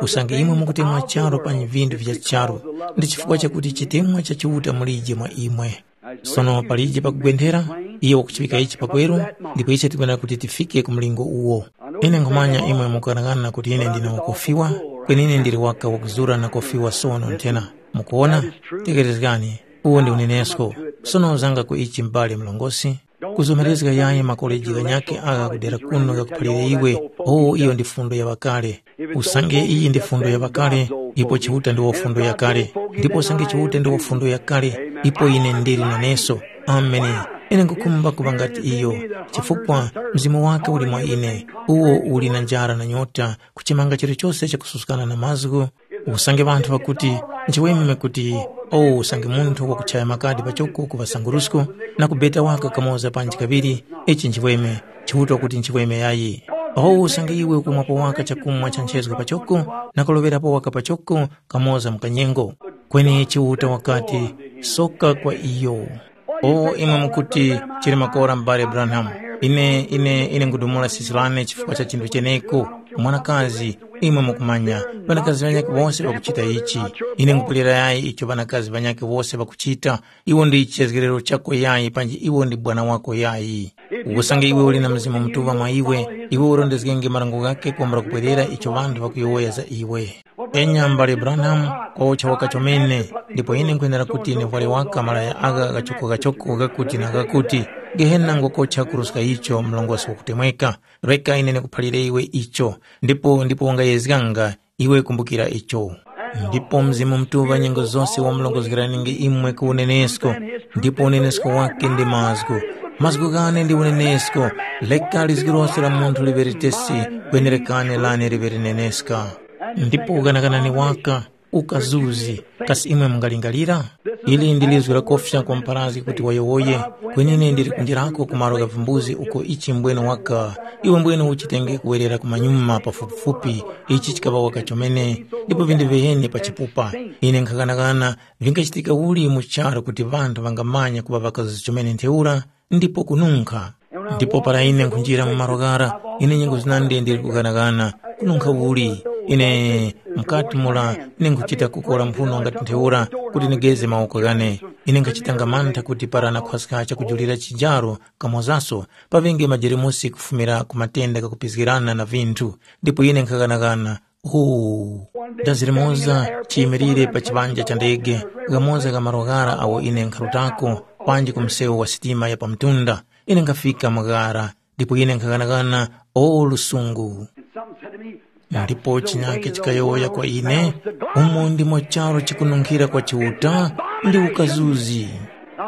Usange imwe mukutemwa charu pa vinthu vya charu, ndi chifukwa chakuti chitemwa cha Chiuta mulije mwa imwe. Sono palije pakugwenthera, iyo wakuchiŵika ichi pakweru, ndipo ise tikwenera kuti tifike ku mlingo uwo. Ine nkhumanya imwe mukughanaghana kuti ine ndine wakofiwa, kweni ine ndili waka wakuzura na kofiwa sono nthena. Mukuwona? Tegherezgani, uwo ndi unenesko. Sono uzanga ku ichi m'bale mlongosi. Kuzomerezga yayi makoleji ghanyakhe agha kudera kuno ghakuphalire iwe, o iyo ndi fundo ya ŵakale. Usange iyi ndi fundo ya ŵakale, ipo Chiuta ndiwo fundo yakale, ndipo usange Chiuta ndiwo fundo yakale, ipo ine ndili naneso. Ameni. Ine nkhukhumba kuŵa ngati iyo, chifukwa Mzimu wake uli mwa ine, uwo uli na njara na nyota kuchimanga chilichose chakususkana na mazgu. Usange ŵanthu ŵakuti, nchiweme kuti, o usange munthu wakuchaya makadi pachoko ku ŵasangurusko na kubeta waka kamoza panji kaŵiri, ichi nchiweme, Chiuta wakuti nchiweme yayi. O usange iwe ukumwapo waka chakumwa cha nchezgo pachoko na kuloŵerapo waka pachoko kamoza mu kanyengo. Kweni Chiuta wakati, soka kwa iyo. O imwe mukuti, chili makora m'bale Branham. Ine, ine, ine nkudumula sisi lane chifukwa cha chinthu cheneko. Mwanakazi, imwe mukumanya, ŵanakazi ŵanyakhe wose ŵakuchita ichi. Ine nkupulira yayi icho ŵanakazi ŵanyakhe wose ŵakuchita. Iwo ndi chizgiriro chako yayi panji iwo ndi bwana wako yayi. Usange iwe uli na Mzimu Mutuŵa mwa iwe, iwe urondezgenge marango ghakhe kwambula kupwerera icho ŵanthu ŵakuyowoya za iwe. Enya mbale Branham, kocha waka chomene, ndipo ine nkhwenera kuti nivwale waka malaya agha ghachoko-ghachoko ghakuti na ghakuti, Gehena ngokocha kuruska icho mlongosi wakutemweka. Reka ine ndikuphalire iwe icho, ndipo ndipo wangayezganga, iwe kumbukira icho. Ndipo Mzimu Mutuŵa nyengo zose wamulongozgeraninge imwe ku unenesko, ndipo unenesko wake ndi mazgu. Mazgu ghane ndi unenesko, leka lizgu lose la munthu liŵe litesi, kwenerekane lane liŵe lineneska. Ndipo uganaganani waka, ukazuzi, kasi imwe mungalingalira? Ili ndi lizgu lakofya kwa mpharazgi kuti wayowoye, kwenene ndili kunjirako ku malo gha vimbuzi uko ichi mbwene waka, iwe mbwene uchitenge kuwerera kumanyuma pafupifupi, ichi chikaŵa waka chomene, ndipo vindi viheni pa chipupa. Ine nkhaghanaghana, vingachitika uli mu charu kuti ŵanthu ŵangamanya kuŵa ŵakazuzi chomene ntheura? Ndipo kununkha. Ndipo para ine nkhunjira mu malo ghara, ine nyengo zinandi ndili kughanaghana, kununkha uli? Ine mukati mura ine nkhuchita kukora mphuno ngati ntheura kuti nigeze mawoko ghane. Ine nkhachitanga mantha kuti para nakhwaska chakujulira chijaro kamozaso, paŵenge majeremusi kufumira ku matenda ghakupizgirana na vinthu, ndipo ine nkhaghanagana. Huu! Dazi limoza chiyimirire pa chiŵanja cha ndege, ghamoza gha malo ghara agho ine nkharutako, panji ku msewu wa sitima ya pamtunda. Ine nkhafika mu ghara, ndipo ine nkhaghanaghana, o lusungu! Ndipo chinyake chikayowoya kwa ine, umo ndimo charu chikununkhira kwa Chiuta ndi ukazuzi.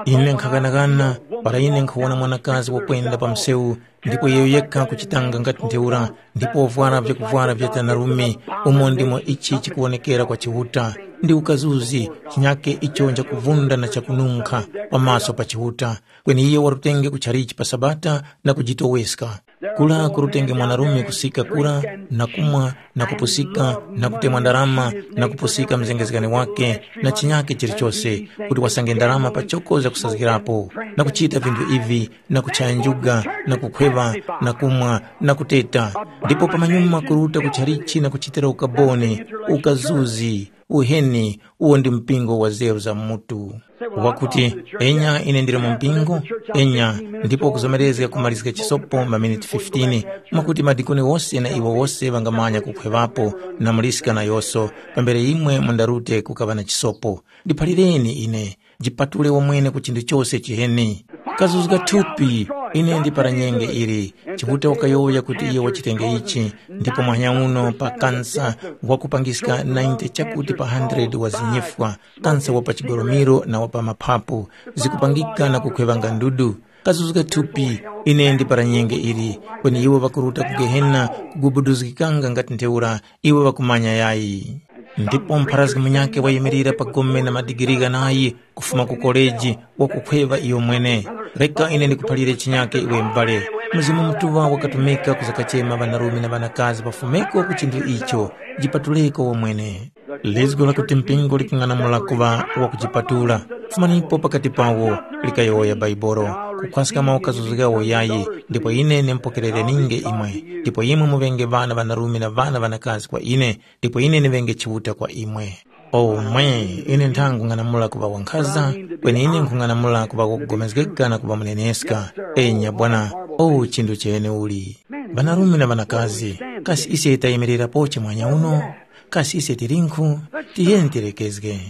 Ine nkhaghanaghana para ine nkhuwona mwanakazi wakwenda pa msewu ndipo iyo yekha kuchitanga ngati ntheura, ndipo wavwara vyakuvwara vya tanarume, umo ndimo ichi chikuwonekera kwa Chiuta, ndi ukazuzi, chinyake icho nchakuvunda na chakununkha pamaso pa Chiuta. Kweni iyo warutenge kuchalichi pa Sabata na kujitoweska. Kura kurutenge mwanarume kusika kura na kumwa na kupusika na kutemwa ndarama na kupusika mzengezgani wake na chinyake chilichose, kuti wasange ndarama pachoko zakusazgirapo, na kuchita vinthu ivi, na kuchaya njuga, na kukhweŵa, na kumwa, na kuteta, ndipo pamanyuma kuruta ku chalichi na kuchitira ukaboni, ukazuzi, uheni, uwo ndi mpingo wa zeru za mutu. Wakuti, enya ine ndili mu mpingo, enya, ndipo kuzomerezga kumalizga chisopo maminiti fifteen, mwakuti madikoni wose na iwo wose ŵangamanya kukhweŵapo na muliska nayoso, pambere imwe mundarute kukaŵa na chisopo. Ndiphalireni ine, jipatule wamwene ku chinthu chose chiheni. Kazuzga thupi, ine ndi para nyenge ili. Chiuta wakayowoya kuti iyo wachitenge ichi, ndipo mwanya uno pa kansa wakupangiska ninety chakuti pa hundred wa zinyifwa, kansa wa pa chigolomiro na wa pa maphapu, zikupangika na kukhweŵanga ndudu. Kazuzga thupi, ine ndi para nyenge ili. Kweni iwo ŵakuruta ku Gehena kugubuduzgikanga ngati ntheura, iwo ŵakumanya yayi. Ndipo mpharazgi munyakhe wayimirira pa gome na madigiri ghanayi kufuma ku koleji wakukhweŵa iyo mwene. Reka ine ndikuphalire chinyakhe iwe m'bale. Mzimu Mutuŵa wakatumika kuzakachema ŵanarume na ŵanakazi pafumeko ku chinthu icho, jipatuleko wamwene. Lizgu lakuti mpingo likung'anamula kuŵa wakujipatula. Fumanipo pakati pawo, likayowoya Baibolo, kukhwaska mawukazuzu ghawo yayi, ndipo ine ndimpokerereninge imwe, ndipo imwe muŵenge ŵana ŵanarume na ŵana ŵanakazi kwa ine, ndipo ine ndiŵenge Chiuta kwa imwe. Omwe, ine ntha nkung'anamula kuŵa wankhaza, kweni ine nkhung'anamula kuŵa wakugomezgeka na kuŵa muneneska. Enya Bwana, o chinthu cheneuli. Ŵanarume na ŵanakazi, kasi ise tayimirirapoche mwanya uno? Kasi ise tilinkhu? Tiyeni tilekezge.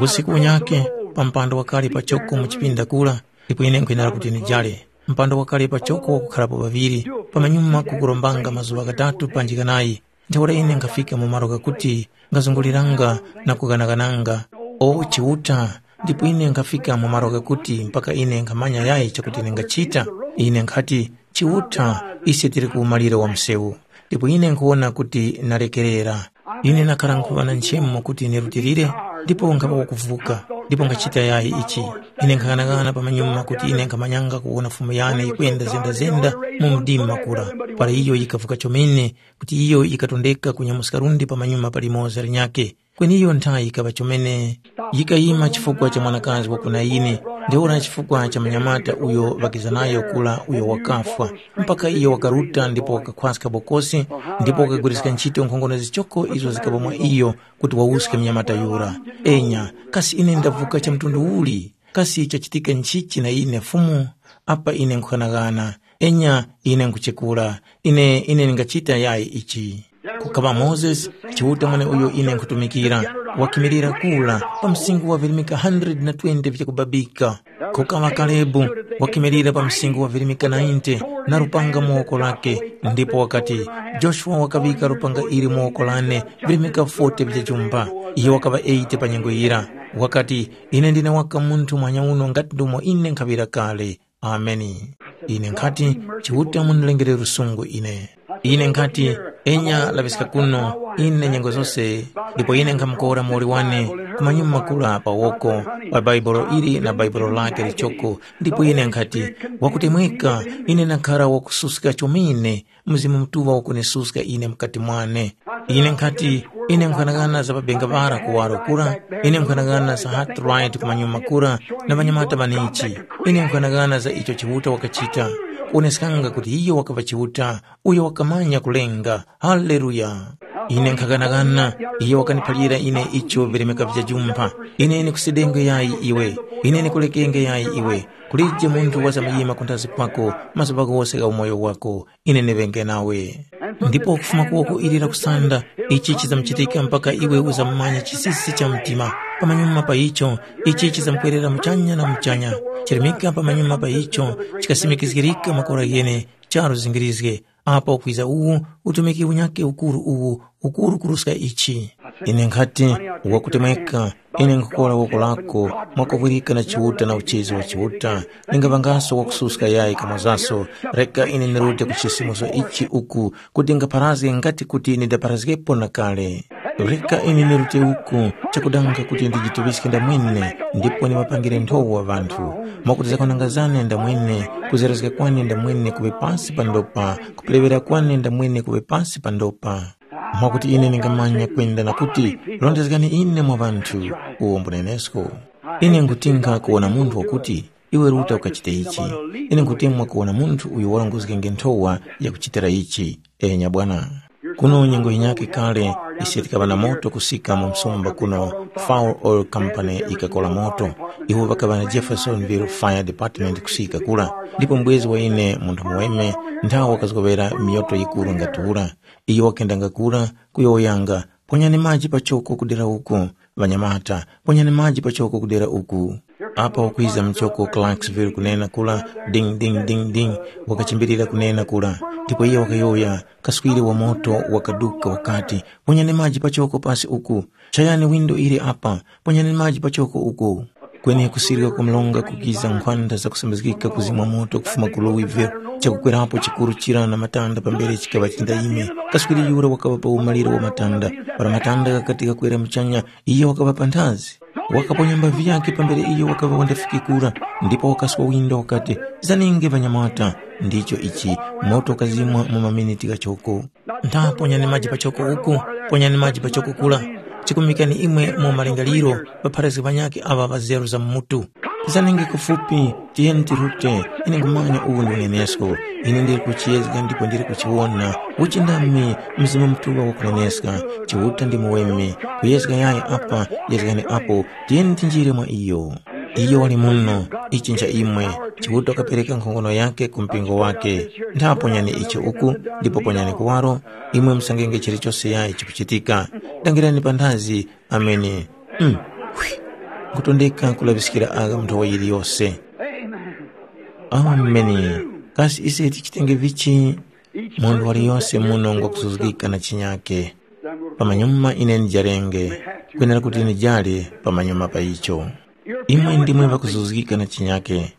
Usiku unyakhe, pa mpando wakali pachoko mu chipinda kura, ndipo ine nkhwenera kuti nijale. Mpando wakali pachoko wakukharapo ŵaŵiri, pamanyuma kukurombanga mazuŵa ghatatu panji ghanayi. Ntheura ine nkhafika mu malo ghakuti nkhazunguliranga na kughanaghananga, o Chiuta, ndipo ine nkhafika mu malo ghakuti mpaka ine nkhamanya yayi chakuti ndingachita. Ine nkhati, Chiuta, ise tili ku umaliro wa msewu, ndipo ine nkhuwona kuti ndalekerera. Ine nakhara nkhuŵa na nchemo kuti ndirutilire, ndipo nkhaŵa wakuvuka, ndipo nkhachita yayi ichi. Ine nkhaghanagana pamanyuma kuti ine nkhamanyanga kuwona Fumu yane yikwenda zendazenda mu mdima kura, para iyo yikavuka chomene, kuti iyo yikatondeka kunyamuska lundi pamanyuma palimoza linyakhe. Kweni iyo nthayi yikaŵa chomene, yikayima chifukwa cha mwanakazi wa ku Nayini, Ntheura chifukwa cha munyamata uyo ŵakiza nayo kura uyo wakafwa, mpaka iyo wakaruta ndipo wakakhwaska bokosi, ndipo wakagwiriska ntchito nkhongono zichoko izo zikaŵa mwa iyo kuti wawuske munyamata yura. Enya, kasi ine ndavuka cha mtundu uli? Kasi chachitika nchichi na ine Fumu? Apa ine nkhughanagana. Enya, ine nkhuchekura. Ine, ine ndingachita yayi ichi. Kukaŵa Mozesi, Chiuta mweneuyo ine nkhutumikira, wakimilira kura pa msinkhu wa virimika hundred na twenty vyakubabika. Kukaŵa Kalebu, wakimilira pa msinkhu wa virimika ninety na lupanga mu woko lake, ndipo wakati, Joshua wakaŵika lupanga ili mu woko lane virimika forty vya jumba. Iyo wakaŵa eighty pa nyengo yira. Wakati, ine ndine waka munthu muhanya uno ngati ndomo ine nkhaŵira kale. Ameni. Ine nkhati, Chiuta munilengere lusungu ine. Ine nkhati, enya laŵiska kuno, ine nyengo zose, ndipo ine nkhamukora muwoli wane kumanyuma kura pa woko wa baibulo ili na baibulo lake lichoko, ndipo ine nkhati, wakutemweka, ine nakhara wakususka chomene, Mzimu Mutuŵa wakunisuska ine mukati mwane. Ine nkhati, ine nkhanang'ana za pabenga para kuwaro kura, ine nkhanang'ana za Hart Wright kumanyuma kura na ŵanyamata ŵanichi. Ine nkhanang'ana za icho Chiuta wakachita, kuwoneskanga kuti iyo wakaŵa Chiuta, uyo wakamanya kulenga. Haleluya! Ine nkhaghanaghana, iyo wakaniphalira ine icho vilemeka vya jumpha. Ine ndikusedenge yayi iwe, ine ndikulekenge yayi iwe. Kulije munthu wazamayima kunthazi kwako mazuŵa ghose gha umoyo wako. Ine ndiŵenge nawe. Ndipo kufuma ku woko ili la kusanda, ichi chizamuchitika mpaka iwe uzamumanya chisisi cha mtima. Pamanyuma pa icho, ichi chizamkwerera muchanya na muchanya. Chirimika pamanyuma pa icho, chikasimikizgirika makora ghene, charu zingirizge. Apo kwiza uwu utumiki unyakhe ukuru uwu, ukuru kuruska ichi. Ine nkhati, wakutemweka, ine nkhukora woko lako, mwakuvwirika na Chiuta na uchizi wa Chiuta, ningaŵangaso wakususka yayi kamozaso. Reka ine ndirute ku chisimuso ichi uku, kuti ngapharazge ngati kuti ndidapharazgepo na kale. Reka ine ndirute uku, chakudanga kuti ndijituŵiske ndamwene, ndipo ndimapangire nthowa ŵanthu, mwakuti zakwananga zane ndamwene, kuzerezga kwane ndamwene kuŵe pasi pa ndopa, kuperewera kwane ndamwene kuŵe pasi pa ndopa. Mwakuti ine ndingamanya kwenda na kuti, rondezgani ine mwa ŵanthu, uwo mbunenesko. Ine nkhutinga kuwona munthu wakuti, iwe ruta ukachite ichi. Ine nkhutemwa kuwona munthu uyo warongozgenge nthowa yakuchitira ichi. Enya bwana. Kuno nyengo yinyakhe kale, ise tikaŵa na moto kusika mu msumba kuno, Fowl Oil Company yikakola moto. Iwo ŵakaŵa na Jeffersonville Fire Department kusika kura, ndipo mbwezi wa ine munthu muweme nthawe wakazgoŵera miyoto yikuru ngati ura. Iyo wakendanga kura, kuyowoyanga, ponyani maji pachoko kudera uku, ŵanyamata, ponyani maji pachoko kudera uku. Apa wakwiza mchoko Clarksville kunena kula, ding ding ding ding, wakachimbirira kunena kula. Ndipo iye wakayowoya, kaswiri wa moto wakaduka wakati, ponyani maji pachoko pasi uku. Chayani windo ili apa, ponyani maji pachoko uku. Kweni kusirika kwa mlonga kukiza nkhwanda zakusambizgika kuzimwa moto kufuma ku Louisville, chakukwerapo chikuru chira na matanda pambere chikaŵa chindayime. Kaswiri yura wakaŵa pa umaliro wa matanda. Para matanda ghakati ghakwera muchanya, iyo wakaŵa panthazi. Wakaponya mbavi yakhe pambere iyo wakaŵa wandafikikura, ndipo wakaswa windo wakati, zaninge ŵanyamata. Ndicho ichi, moto ukazimwa mu maminiti ghachoko. Ntha ponyani maji pachoko uku, ponyani maji pachoko kula. Chikumikani imwe mu malingaliro, ŵapharazgi ŵanyakhe aŵa ŵazeru za mu mutu. Zanenge kufupi, tiyeni tirute, ine nkhumanya uwu ndi unenesko. Ine ndili kuchiyezga ndipo ndili kuchiwona. Uchindami, Mzimu Mutuŵa wakuneneska, Chiuta ndi muweme. Kuyezga yayi apa, yezgani apo, tiyeni tinjire mwa iyo. Iyo wali muno, ichi ncha imwe, Chiuta wakapereka nkhongono yakhe ku mpingo wakhe. Ntha ponyani icho uku, ndipo ponyani kuwaro, imwe musangenge chilichose yayi chikuchitika. Dangirani panthazi, ameni. Mm. Hwi. Nkutondeka kulaŵiskira agha mu nthowa yiliyose. Ameni. Kasi ise tichitenge vichi? Munthu waliyose muno ngwakuzuzgika na chinyake. Pamanyuma ine ndijarenge, kwenera kuti ndijare pamanyuma pa icho. Imwe ndimwe ŵakuzuzgika na chinyake.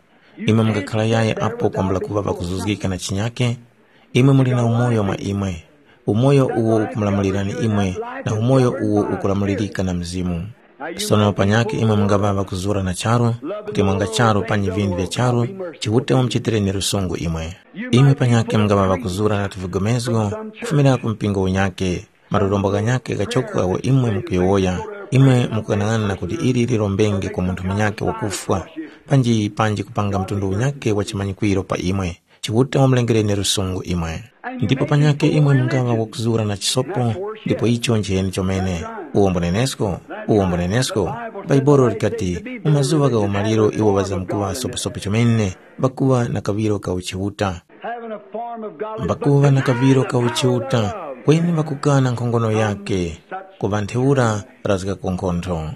Imwe mungakhala yayi apo kwambula kuŵa ŵakuzuzgika na chinyake? Imwe muli na umoyo mwa imwe. Umoyo uwo ukumulamulirani imwe, na umoyo uwo ukulamulirika na Mzimu. Sono panyakhe imwe mungaŵa ŵakuzura na charu, kuti mwanga charu panyi vinthu vya charu, Chiuta wamuchitireni lusungu imwe. Imwe panyakhe mungaŵa ŵakuzura na tuvigomezgo kufumira ku mpingo unyakhe, marorombo ghanyakhe ghachoko agho imwe mukuyowoya. Imwe mukughanag'ana kuti ili lirombenge kwa munthu munyakhe wakufwa, panji panji kupanga mtundu unyakhe wa chimanyikwiro pa imwe. Chiuta wamulengereni lusungu imwe. Ndipo panyakhe imwe mungaŵa wakuzura na chisopo, ndipo icho njeni chomene. Uwo mbunenesko, uwo mbunenesko. Bhaibuli likati, mu mazuŵa gha umaliro iwo ŵazamkuŵa soposopo chomene, ŵakuŵa na kaŵiro ka uchiuta. Having a form of godliness, but ŵakuŵa na kaŵiro ka uchiuta, kweni ŵakukana nkhongono yake, kuŵa ntheura razgako nkhontho.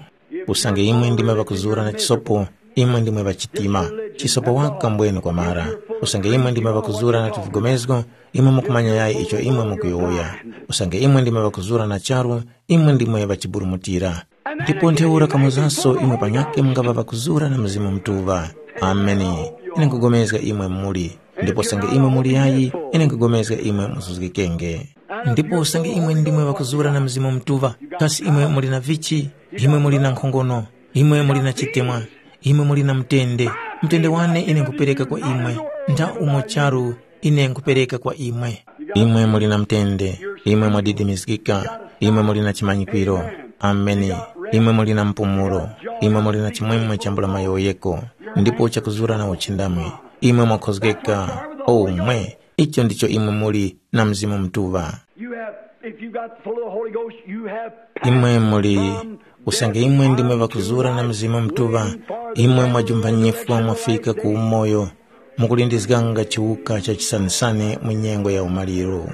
Usange imwe ndimwe ŵakuzura na chisopo, imwe ndimwe ŵachitima. Chisopo waka mbwene kwamara. Usange imwe ndimwe ŵakuzura na tuvugomezgo, imwe mukumanya yayi icho imwe mukuyowoya. Usange imwe ndimwe ŵakuzura na charu, imwe ndimwe ŵachiburumutira. Ndipo ntheura kamozaso imwe panyakhe mungaŵa ŵakuzura na Mzimu Mutuŵa. Ameni. Ine nkugomezga imwe muli. Ndipo usange imwe muli yayi, ine nkugomezga imwe muzuzgikenge. Ndipo usange imwe ndimwe ŵakuzura na Mzimu Mutuŵa, kasi imwe muli na vichi? Imwe muli na nkhongono, imwe muli na chitemwa, imwe muli na mutende. Mutende wane ine nkhupereka kwa imwe, ntha umo charu ine nkhupereka kwa imwe. Imwe muli na mutende, imwe mwadidimizgika, imwe muli na chimanyikwiro. Ameni. Imwe muli na mpumulo, imwe muli na chimwemwe chambula mayowoyeko, ndipo chakuzura na uchindami. Imwe mwakhozgeka, o mwe, icho ndicho imwe muli na Mzimu Mutuŵa. You have, if you got full of the Holy Ghost, you have imwe muli from usange death imwe ndimwe unto ŵakuzura na life, Mzimu Mutuŵa, waiting for the imwe resurrection mwajumphanyifwa of the mwafika last ku day. Umoyo, mukulindizganga chiwuka cha chisanisani mu nyengo ya umaliro.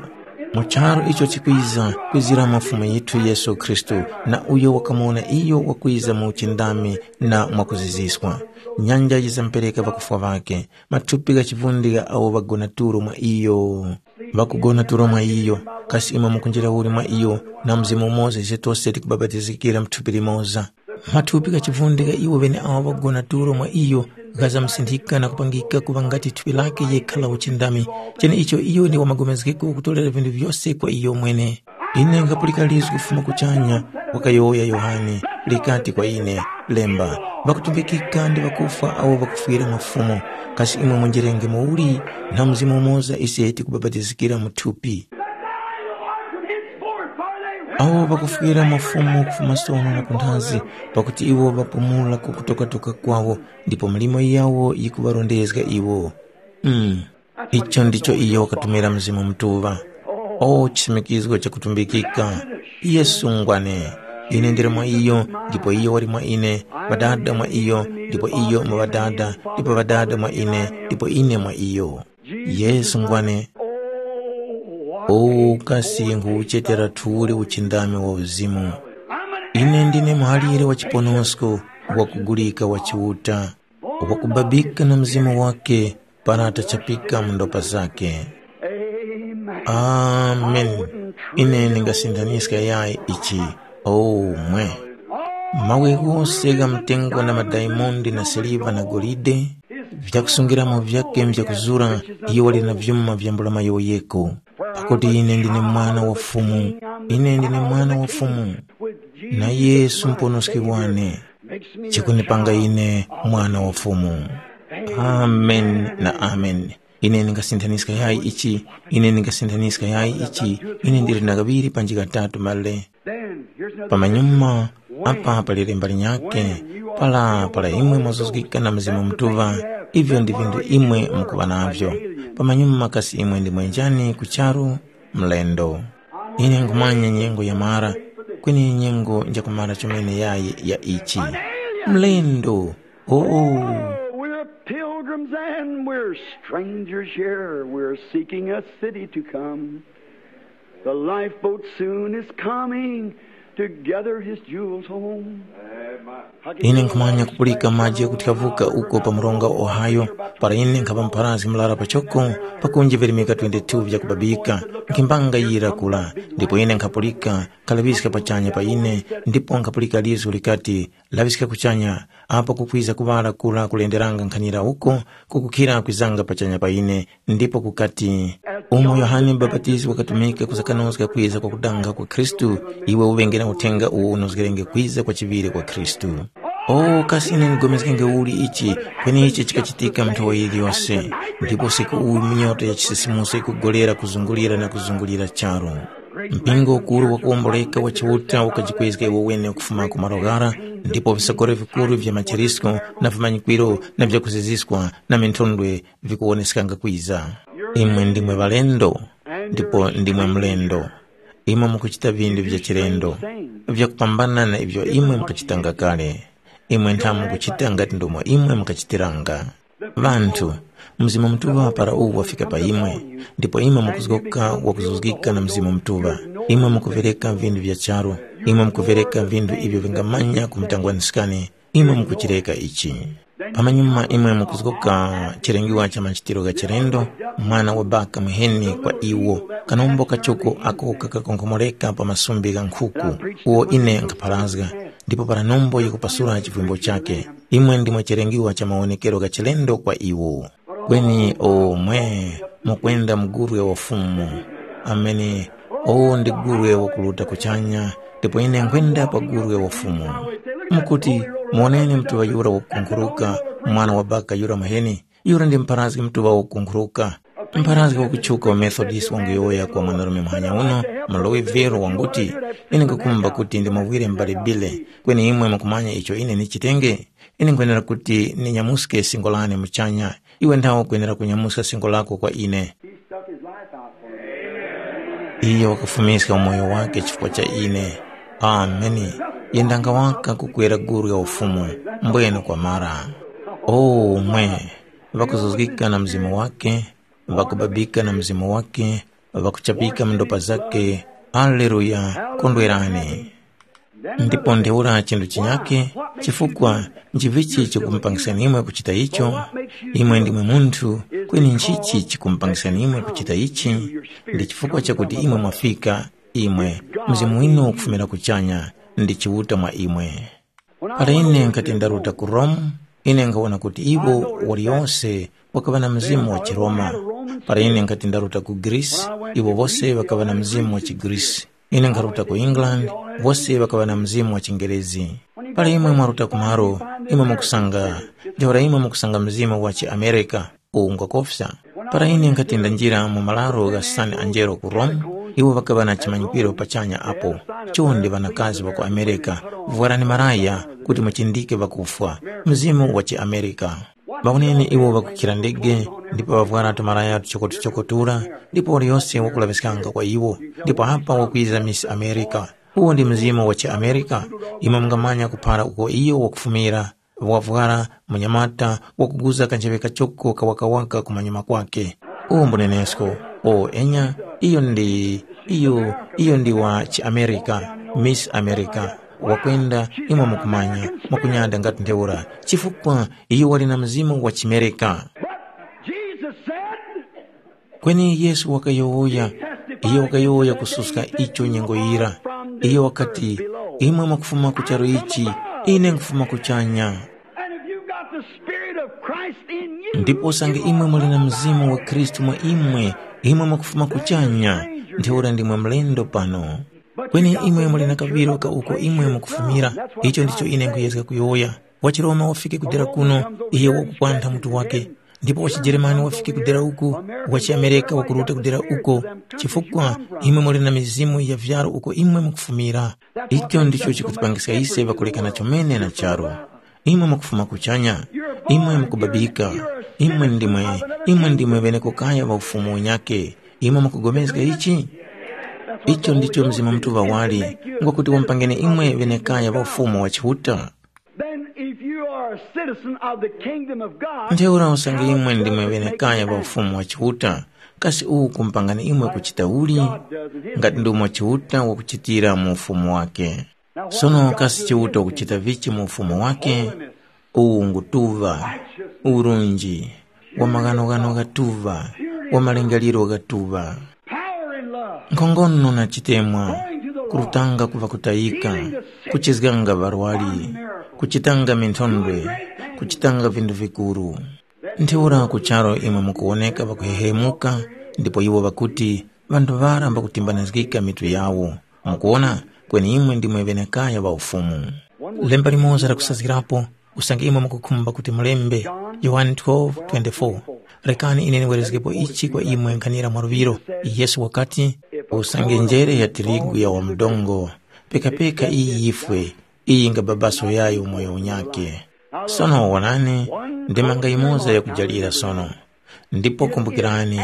Mu charu icho chikwiza, kwiziramo Fumu yithu Yesu Khristu, na uyo wakamuwona iyo wakwiza mu uchindami na mwakuziziswa. Nyanja yizamupereka ŵakufwa ŵakhe, mathupi gha chivundika awo ŵagona tulo mwa iyo. Ŵakugona tulo mwa iyo, kasi imwe mukunjira uli mwa iyo, na mzimu umoza ise tose tikubapatizikira mu thupi limoza. Mathupi gha chivundika iwo ŵeneawo ŵakugona tulo mwa iyo, ghazamusinthika na kupangika kuŵa ngati thupi lakhe yekha la uchindami, cheneicho iyo ndi wamagomezgeko kutolera vinthu vyose kwa iyo mwene. Ine nkhapulika lizgu kufuma kuchanya, wakayowoya Yohane, likati kwa ine, “Lemba, ŵakutumbikika ndi ŵakufwa awo ŵakufwira mafumu, kasi imwe munjerenge muuli na mzimu umoza ise tikubapatizikira mu thupi?” Awo ŵakufwira mafumu kufuma sono na kunthazi, pakuti iwo ŵapumula ku kutokatoka kwawo, ndipo milimo yawo yikuŵarondezga iwo. Mm. Icho ndicho iyo wakatumira Mzimu Mutuŵa. O chisimikizgo chakutumbikika! Yesu ngwane. Ine ndili mwa iyo, ndipo iyo wali mwa ine, Ŵadada mwa iyo, ndipo iyo mu Ŵadada, ndipo Ŵadada mwa ine, ndipo ine mwa iyo. Yesu ngwane. O kasi nkhuwuchetera thuli uchindami wa uzimu. Ine ndine muhalire wa chiponosko, wakugulika wa Chiuta, wakubabika na Mzimu wake para tachapika mu ndopa zake. Amen. Ine ndingasinthanyiska yayi ichi. Oh mwe. Mawe ghose gha mtengo na madaimondi na siliva na golide, vyakusungiramo vyake mvyakuzura, iyo wali na vyuma vyambula mayowoyeko. Pakuti ine ndine mwana wa Fumu, ine ndine mwana wa Fumu, na Yesu mponoski wane. Chikunipanga ine mwana wa Fumu. Amen na amen. Ine ndingasinthanyiska yayi ichi, ine ndingasinthanyiska yayi ichi, ine ndili na kaŵiri panji katatu male. Pamanyuma apa pali lemba linyakhe, para para imwe mwazuzgika na Mzimu Mutuŵa, ivyo ndi vinthu imwe mukuŵa navyo. Pamanyuma kasi imwe ndi mwenjani ku charu? Mlendo. Ine nkhumanya nyengo yamara, kweni nyengo njakumara chomene yayi ya ichi. Mlendo. Oh, we're pilgrims and we're strangers here. We're seeking a city to come. The lifeboat soon is coming to gather his jewels home. Ine nkhumanya kupulika maji yakuthyavukha uko pa mronga wa Ohio, para ine nkhapa mpharazgi murara pachoko, pakunji virimika twenty-two vyakubabika, nkhimbanga yira kula, ndipo ine nkhapulika, khalaŵiska pachanya pa ine, ndipo nkhapulika lizgu likati, laŵiska kuchanya, apo kukwiza kuŵala kura kulenderanga nkhanira uko, kukukhira kwizanga pachanya pa ine, ndipo kukati, umo Yohane Mubapatizi wakatumika kusakanozga kwiza kwa kudanga kwa Khristu, iwe uŵenge na uthenga uwo unozgerenge kwiza kwa chiŵire kwa Khristu. O kasi ine ndigomezgenge uli ichi, kweni ichi chikachitika mu nthowa yiliyose, ndipo usiku uwu minyota ya chisisimuso yikugolera kuzungulira na kuzungulira charu. Mpingo ukuru wakuwomboleka wa Chiuta ukajikwezga iwo wene kufuma ku malo ghara, ndipo visokoro vikuru vya machirisko na vimanyikwiro na vyakuziziskwa na minthondwe vikuwoneskanga kwiza. Imwe ndimwe ŵalendo, ndipo ndimwe mlendo. Imwe mukuchita vinthu vya chilendo, vyakupambana na ivyo imwe mukachitanga kale. Imwe ntha mukuchita ngati ndomwe imwe mukachitiranga. Ŵanthu, Mzimu Mutuŵa para uwu wafika pa imwe, ndipo imwe mukuzgoka wakuzuzgika na Mzimu Mutuŵa. Imwe mukupereka vinthu vya charu, imwe mukupereka vinthu ivyo vingamanya kumutangwaniskani, imwe mukuchireka ichi. Pamanyuma imwe mukuzgoka chilengiwa cha machitiro gha chilendo, mwana wa baka muheni kwa iwo, kanombo kachuku ako kakakonkhomoreka pa masumbi gha nkhuku, uwo ine nkhapharazga, ndipo para nombo yikupasula chivimbo chake. Imwe ndimwe chilengiwa cha mawonekero gha chilendo kwa iwo. Kweni omwe mukwenda mugurwe wa Fumu. Amene. Owo ndi gurwe wakuruta kuchanya, ndipo ine nkhwenda pa gurwe wa Fumu. Mukuti, muwoneni mtuŵa yura wakukunkhuruka, mwana wa baka yura muheni, yura ndi mpharazgi mtuŵa wakukunkhuruka. Mpharazgi wakutchuka wa Methodist wanguyowoya kwa mwanarume muhanya uno, mu Louisville wanguti, ine nkukhumba kuti ndimuwire m'bale Bile, kweni imwe mukumanya icho ine nichitenge? Ine nkhwenera kuti ninyamuske singo lane muchanya, iwe nthawe ukwenera kunyamuska singo lako kwa ine. He stuck his life out for me. Iye wakafumiska umoyo wake chifukwa cha ine. Ameni. Yendanga waka kukwera guru ya ufumu, mbwene kwamara. O mwe, ŵakuzuzgika na mzimu wake, ŵakubabika na mzimu wake, ŵakuchapika mu ndopa zake. Aleluya. Kondwerani. Ndipo ntheura chinthu chinyakhe, chifukwa nchivichi chikumupangisani imwe kuchita icho? Imwe ndimwe munthu, kweni nchichi chikumupangisani imwe kuchita ichi? Ndi chifukwa chakuti imwe mwafika, imwe, mzimu winu ukufumira kuchanya, ndi Chiuta mwa imwe. Para ine nkati ndaruta ku Rome, ine nkhawona kuti iwo waliyose wakaŵa na mzimu wa chiRoma. Para ine nkati ndaruta ku Greece, iwo wose ŵakaŵa na mzimu wa chiGreece. Ine nkharuta ku England, wose ŵakaŵa na mzimu wa chiNgerezi. Para imwe mwaruta ku malo, imwe mukusanga, ntheura imwe mukusanga mzimu wa chiAmerika, uwu ngwakofya. Para ine nkhati ndanjira mu malaro gha San Angelo ku Rome, iwo ŵakaŵa na chimanyikiro pachanya apo, chonde ŵanakazi ŵa ku Amerika, vwarani malaya kuti muchindike ŵakufwa, mzimu wa chiAmerika. Ŵawoneni iwo ŵakukhira ndege, ndipo ŵavwara tumalaya tuchokotuchoko tura, ndipo waliyose wakulaŵiskanga kwa iwo, ndipo apa wakwiza Miss America. Uwo ndi mzimu wa chiAmerika. Imwe mungamanya kuphara uko iyo wakufumira, wavwara munyamata wakuguza kanjeŵe kachoko kawakawaka kumanyuma kwake. Uwo mbunenesko. O enya, iyo ndi, iyo, iyo ndi wa chiAmerika, Miss America. Wakwenda, imwe mukumanya, mwakunyada ngati ntheura, chifukwa iyo wali na mzimu wa chimereka. Jesus said, Kweni Yesu wakayowoya, iyo wakayowoya kususka icho nyengo yira. Iyo wakati, imwe mwakufuma ku charu ichi, ine nkufuma kuchanya. And if you've got the Spirit of Christ in you, ndipo usange imwe muli na mzimu wa Khristu mwa imwe, imwe mwakufuma kuchanya, ntheura ndimwe mlendo pano. Kweni imwe muli na kaŵiro ka uko imwe mukufumira. Icho ndicho ine nkuyezga kuyowoya. WachiRoma wafike kudera kuno, iye wakukwantha mutu wake. Ndipo wachijeremani wafike kudera uku, wachiamereka wakuruta kudera uko, chifukwa imwe muli na mizimu ya vyaro uko imwe mukufumira. Icho ndicho chikutipangiska ise ŵakulekana chomene na charu. Imwe mukufuma kuchanya, imwe mukubabika, imwe ndimwe, imwe ndimwe ŵenekokaya ŵa ufumu unyake. Imwe mukupulikana ichi? Icho ndicho Mzimu Mutuŵa wali, ngwakuti wamupangeni imwe ŵenekaya ŵa ufumu wa Chiuta. Then if you are a citizen of the kingdom of God, ntheura usange imwe ndimwe ŵenekaya ŵa ufumu wa Chiuta, kasi uwu kumpangani imwe kuchita uli? Ngati ndomwe Chiuta wakuchitira mu ufumu wake. Sono kasi Chiuta ukuchita vichi mu ufumu wake? Uwu ngutuŵa, urunji, wa maghanoghano ghatuŵa, wa malingaliro ghatuŵa. Power and love. Nkhongono na chitemwa, kurutanga ku ŵakutayika, kuchizganga ŵarwari, kuchitanga minthondwe, kuchitanga vinthu vikuru. Ntheura ku charu imwe mukuwoneka ŵakuhehemuka, ndipo iwo ŵakuti, ŵanthu ŵara mbakutimbanizgika mitu yawo. Mukuwona, kweni imwe ndimwe ŵenekaya ŵa Ufumu. Lemba limoza lakusazgirapo, usange imwe mukukhumba kuti mulembe, Yohane twelve twenty-four. Rekani ine ndiwerezgepo ichi kwa imwe nkhanira mwaluŵiro. Yesu wakati, Usange njere ya tirigu ya wamudongo, pekapeka iyi yifwe, iyi yingababaso yayo umoyo unyakhe. Sono wonani, ndemanga yimoza yakujalira sono. Ndipo kumbukirani,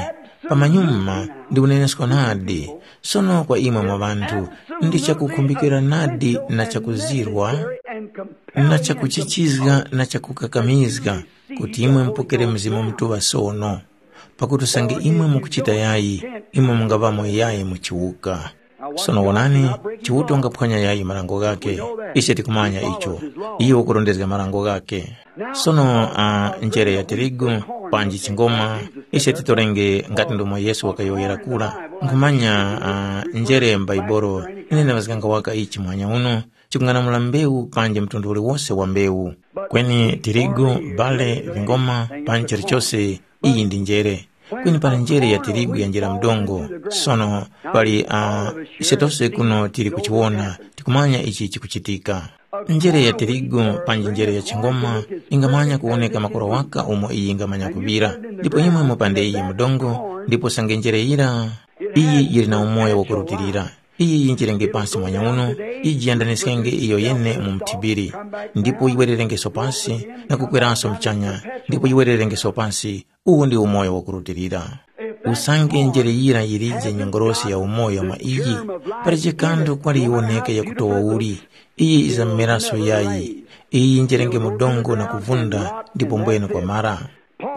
pamanyuma ndiunenesko nadi, sono kwa imwe mwa ŵanthu, ndi chakukhumbikira nadi na chakuzirwa, na chakuchichizga na chakukakamizga, kuti imwe mupokere Mzimu Mutuŵa sono. Pakuti usange imwe mukuchita yayi, imwe mungaŵamo yayi mu chiwuka. Sono wonani, Chiuta ungaphwanya yayi marango ghakhe. Ise tikumanya icho. Iyo wakurondezga marango ghakhe. Sono uh, njere ya tirigu, panji chingoma, ise titorenge ngati ndomwe Yesu wakayowoyera kura. Nkhumanya uh, njere m'Baibolo, ine ndamazganga waka ichi muhanya uno, chikung'anamula mbewu panji mtundu uliwose wa mbewu. Kweni tirigu, bale, vingoma, panji chilichose, iyi ndi njere. Kweni pali njere ya tirigu yanjira mdongo. Sono pali uh, ise tose kuno tili kuchiwona, tikumanya ichi chikuchitika. Njere ya tirigu panji njere ya chingoma ingamanya kuwoneka makora waka umo iyi ingamanya kuŵira. Ndipo imwe mupande iyi mdongo, ndipo sange njere yira iyi yili na umoyo wakurutilira. Iyi yinjirenge pasi mwanya uno, iji yandaniskenge iyo yene mu mthibiri, ndipo yiwererengeso pasi, na kukweranso mchanya, ndipo yiwererengeso pasi. Uwu ndi umoyo wakurutilira. Usange njere yira yilije nyongorosi ya umoyo mwa iyi, palije kanthu kwali yiwoneke yakutowa uli, iyi izamumeraso yayi. Iyi yinjerenge mu dongo na kuvunda, ndipo mbwene kwamara.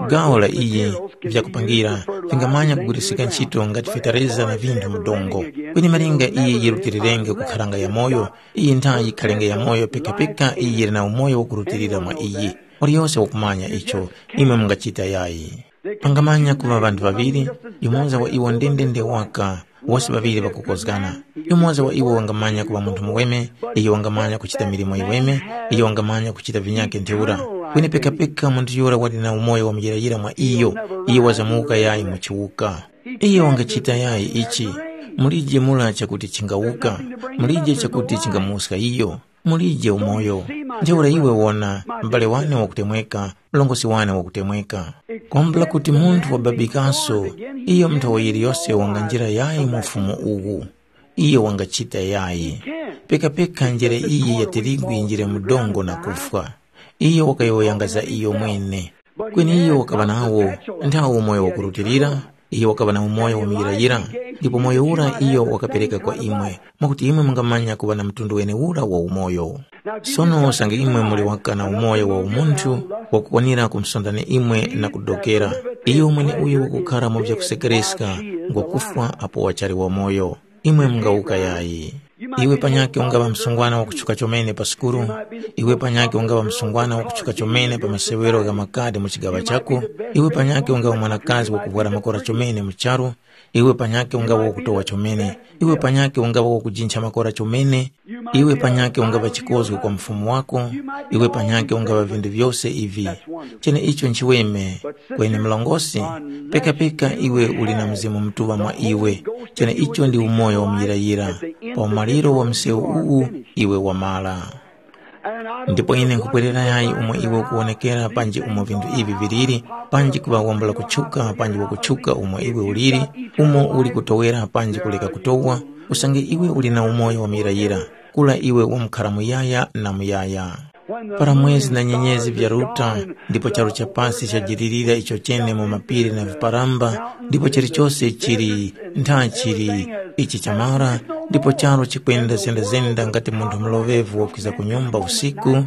Gawo la iyi vyakupangira vingamanya kugwirisika ntchito ngati fetereza na vinthu mu dongo. Kweni malinga iyi yirutilirenge kukharanga yamoyo, iyi ntha yikhalenge yamoyo pekapeka iyi yili na umoyo wakurutilira mwa iyi. Waliyose wakumanya icho, imwe mungachita yayi. Pangamanya kuŵa ŵanthu ŵaŵiri, yumoza wa iwo ndendende waka, wose ŵaŵiri ŵakukozgana. Yumoza wa iwo wangamanya kuŵa munthu muweme, iyo wangamanya kuchita milimo yiweme, iyo wangamanya kuchita vinyakhe ntheura. Kweni pekapeka munthu yura wali na umoyo wa muyirayira mwa iyo, iyo wazamuwuka yayi mu chiwuka. Iyo wangachita yayi ichi, mulije mura chakuti chingawuka, mulije chakuti chingamuwuska iyo. Mulije umoyo. Ntheura iwe wona, m'bale wane wakutemweka, mlongosi wane wakutemweka. Kwambula kuti munthu wababikaso, iyo nthawe yiliyose wanganjira yayi mu ufumu uwu. Iyo wangachita yayi. Pekapeka njere iyi ya tirigu yinjire mu dongo na kufwa. Iyo wakayowoyanga za iyo mwene. Kweni iyo wakaŵa nawo nthawe umoyo wakurutilira, iyo wakaŵa na umoyo wa muyirayira, ndipo moyo ura iyo wakapereka kwa imwe, mwakuti imwe mungamanya kuŵa na mtundu wenewura wa umoyo. Sono usange imwe muli waka na umoyo wa umunthu, wakukwanira kumsondani imwe na kudokera, iyo mweneuyo wakukhara mu vyakusekereska, ngwakufwa apo wachali wamoyo. Imwe mungawuka yayi. Iwe panyakhe ungaŵa msungwana wakutchuka chomene pa sukulu, iwe panyakhe ungaŵa msungwana wakutchuka chomene pa masewero gha makadi mu chigaŵa chako, iwe panyakhe ungaŵa mwanakazi wakuvwara makora chomene mu charu, iwe panyakhe ungaŵa wakutowa chomene, iwe panyakhe ungaŵa wakujincha makora chomene, iwe panyakhe ungaŵa chikozgo kwa mufumu wako, iwe panyakhe ungaŵa vinthu vyose ivi. Cheneicho nchiweme, kweni mlongosi, pekapeka iwe uli na Mzimu Mutuŵa mwa iwe, cheneicho ndi umoyo wa muyirayira. Pa umaliro wa msewu uwu iwe wamara. Ndipo ine nkupwerera yayi umo iwe ukuwonekera panji umo vinthu ivi viliri, panji kuŵa wambula kutchuka panji wakutchuka umo iwe uliri, umo uli kutowera panji kuleka kutowa, usange iwe uli na umoyo wa muyirayira, kula iwe wamkhara muyaya na muyaya. Para mwezi na nyenyezi vyaruta, ndipo charu cha pasi chajilirira icho chene mu mapiri na viparamba, ndipo chilichose chili ntha chili ichi chamara, ndipo charu chikwenda zenda-zenda ngati munthu muloŵevu wakwiza ku nyumba usiku,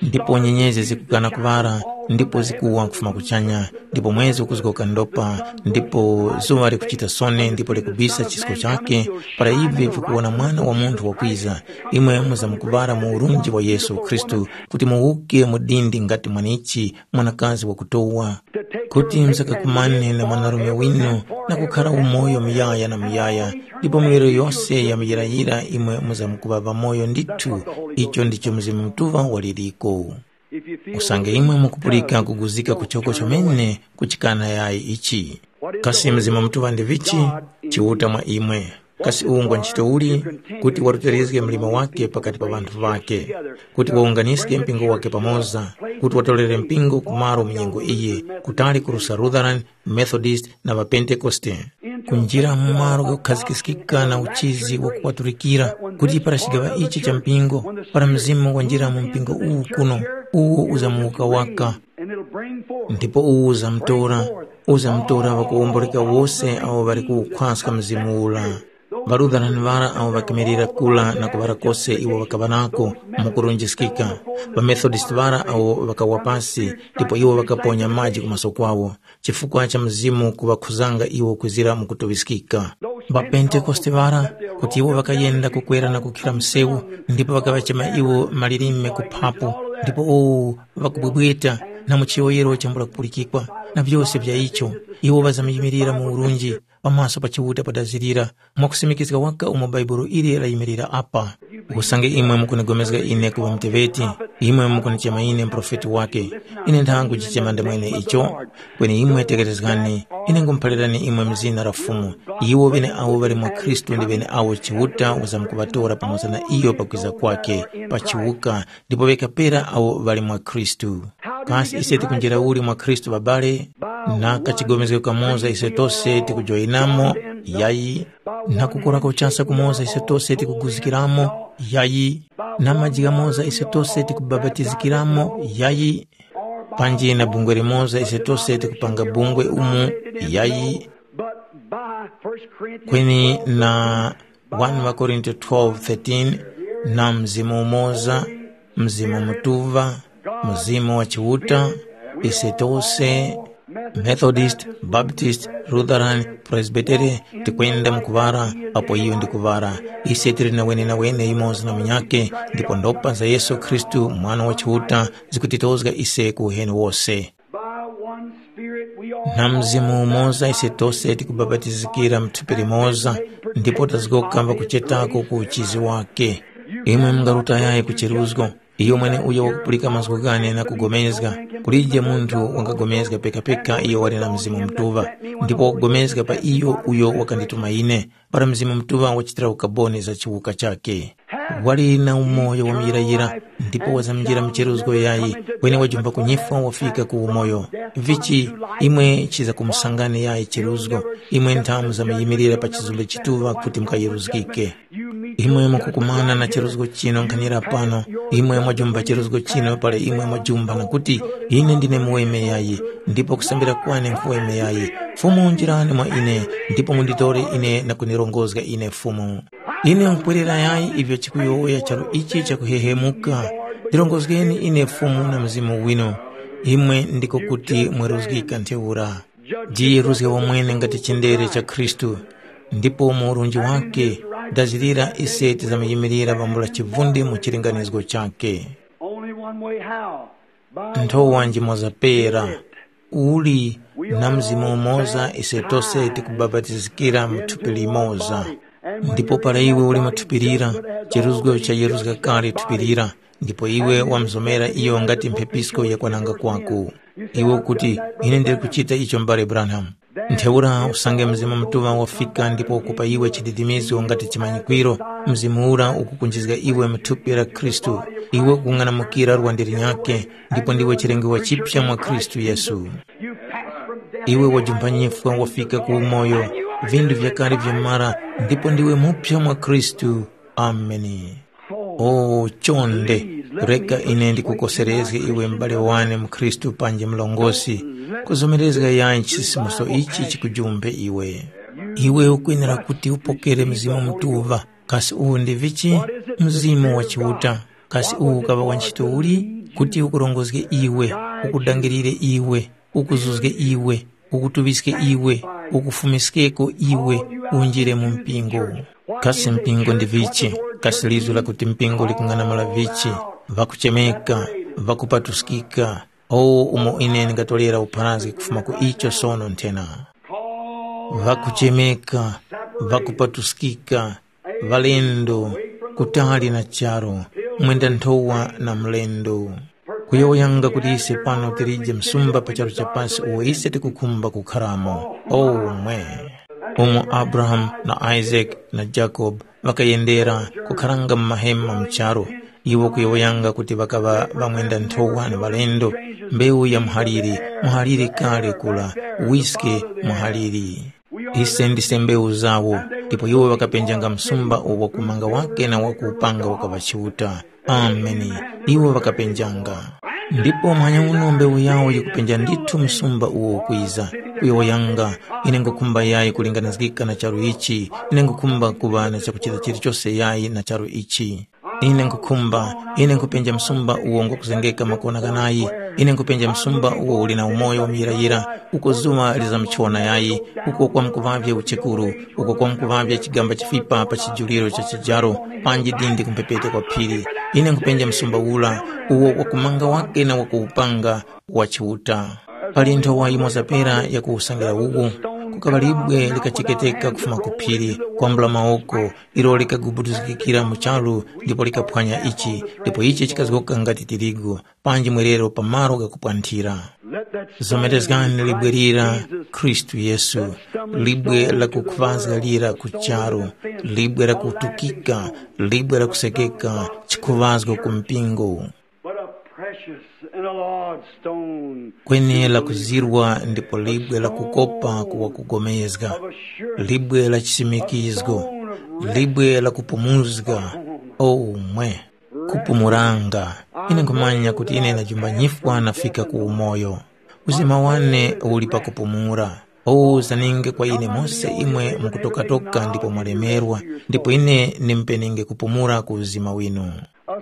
ndipo nyenyezi zikugana kuŵala, ndipo zikuwa kufuma kuchanya, ndipo mwezi ukuzgoka ndopa, ndipo zuŵa likuchita sone ndipo likubisa chisko chakhe, para ivi vikuwona Mwana wa Munthu wakwiza, imwe muzamkuŵala mu urunji wa Yesu Khristu, kuti muwuke mu dindi ngati mwanichi mwanakazi wakutowa, kuti msakakumane na mwanarume winu na kukhara umoyo muyaya na muyaya, ndipo miwiro yose ya muyirayira imwe muzamkuŵa ŵamoyo ndithu. Icho ndicho Mzimu Mutuŵa waliriko. Usange imwe mukupulika kuguzika kuchoko chomene kuchikana yayi ichi. Kasi Mzimu Mutuŵa ndi vichi? Chiuta mwa imwe. Kasi uwu ngwa ntchito uli? Kuti warutilizge mlimo wake pakati pa ŵanthu ŵake, kuti wawunganiske mpingo wake pamoza, kuti watorere mpingo ku malo mu nyengo iyi, kutali kuruska Lutheran, Methodist na ŵaPentekoste. Kunjira mu malo ghakukhazikiskika na uchizi wakuwatulikira, kuti para chigaŵa ichi cha mpingo, para mzimu wanjira mu mpingo uwu kuno, uwo uzamuwuka waka, ndipo uwu uzamutora, uzamutora ŵakuwomboreka wose awo ŵali kuwukhwaska mzimu ura. Ŵalutheran ŵara awo ŵakemerera kura na kuŵara kose iwo ŵakaŵa nako mu kurunjiskika. Ŵamethodist ŵara awo ŵakawa pasi ndipo iwo ŵakaponya maji ku maso kwawo, chifukwa cha Mzimu kuŵakhuzanga iwo kwizira mu kutuŵiskika. Ŵapentekoste ŵara, kuti iwo ŵakayenda kukwera na kukhira msewu, ndipo ŵakaŵachema iwo malilime kuphapo, ndipo owo ŵakubwebweta na mu chiyowoyero chambula kupulikikwa, na vyose vya icho, iwo ŵazamyimilira mu urunji pamaso pa Chiuta padazirira, mwakusimikizga waka umo Bhaibuli ili layimilira apa. Usange imwe mukunigomezga ine kuŵa muteŵeti, imwe mukunichema ine muprofeti wake. Ine ntha nkuchichema ndimwene icho, kweni imwe tekerezgani, ine nkhumuphalirani imwe mu zina la Fumu. Iwo ŵeneawo ŵali mwa Khristu ndi ŵeneawo Chiuta wazamkuŵatora pamoza na iyo pakwiza kwake, pa chiwuka, ndipo ŵekapera awo ŵali mwa Khristu. Kasi ise tikunjira uli mwa Khristu ŵabale? Na kachigomezgero kamoza ise tose tikujoyinamo? Yayi. Na kukorako chasa kumoza ise tose tikuguzikiramo? Yayi. Na maji ghamoza ise tose tikubapatizikiramo? Yayi. Panji na bungwe limoza ise tose tikupanga bungwe umu? Yayi. Kweni na one Korinto twelve thirteen, na Mzimu umoza, Mzimu Mutuŵa, Mzimu wa Chiuta, ise tose, Methodist, Baptist, Lutheran, Presbytery, tikwenda mu kuŵara, apo iyo ndi kuŵara. Ise tili na wenenawene yumoza na munyakhe, ndipo ndopa za Yesu Khristu, Mwana wa Chiuta, zikutitozga ise ku uheni wose. By one Spirit we all Na Mzimu umoza ise tose tikubapatizikira mu thupi limoza, ndipo tazgoka ŵakuchetako ku uchizi wake. Imwe mungarutayayi ku cheruzgo. Iyo mweneuyo wakupulika mazgu ghane na kugomezga. Kulije munthu wangagomezga pekapeka iyo wali na Mzimu Mutuŵa, ndipo wakugomezga pa iyo uyo wakandituma ine. Para Mzimu Mutuŵa wachitira ukaboni za chiwuka chakhe. Wali na umoyo wa muyirayira, ndipo wazamjira mcheruzgo yayi, kweni wajumba kunyifwa wafika ku umoyo. Vichi, imwe chiza kumusangani yayi cheruzgo, imwe nthamu zamuyimilira pa chizumbe chituŵa kuti mukayeruzgike. Imwe mukukumana na cheruzgo chino nkhanira pano, imwe mwajumba cheruzgo chino pala imwe mwajumba na kuti, ine ndine muweme yayi, ndipo kusambira kwane nkhuweme yayi. Fumu njirani mwa ine, ndipo munditore ine na kunirongozga ine Fumu. Ine nkhupwerera yayi ivyo chikuyowoya charu ichi chakuhehemuka. Ndirongozgeni ine Fumu na Mzimu winu. Imwe ndiko kuti mweruzgika ntheura. Jiyeruzge wamwene ngati chindere cha Khristu, ndipo mu urunji wake, dazirira ise tizamuyimilira pambula chivundi mu chilinganizgo chakhe. Only one way how? By Nthowa njimoza pera, uli na Mzimu umoza ise tose tikubapatizikira mu thupi limoza. Ndipo para iwe uli mu thupi lira, cheruzgo chayeruzga kale thupi lira, ndipo iwe wamzomera iyo ngati mphepisko yakwananga kwako. Iwe ukuti, ine ndili kuchita icho m'bale Branham. Ntheura usange Mzimu Mutuŵa wafika ndipo ukupa iwe chididimizo ngati chimanyikwiro, Mzimu ura ukukunjizga iwe mu thupi la Khristu. Iwe ukung'anamukira lwande linyakhe, ndipo ndiwe chilengedwe chipya mwa Khristu Yesu. Iwe wajumpha nyifwa wafika ku umoyo, vindu vyakale vyamara, ndipo ndiwe mupya mwa Khristu. Ameni. O chonde, reka ine ndikukoserezge iwe m'bale wane mu Khristu panji mlongosi, kuzomerezga yayi chisisimuso ichi chikujumphe iwe. Iwe ukwenera kuti upokere Mzimu Mutuŵa. Kasi uwu ndi vichi? Mzimu wa Chiuta. Kasi uwu ukaŵa wa ntchito uli? Kuti ukurongozge iwe, ukudangirire iwe, ukuzuzge iwe, ukutuŵiske iwe, ukufumiskeko iwe, unjire mu mpingo. Kasi mpingo ndi vichi? Kasi lizu lakuti mpingo likung'anamula vichi? Ŵakuchemeka, ŵakupatuskika. O umo ine ndingatolera upharazgi kufuma ku icho sono nthena. Ŵakuchemeka, ŵakupatuskika, ŵalendo, kutali na charu, mwenda nthowa na mlendo. Kuyowoyanga kuti ise pano tilije msumba pa charu cha pasi uwo ise tikukhumba kukharamo. O mwe! umo Abrahamu na Isake na Jakobe ŵakayendera kukharanga mu mahema mu charu, iwo kuyowoyanga kuti ŵakaŵa ŵamwenda-nthowa na ŵalendo, mbewu ya muhaliri, muhaliri kale kura, wiske muhaliri. Ise ndise mbewu zawo, ndipo iwo ŵakapenjanga msumba uwo kumanga wake na wakuwupanga wakaŵa Chiuta. Ameni. Iwo ŵakapenjanga. Ndipo manyauno mbewu yawo yikupenja ndithu msumba uwo ukwiza, kuyowoyanga, ine ngukhumba yayi kulinganizgika na charu ichi, ine ngukhumba kuŵa na chakuchita chilichose yayi na charu ichi. Ine nkhukhumba, ine nkhupenja msumba uwo ngwakuzengeka makona ghanayi, ine nkhupenja msumba uwo uli na umoyo wa muyirayira, uko zuŵa lizamuchona yayi, uko kwamkuŵavye uchekuru, uko kwamkuŵavye chigamba chifipa pa chijuliro cha chijaro, panji dindi ku mphepete kwa phiri. Ine nkhupenja msumba ura, uwo wakumanga wake na wakuwupanga wa Chiuta. Pali nthowa yimoza pera yakuwusangira uwu, kukaŵa libwe likacheketeka kufuma ku phiri, kwambula mawoko, ilo likagubuduzgikira mu charu ndipo likaphwanya ichi, ndipo ichi chikazgoka ngati tirigu, panji mwerero pa malo ghakupwanthira. Zomerezgani libwe lira, Khristu Yesu, libwe lakukhuŵazga lira ku charu, libwe lakutukika, libwe lakusekeka, chikhuŵazgo ku mpingo. But a precious and a large stone. Kweni lakuzirwa ndipo libwe lakukopa kuwa kugomezga, libwe la chisimikizgo, libwe la kupumuzga. O umwe, kupumuranga. Ine nkhumanya kuti ine ndajumba nyifwa nafika ku umoyo. Uzima wane uli pakupumura. O zaninge kwa ine mose imwe mukutokatoka ndipo mwalemerwa, ndipo ine nimupenenge kupumura ku uzima winu. A,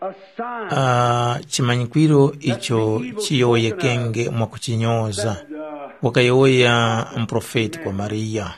a sign. Ah, chimanyikwiro icho chiyowoyekenge mwakuchinyoza, wakayowoya muprofeti kwa Mariya.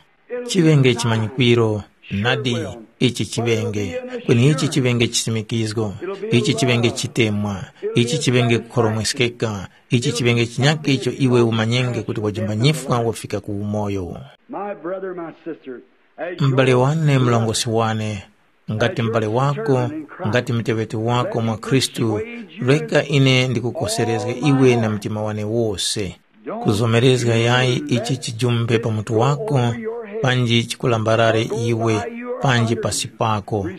Chiŵenge chimanyikwiro, nadi, ichi chiŵenge, kweni ichi chiŵenge chisimikizgo, ichi chiŵenge chitemwa, ichi chiŵenge kukhoromweskeka, ichi chiŵenge chinyakhe icho iwe umanyenge kuti wajumba nyifwa wafika ku umoyo. My brother, my sister, as your M'bale wane, mlongosi wane, ngati m'bale wako, ngati muteŵeti wako mwa Khristu, reka ine ndikukoserezge iwe na mtima wane wose. Kuzomerezga yayi ichi chijumbe pa mutu wako, panji chikulambarare iwe, panji pasi pako.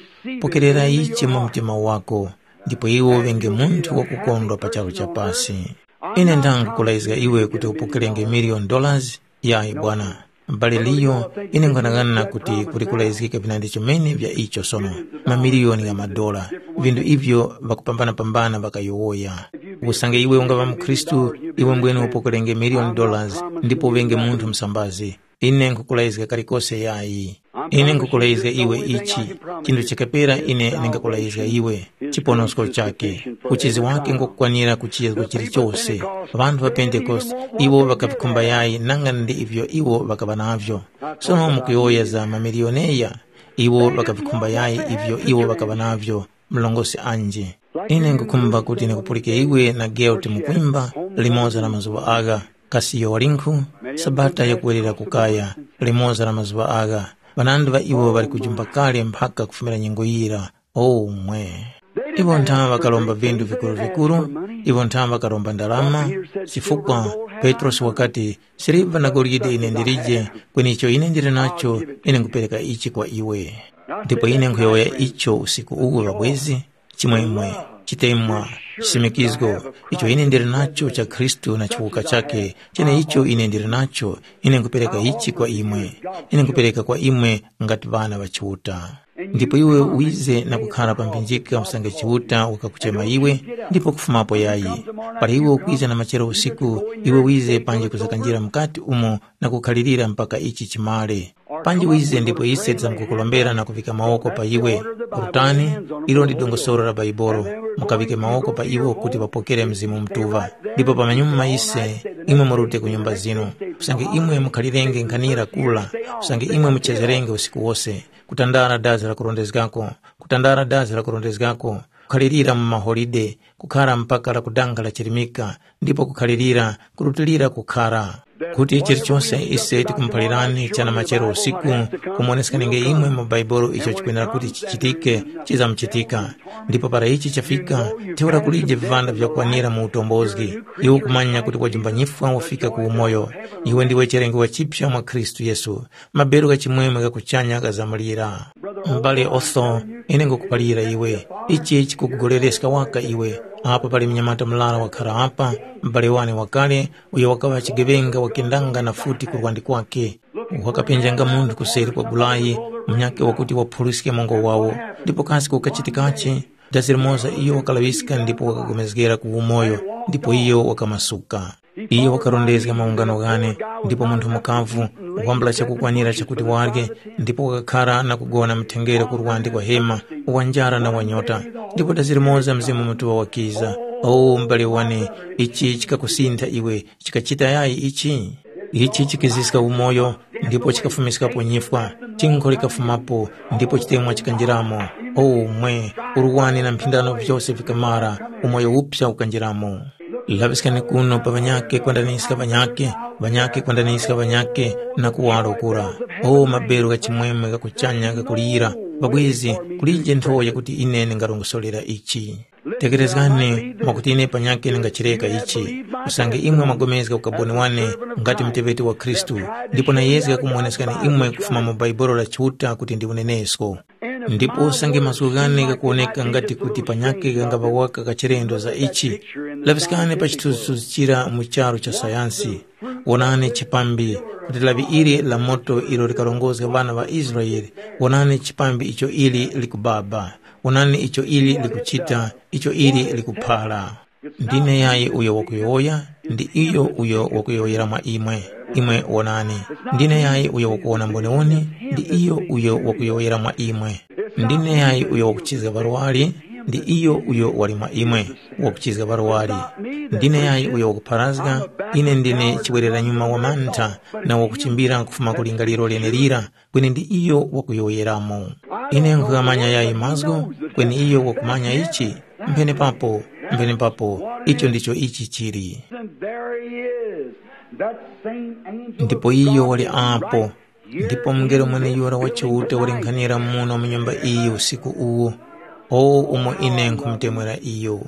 Pokerera ichi mu mtima wako, ndipo iwe uŵenge munthu wakukondwa pa charu cha pasi. Ine ndangukulaizga iwe kuti upokerenge miliyoni dollars? Yayi bwana. M'bale Liyo, ine nkhanang'ana kuti kuli kulayizgika vinandi chomene vya icho sono, mamiliyoni gha madola, vindu ivyo ŵakupambana-pambana ŵakayowoya. Usange iwe ungaŵa mukhristu, iwe mbwene upokerenge miliyoni dollars ndipo uŵenge munthu msambazi. Ine nkhukulayizga kalikose yayi. Ine nkhukulayizga iwe ichi, chinthu chakapera ine ndingakulayizga iwe, chiponosko chake. Uchizi wake ngwakukwanira ku chiyezgo chilichose. Ŵanthu ŵa Pentekoste, iwo ŵakavikhumba yayi nanga ndi ivyo iwo ŵakaŵa navyo. Sono mukuyowoya za mamilioneya, iwo ŵakavikhumba yayi ivyo iwo ŵakaŵa navyo, mlongosi anji. Ine nkhukhumba kuti ndikupulike iwe na Gelt mukwimba, limoza na mazuŵa agha, kasi iyo walinkhu, Sabata yakuwerera kukaya, limoza na mazuŵa agha, ŵanandi ŵa iwo ŵali kujumba kale mphaka kufumira nyengo yira. O mwe! Iwo nthawe ŵakaromba vindu vikuru-vikuru, iwo nthawe ŵakaromba ndarama, chifukwa Petrosi wakati, siliva na golide ine ndilije, kweni icho ine ndili nacho, ine nkhupereka ichi kwa iwe. Ndipo ine nkhuyowoya icho usiku uwu ŵabwezi, chimwemwe, chitemwa, chisimikizgo, icho ine ndili nacho cha Khristu na chiwuka chakhe, cheneicho ine ndili nacho, ine nkhupereka ichi kwa imwe. Ine nkhupereka kwa imwe ngati ŵana ŵa Chiuta. Ndipo iwe wize na kukhara pa mphinjika usange Chiuta wakakuchema iwe, ndipo kufumapo yayi. Para iwe ukwiza na machero usiku, iwe wize panji kuzakanjira mukati umo na kukhalirira mpaka ichi chimare. Panji wize ndipo ise tizamkukulombera na kuvika mawoko pa iwe. Rutani, ilo ndi dongosolo la Baibolo, mukavike mawoko pa iwo kuti ŵapokere Mzimu Mutuŵa. Ndipo pamanyuma ise, imwe murute ku nyumba zinu. Usange imwe mukhalirenge nkhanira kula, usange imwe muchezerenge usiku wose, kutandara dazi la kurondezgako, kutandara dazi la kurondezgako, kukhalirira mu maholide, kukhara mpaka la kudanga la chirimika, ndipo kukhalirira, kurutilira kukhara. Kuti chilichonse ise tikumuphalirani chana machero usiku, kumuwoneskanenge imwe mu Bhaibuli icho chikwenera kuti chichitike, chizamuchitika. Ndipo para ichi chafika, ntheura kulije vivanda vyakwanira mu utombozgi. Iwe ukumanya kuti wajumba nyifwa wafika ku umoyo. Iwe ndiwe chilengo chipya mwa Khristu Yesu. Maberu gha chimwemwe gha kuchanya ghazamulira. M'bale Otho, ine ngukuphalira iwe, ichi chikukugolereska waka iwe. Apa pali mnyamata murara wakhara apa, m'bale wane wakale, uyo wakaŵa chigeŵenga wakendanga na futi ku lwandi kwake. Wakapenjanga munthu kuseri kwa gulayi, munyakhe wakuti waphuliske mongo wawo. Ndipo kasi kukachitikachi? Dazi limoza iyo wakalaŵiska ndipo wakagomezgera ku umoyo, ndipo iyo wakamasuka. Iyo wakarondezga maungano ghane, ndipo munthu mukavu wambula chakukwanira chakuti warye, ndipo wakakhara na kugona mthengere ku lwandi kwa hema, wa njara na wa nyota. Ndipo dazi limoza Mzimu Mutuŵa wakiza. O m'bale wane, ichi chikakusintha iwe, chikachita yayi ichi? Ichi chikiziska umoyo, ndipo chikafumiskapo nyifwa. Tinkho likafumapo, ndipo chitemwa chikanjiramo. O mwe, urwani na mphindano vyose vikamara, umoyo uphya ukanjiramo. Laŵiskani kuno pa ŵanyakhe kwandaniska ŵanyakhe, ŵanyakhe kwandaniska ŵanyakhe, na kuwaro kura. O maberu gha chimwemwe gha kuchanya ghakulira, ŵabwezi, kulije nthowa yakuti ine ndingarongosorera ichi. Tegherezgani, mwakuti ine panyakhe ndingachireka ichi. Usange imwe mwagomezga ukaboni wane, ngati muteŵeti wa Khristu, ndipo nayezga kumuwoneskani imwe kufuma mu Bhaibuli la Chiuta kuti ndi unenesko. Ndipo usange mazgu ghane ghakuwoneka ngati kuti panyakhe ghangaŵa waka kachilendo za ichi, laŵiskani pa chithunzithunzi chira mu charu cha sayansi. Wonani chipambi, kuti lawi ili la moto ilo likarongozga ŵana ŵa Israele, wonani chipambi icho ili likubaba. Wonani icho ili likuchita, icho ili likuphara. Ndine yayi uyo wakuyowoya, ndi iyo uyo wakuyowoyera mwa imwe. Imwe wonani. Ndine yayi uyo wakuwona mboniwoni, ndi iyo uyo wakuyowoyera mwa imwe. Ndine yayi uyo wakuchizga ŵarwari, ndi iyo uyo wali mwa imwe, wakuchizga ŵarwari. Ndine yayi uyo wakupharazga, ine ndine chiwereranyuma wa mantha, na wakuchimbira kufuma ku lingaliro lenelira, kweni ndi iyo wakuyowoyeramo. Ine nkughamanya yayi mazgu, kweni iyo wakumanya ichi, mphene papo, mphene papo, icho ndicho ichi chili. And there he is, that same angel Ndipo of iyo God wali is apo, right ndipo here mungelo in mwene this yura wa building Chiuta wali tonight. Nkhanira muno mu nyumba iyi usiku uwu. O umo ine nkhumutemwera iyo.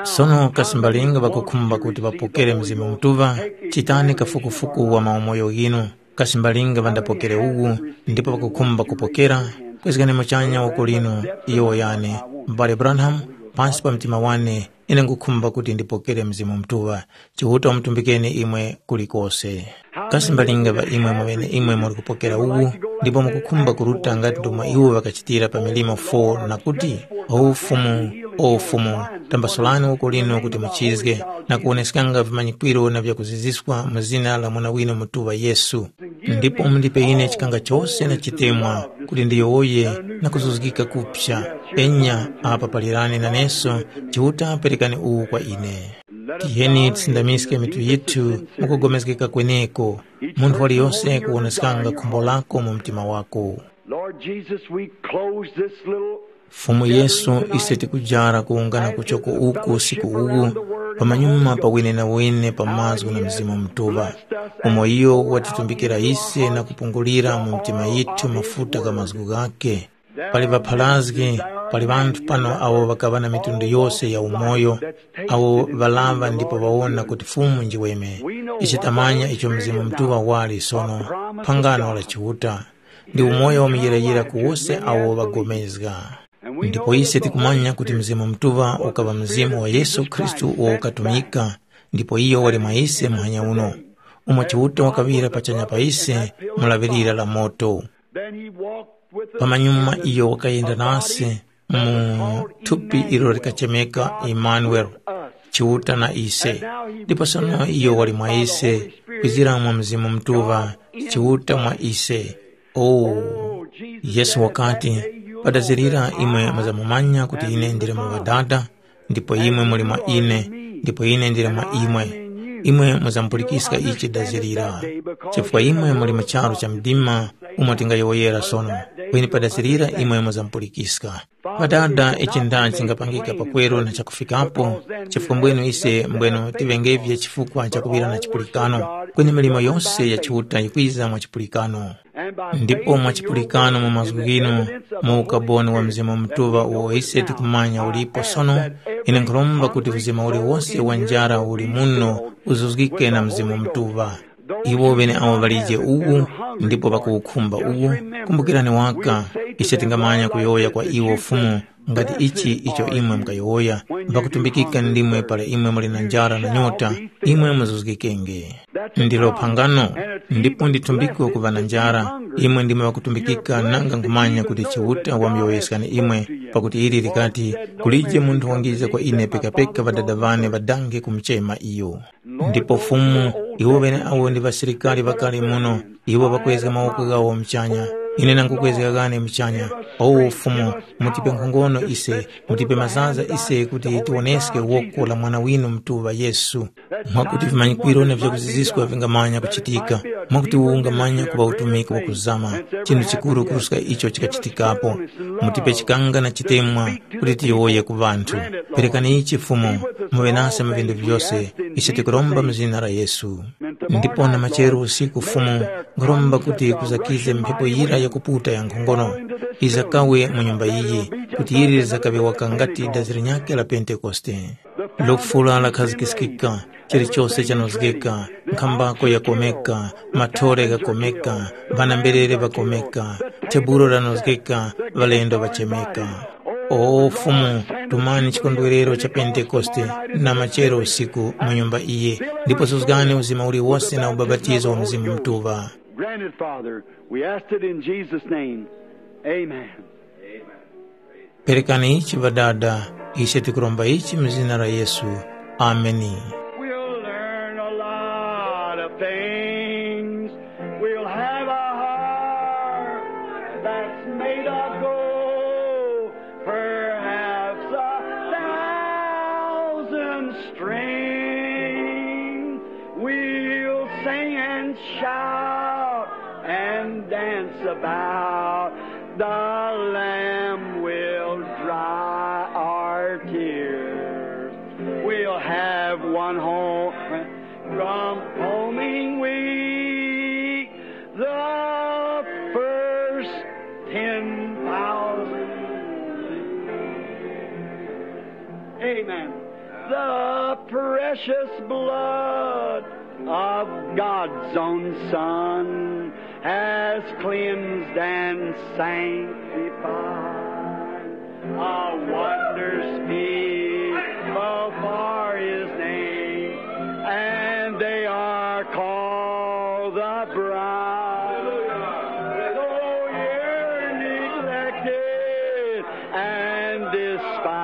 Sono kasi mbalinga ŵakukhumba kuti ŵapokere Mzimu Mutuŵa, chitani kafukufuku wa maumoyo ghinu. Kasi mbalinga ŵandapokere uwu, ndipo ŵakukhumba kupokera, kwezgani muchanya woko linu, yowoyani, M'bale Branham, pansi pa mtima wane, ine nkhukhumba kuti ndipokere Mzimu Mutuŵa. Chiuta wamutumbikeni imwe kulikose. Kasi mbalinga ŵa imwe mwaŵene imwe muli kupokera uwu, ndipo mukukhumba kuruta ngati ndomwe iwo ŵakachitira pa milimo four na kuti, “O Fumu, o Fumu, tambasulani woko linu kuti muchizge, na kuwoneskanga vimanyikwiro na vyakuziziswa mu zina la Mwana winu Mutuŵa Yesu. Ndipo mundipe ine chikanga chose na chitemwa kuti ndiyowoye na kuzuzgika kuphya. Enya, apa palirani naneso, Chiuta perekani uwu kwa ine.” Tiyeni tisindamiske mitu yithu mukugomezgeka kweneko, munthu waliyose kuwoneskanga khumbo lako mu mtima wako. Lord Jesus, we close this little Fumu Yesu, ise tikujara kuwungana kuchoko uku usiku uwu, pamanyuma pa wine na wine pa mazgu na Mzimu Mutuŵa, umo iyo watitumbikira ise na kupungulira mu mitima yithu mafuta gha mazgu ghakhe. Pali ŵapharazgi, pali ŵanthu pano awo ŵakaŵa na mitundu yose ya umoyo, awo ŵalaŵa ndipo ŵawona kuti Fumu njiweme. Ise tamanya icho Mzimu Mutuŵa wali sono, phangano la Chiuta. Ndi umoyo wa muyirayira ku wose awo ŵagomezga. Ndipo ise tikumanya kuti Mzimu Mutuŵa ukaŵa Mzimu wa Yesu Khristu uwo ukatumika, ndipo iyo wali mwa ise muhanya uno, umo Chiuta wakaŵira pachanya pa ise mu laŵirira la moto. Pamanyuma iyo wakayenda nase mu thupi ilo likachemeka Imanueli, Chiuta na ise. Ndipo sono iyo wali mwa ise, kwizira mwa Mzimu Mutuŵa, Chiuta mwa ise. Oh, Yesu wakati, “Padazirira imwe muzamumanya kuti ine ndili mu Ŵadada, ndipo imwe muli mwa ine, ndipo ine ndili mwa imwe. Imwe muzampulikiska ichi dazirira, chifukwa imwe muli mu charu cha mdima umo tingayowoyera sono. Kweni padazirira imwe muzamupulikiska. Ŵadada, ichi ndani chingapangika pakweru na chakufikapo? Chifukwa mbwenu ise mbwenu tiŵengevye chifukwa cha kuŵira na chipulikano, kweni milimo yose ya Chiuta yikwiza mwa chipulikano. Ndipo mwa chipulikano mu mazgu ghinu, mu ukaboni wa Mzimu Mutuŵa uwo ise tikumanya ulipo sono, ine nkhuromba kuti mzima uliwose wa njara uli muno uzuzgike na Mzimu Mutuŵa. Iwo ŵeneawo ŵalije uwu, ndipo ŵakuwukhumba uwu, kumbukirani waka, ise tingamanya kuyowoya kwa iwo Fumu, ngati ichi icho imwe mukayowoya, mbakutumbikika ndimwe para imwe muli na njara na nyota, imwe muzuzgikenge. Ndilo phangano, ndipo nditumbikwe kuŵa na njara, imwe ndimwe ŵakutumbikika nanga nkhumanya kuti Chiuta wamuyoweskani imwe, pakuti ili likati, kulije munthu wangiza kwa ine pekapeka ŵadada ŵane ŵadange kumuchema iyo. Ndipo Fumu, iwo ŵeneawo ndi ŵasilikari ŵakale muno, iwo ŵakwezga mawoko ghawo muchanya. Ine nangukwezga ghane muchanya. O Fumu, mutipe nkhongono ise, mutipe mazaza ise kuti tiwoneske woko la Mwana winu Mutuŵa Yesu. Mwakuti vimanyikwiro na vyakuziziska vingamanya kuchitika, mwakuti uwu ungamanya kuŵa utumiki wakuzama, chinthu chikuru kuruska icho chikachitikapo. Mutipe chikanga na chitemwa kuti tiyowoye ku ŵanthu. Perekani ichi Fumu, muŵe nase mu vindu vyose, ichi tikuromba mu zina la Yesu. Ndipo na machero usiku Fumu, nkhuromba kuti kuzakize mphepo yira yakuputa ya nkhongono, izakawe mu nyumba iyi, kuti yiri lizakaŵe waka ngati dazi linyakhe la Pentekoste. Lufula lakhazikiskika, chilichose chanozgeka, nkhambako yakomeka, mathole ghakomeka, ŵanamberere ŵakomeka, tebulo lanozgeka, ŵalendo ŵachemeka. O Fumu, tumani chikondwerero cha Pentekoste na machero usiku mu nyumba iyi, ndipo zuzgani uzima uliwose na ubapatizo wa Mzimu Mutuŵa. Granted, Father. We asked it in Jesus' name. Amen. Perekani ichi Ŵadada, ise tikuromba ichi mu zina la Yesu. Ameni. We'll learn a lot of things. We'll have a heart that's made of gold, perhaps a thousand strings. We'll sing and shout and dance about. The Lamb will dry our tears. We'll have one home from homing week. The first ten thousand. Amen. The precious blood of God's own Son has cleansed and sanctified. A wonder's people for his name, and they are called the bride. Though you're neglected and despised.